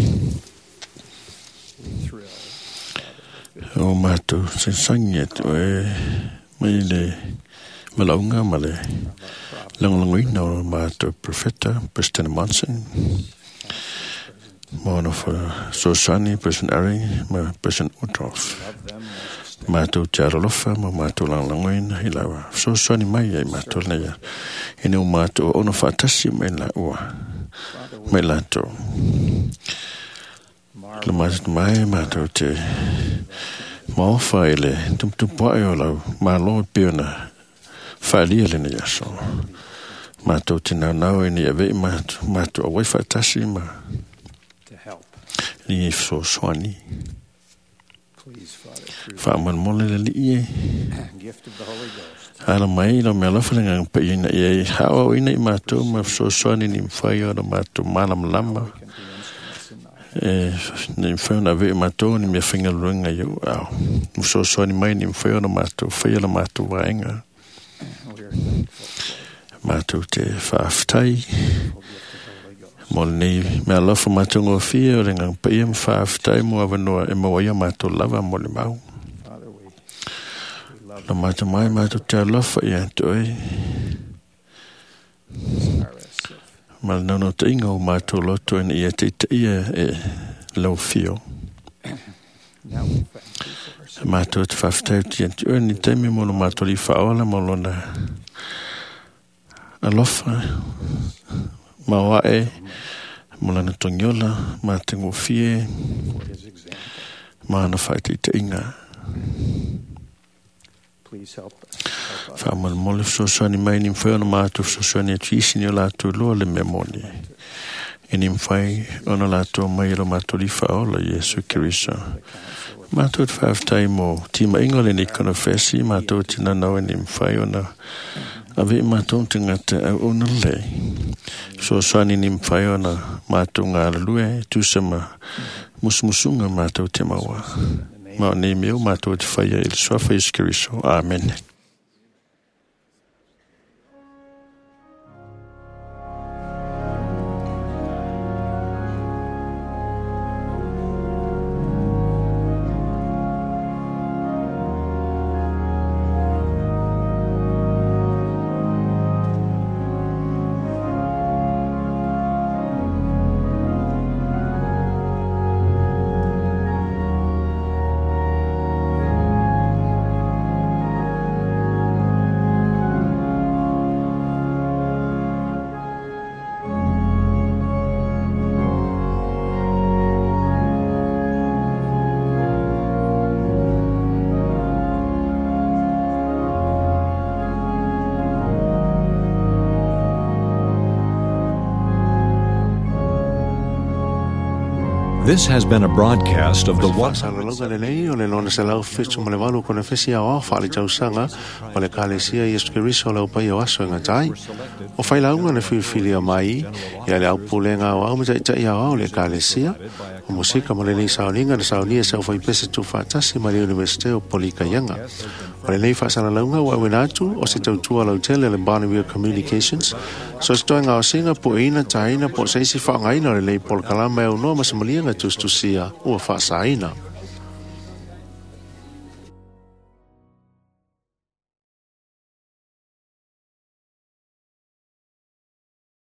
F: O mātou sagisangi atu e mai le malaunga ma le lagolagoina o mātou profeta President Monson ma ona fesoasoani President Eyring ma President Uchtdorf. Mātou te alolofa ma mātou lagolagoina i lau fesoasoani mai ai mātou nei ina o mātou ono faatasi mai laua mai latou. Le mātou mai mātou te maofa i le tumutupuaʻe o lau malo e pei ona faaalia lenei aso. Mātou te naunau ina ia aveʻi matou matou auai faatasi ma ni e fesoasoani. Faamolemole le alii e ala mai i lau mealofa le agaga paia ina ia e haaoaoina i matou ma fesoasoani ni mafai ona matou malamalama e ni mafai ona aveʻe matou ni mea faigaluega i ou ao. Ma fesoasoani mai ni mafai ona matou faia la matou vaega. Matou te faafetai mo lenei mealofa matou gofie o le agaga paia ma faafetai mo avanoa e maua ai o matou lava mo le mau. La matou mai matou te alofa ia te oe ma le naunautaiga o matou loto ina ia taitaia e lau afio. Matou te faafetai atu ia te oe ni taimi mo lo matou alii faaola ma lona alofa maoaʻe mo lana togiola matagofie ma ana faataitaiga. Faamolemole fesoasoani mai ni mafai ona matou fesoasoani atu i isi ni o latou iloa le mea moni e ni mafai ona latou mai e lo matou alii faaola Iesu Keriso. Matou te faafetai mo timaiga o lenei konefesi, matou te nanau e ni mafai ona aveʻe matou tagata auauna lelei. Fesoasoani ni mafai ona matou galulue e tusa ma musumusuga matou te maua. Ma o nei mea ua matou te faia i le suafa Iesu Keriso. Amene.
I: This has been a broadcast of the
B: Faasalalauga lenei o le lona 178 konefesi aoao faaletausaga o le Ekalesia Iesu Keriso o le Aupaia o Aso e Gata ai. O failauga na filifilia mai ia le aupulega aoao ma taʻitaʻi aoao o le Ekalesia, o musika ma lenei sauniga na saunia e se aufaipese tuufaatasi ma le Iunivesite o Polikaiaga. O lenei faasalalauga ua auina atu o se tautua lautele a le Bonneville Communications, so se toega gaosiga pueina taina po o se isi faaaogaina o lenei polokalama e aunoa ma se maliega tusitusia ua faasaina.